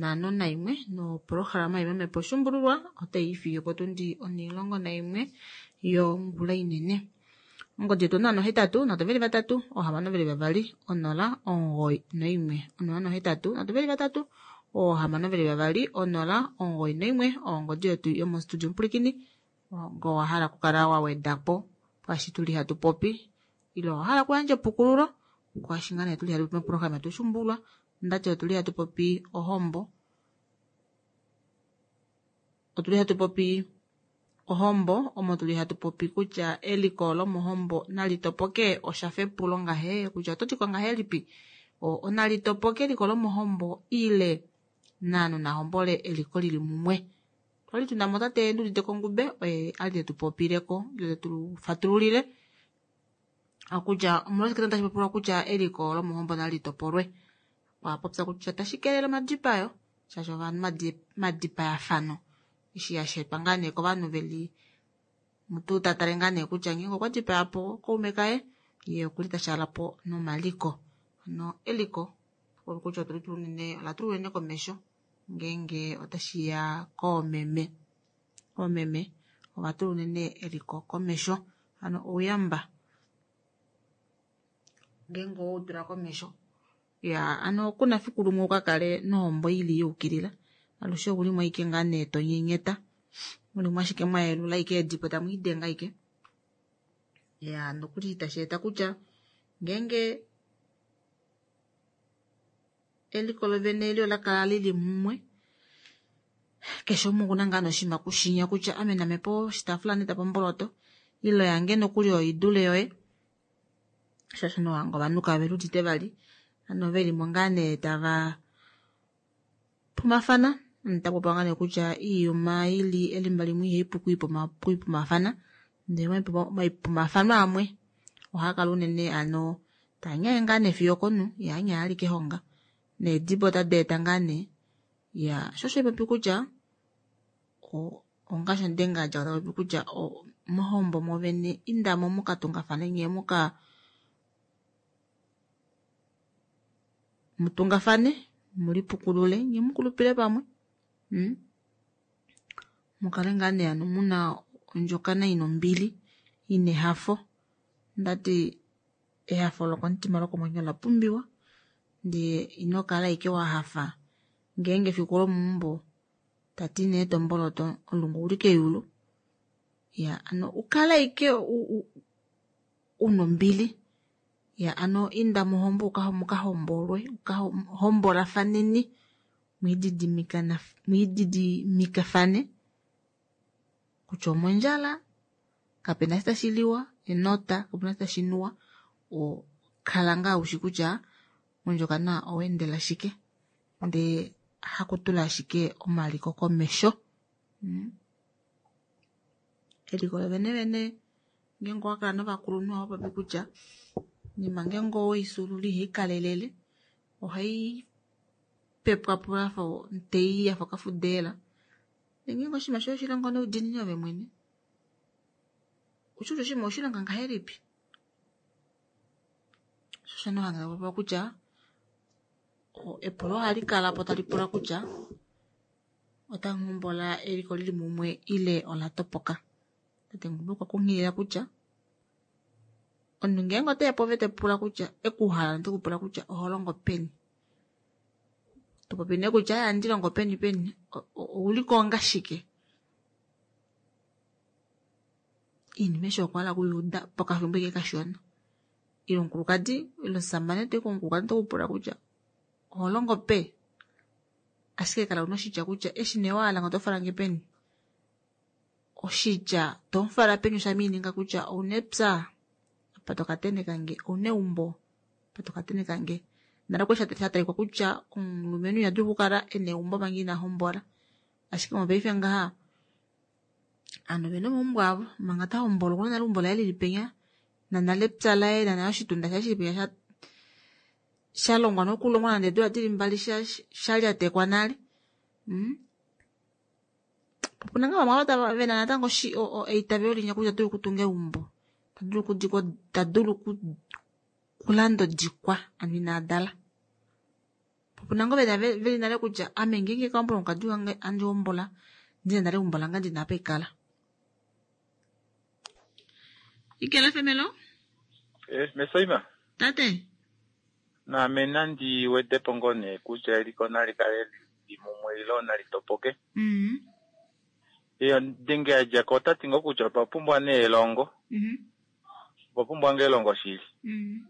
nhano naimwe nopolohalama yimwe mepo shumbululwa otayi ifiye potundi onhilongo naimwe yongula inene. Ongodi yetu onola nohetatu nhatu veli vatatu oohamano veli vavali onola omugoyi noimwe onola nohetatu nhatu veli vatatu oohamano veli vavali onola omugoyi noimwe ongodi yetu yomostudio omupulikini ngo wahala okukala wa wedapo kwaashi tuli hatu popi ile owahala okuyandja epukululo kwaashi ngaa nee tuli hatu popi mopolohalama yetu Shumbulwa ndati otuli hatu popi ohombo otuli hatu popi ohombo omo tuli hatu popi kutya eliko lomohombo nali topoke oshafa epulo ngahe kutya oto tiko ngahelipi O- onali topoke eliko lomohombo ile naanhu nahombole eliko lili mumwe twali tuna mo tate Ndudite Kongube oye ali tetu popileko ile tetu fatululile kutya omolwashike tashi popilwa kutya eliko lomohombo nali topolwe okwa popya kutya tashi kelele omadipayo shaashi ovanhu madi- madipayafano eshi hashi etwa ngaa nee kovanhu veli mutu ta tale ngaa nee kutya ngeenge okwa dipaya po kaume kaye ye okuli tashaala po nomaliko hano eliko olo kutya otuli tuu unene ola tulwa unene komesho ngeenge otashiya koomeme oomeme ova tula unene eliko komesho hano ouyamba ngeenge owewu tula komesho ya ano kuna fiku limwe uka kale nohombo ili yuukilila alushe oulimo ashike ngaa nee tonyenyeta mulimo ashike mwayelula ashike eedipo tamu idenga ashike ya nokuli tashi eta kutya ngeenge eliko lovene eli ola kala lili mumwe keshe umwe okuna ngaa noshinima kushinya kutya ame name po oshitaafula neta po omboloto Ile yange nokuli oidule yoye. Shaashi nohanga ovanhu kave ludite vali. Ano veli mo ngaa nee tava pumafana. Ntapopa ngaa nee kutya iiyuma ili elimba limwe ihai pu kuipumafana. Ndele omaipumafano amwe ohaa kala unene ano taanyaye ngaa nee fiyo okonhu, ihaanyaye alike honga. Needibo otadi eta ngaa nee. Ya, sho osho popi kutya ongaashi ondenga dja tapopi kutya mohombo mwovene indamo mukatungafane nye muka mutungafane mulipukulule nye mukulupile pamwe. Mm? Mukale ngaa nee ano muna ondjokana ina ombili ina ehafo. Ndati ehafo lokomutima lokomwenyo ola pumbiwa ndee ino kala ashike wa hafa ngeenge efiku lomuumbo tati nee tomboloto omulungu ouli keyulu. Ya ano ukale ashike una ombili. Ya ano inda mohombo mukahombolwe mukahombolafaneni mwiididimikafane kutya omondjala kapena eshi tashi liwa enota kapena eshi tashi nuwa o kala ngaa ushi kutya mondjokana oweendela shike ndee hakutula ashike omaliko komesho. Mm. Eliko lovene vene ngeenge owakala novakulunhu ovapopi kutya nima ngeenge oweifyuulula ihaikalelele ohai pepwapo yafa omutei yafa okafudeela. Ngeenge oshinima shoye oshilongo noudiinini ove mwene ushi kutya oshinima oweshilonga ngahelipi. Sho osho nee hanga popiwa kutya epulo ohali kalapo tali pula kutya otamu hombola eliko lili mumwe ile ola topoka. Tate Ngumbi okwa kunghilila kutya omunhu ngeenge oteya pove tepula kutya ekuhala notekupula kutya oho longo peni. Topopi nee kutya ohandi longo peni peni ouliko onga shike. Iinima eshi okwa hala okuyuuda pokafimbo ike kashona. Ile omukulukadi ile omusamane toyi komukulukadi otekupula kutya oho longo pe. Ashike kala una oshitya kutya eshi nee wahala oto falange peni. Oshitya tomufala peni oshamiininga kutya ouna epya apa tokateneka nge, ouna eumbo apa tokateneka nge. Nale okwali sha talikwa kutya omulumenhu ina dula okukala ena eumbo manga ina hombola. Ashike mopaife ngaha ovanhu ovena omaumbo avo manga ta hombola okuna nale eumbo laye lili penya nanale epya laye nanale oshitunda shaye shili penya sha longwa nokulongwa nande eedula dili mbali shalyatekwa nale. Mm? Opuna ngaa vamwe ava vena natango eitavelo linya kutya tadulu okutunga eumbo, tadulu okudikwa, tadulu okulanda odikwa ano ina dala. Opuna ngoo vena veli nale kutya ame ngeenge kahombola omukadi wange andi hombola ndina nale eumbo lange ndina apa haikala. Ikela femelo? Eh, Mesoima. Tate. Naame nandi wedepo ngoo nee kutya eliko nali kale lili mumwe ile nali topoke. Mm. Iyo ndenge yadjako otati ngoo kutya otwa pumbwa nee elongo. Mm. Otwa pumbwa ngoo elongo shili. Mm.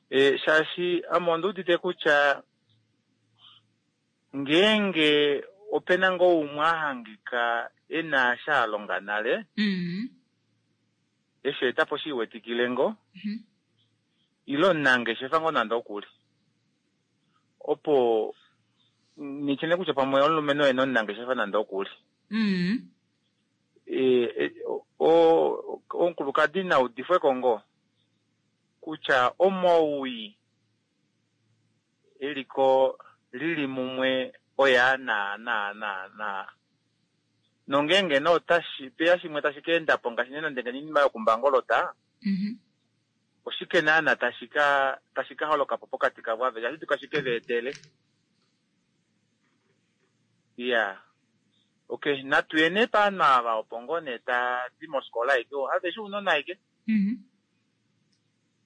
E, shaashi ame ondi udite kutya ngeenge opena ngoo umwe a hangika ena sha a longa nale, Mm. eshi etapo shi iwetikile ngoo, Mm. ile omunangeshefa ngoo nande okuli. Opo nityene kutya pamwe omulumenhu oye nomunangeshefa nande okuli. Mm. E, e, o, omukulukadi na udifweko ngoo kutya omowii eliko lili mumwe oya na na na na nongeenge no otashi peya shimwe tashi ka endapo ngaashi nee nande oinima yokumbangolota, Mm. oshike naana tashi ka tashi ka holokapo pokati kavo aveshe, ohashi tuka shike va etele. Iya. Okay, natu ye nee paanhu ava opo ngoo nee tadi mofikola aike, aveshe ounona aike. Mm.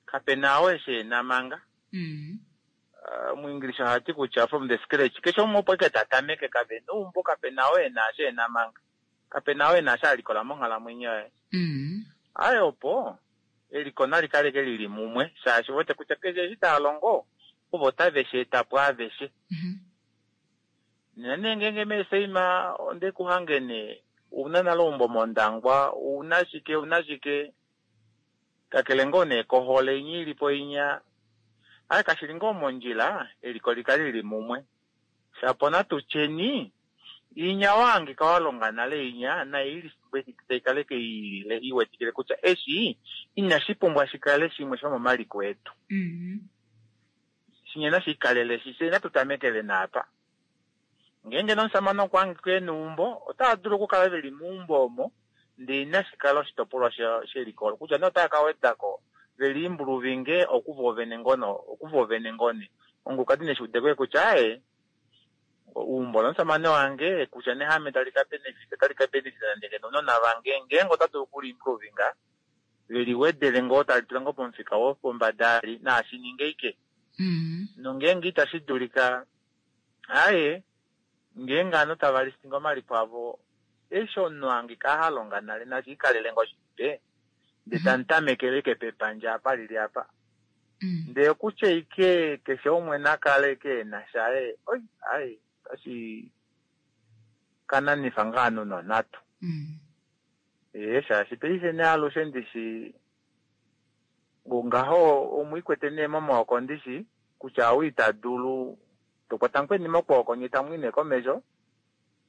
Kapena oo eshi ena manga. Mm. Uh, muEnglish ohati kutya from the scratch. Keshe umwe opo ike ta tameke, kapena eumbo, kapena oo ena eshi ena manga. Kapena oo ena eshi a likola monghalamwenyo yaye. Mm. Aye opo eliko nali kaleke lili mumwe, shaashi wete kutya keshe eshi taa longo ovo tave shi eta po aveshe. Mm. Nena nee ngeenge meeseima onde ku hange nee Ouna nale eumbo mOndangwa, ouna shike, ouna shike. Kakele ngoo nee kohole inya ili po inya. Aye kashili ngoo mondjila, eliko likale lili mumwe. Shapo natu tyeni, inya wahangika walonga nale inya, nayi taikala ike iilile iwetikile kutya eshi inashi pumbwa shikale shimwe shomomaliko etu. Shinya nashi ikalele shi, fye natu tamekele naapa. Ngeenge nomusamane okwa hangika ena eumbo, otava dulu okukala veli meumbo omo, ndele inashi kala oshitopolwa sheliko olo. Kutya nee otava ka wedako veli imbuluvinge okuvo vene ngoo okuvo vene ngoo nee. Omukulukadi neshi udeko kutya aaye, eumbo lomusamane wange kutya nee haame tali ka benefit, otali ka benefit nande ngeno ounona vange, ngeenge ota dulu okuliimbuluvinga, veli wedele ngoo tali tula ngoo pomufika wopombada ali, naashi ninge ike. Nongeenge itashi dulika, aaye, ngeenge ovanhu tava listinga omaliko avo, eshi omunhu hangika halonga nale nashi ikalele ngoo shipe, ndee tamu tamekele ike pepandja apa lili apa. Ndee kutya ike keshe umwe nakale ike ena shaye, oi, ai, otashi kananifa ngaa ovanhu nonhatu. Ee, shaashi paife nee alushe ndishi ngaho omwiikwete nee momaoko ndishi kutya ou ita dulu tokwata mukweni mokwooko nye tamu i nee komesho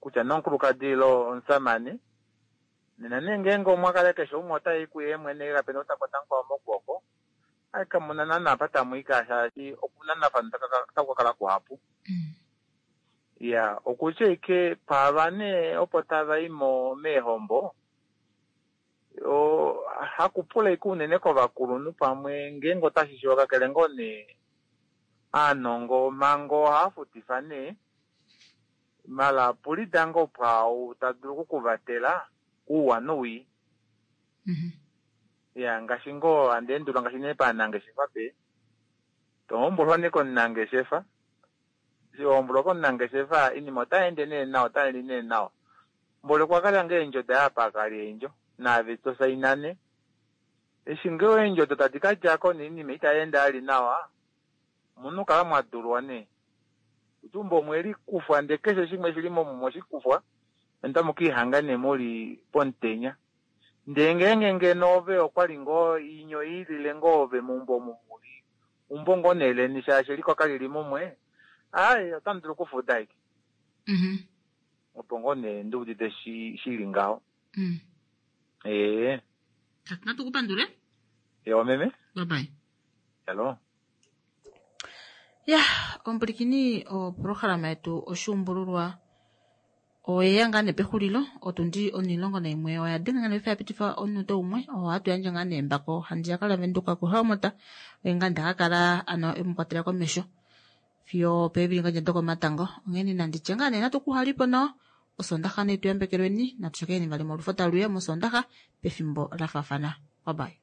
kutya nomukulukadi ile omusamane. Nena nee ngeenge omwa kala keshe umwe otai kuye mwene kapena ou ta kwata mukwao mokwooko, ai kamuna naana apa tamu i ka shaashi okunanafana otaku ka kala kuhapu. Ya, okutya ike paava nee opo tava i mo meehombo, hakupula ike unene kovakulunhu pamwe ngeenge otashi shiiva kakele ngoo nee aanongo omhango ohava futifa nee, mala pulida ngoo pwaau ta dulu okukuvatela ouwa nowii. Ya, ngaashi ngoo handi endulwa ngaashi nee paanangeshefa pe, tohombolwa nee komunangeshefa, eshi wahombolwa komunangeshefa inima otai ende nee nawa, otai li nee nawa. Mboli okwa kala ngoo eendjo daye apa akali eendjo, naave tosaina nee. Eshi ngoo eendjo odo tadi ka djako noinima itai ende ali nawa, omuna okukala mwadulwa nee. Eumbo omwe likufwa ndee keshe shimwe shili momu oshikufwa, notamu kiihanga nee muli pomutenya. Ndee ngeenge ngeno ove okwali ngoo inyo ilile ngoo ove meumbo omu muli, umbo ngoo nee leni shaashi eliko kalili mumwe, aaye otamu dulu okufuda ike. Opo ngoo nee ndiudite shili ngaho. Ee. Natu kupandule. Ewa meme. Bye bye. Hello. Ya, omupulikini oprograma yetu oshuumbululwa oyeya ngaa nee pexulilo, otundi onilongo naimwe oya denga ngaa nee ya pitifa omunute umwe, ohatu yandje ngaa nee embako handiyaka laVenduka kuHelmot, oye ngaa ndaka kala ano emukwatela komesho fiyo peevili ngaa dokomatango. Onghene nanditye ngaa nee natu kuhalipo nawa, osondaxa nee tuyambekelweni, natu shakeni vali molufo taluya mosondaxa pefimbo la faafana. Bye bye.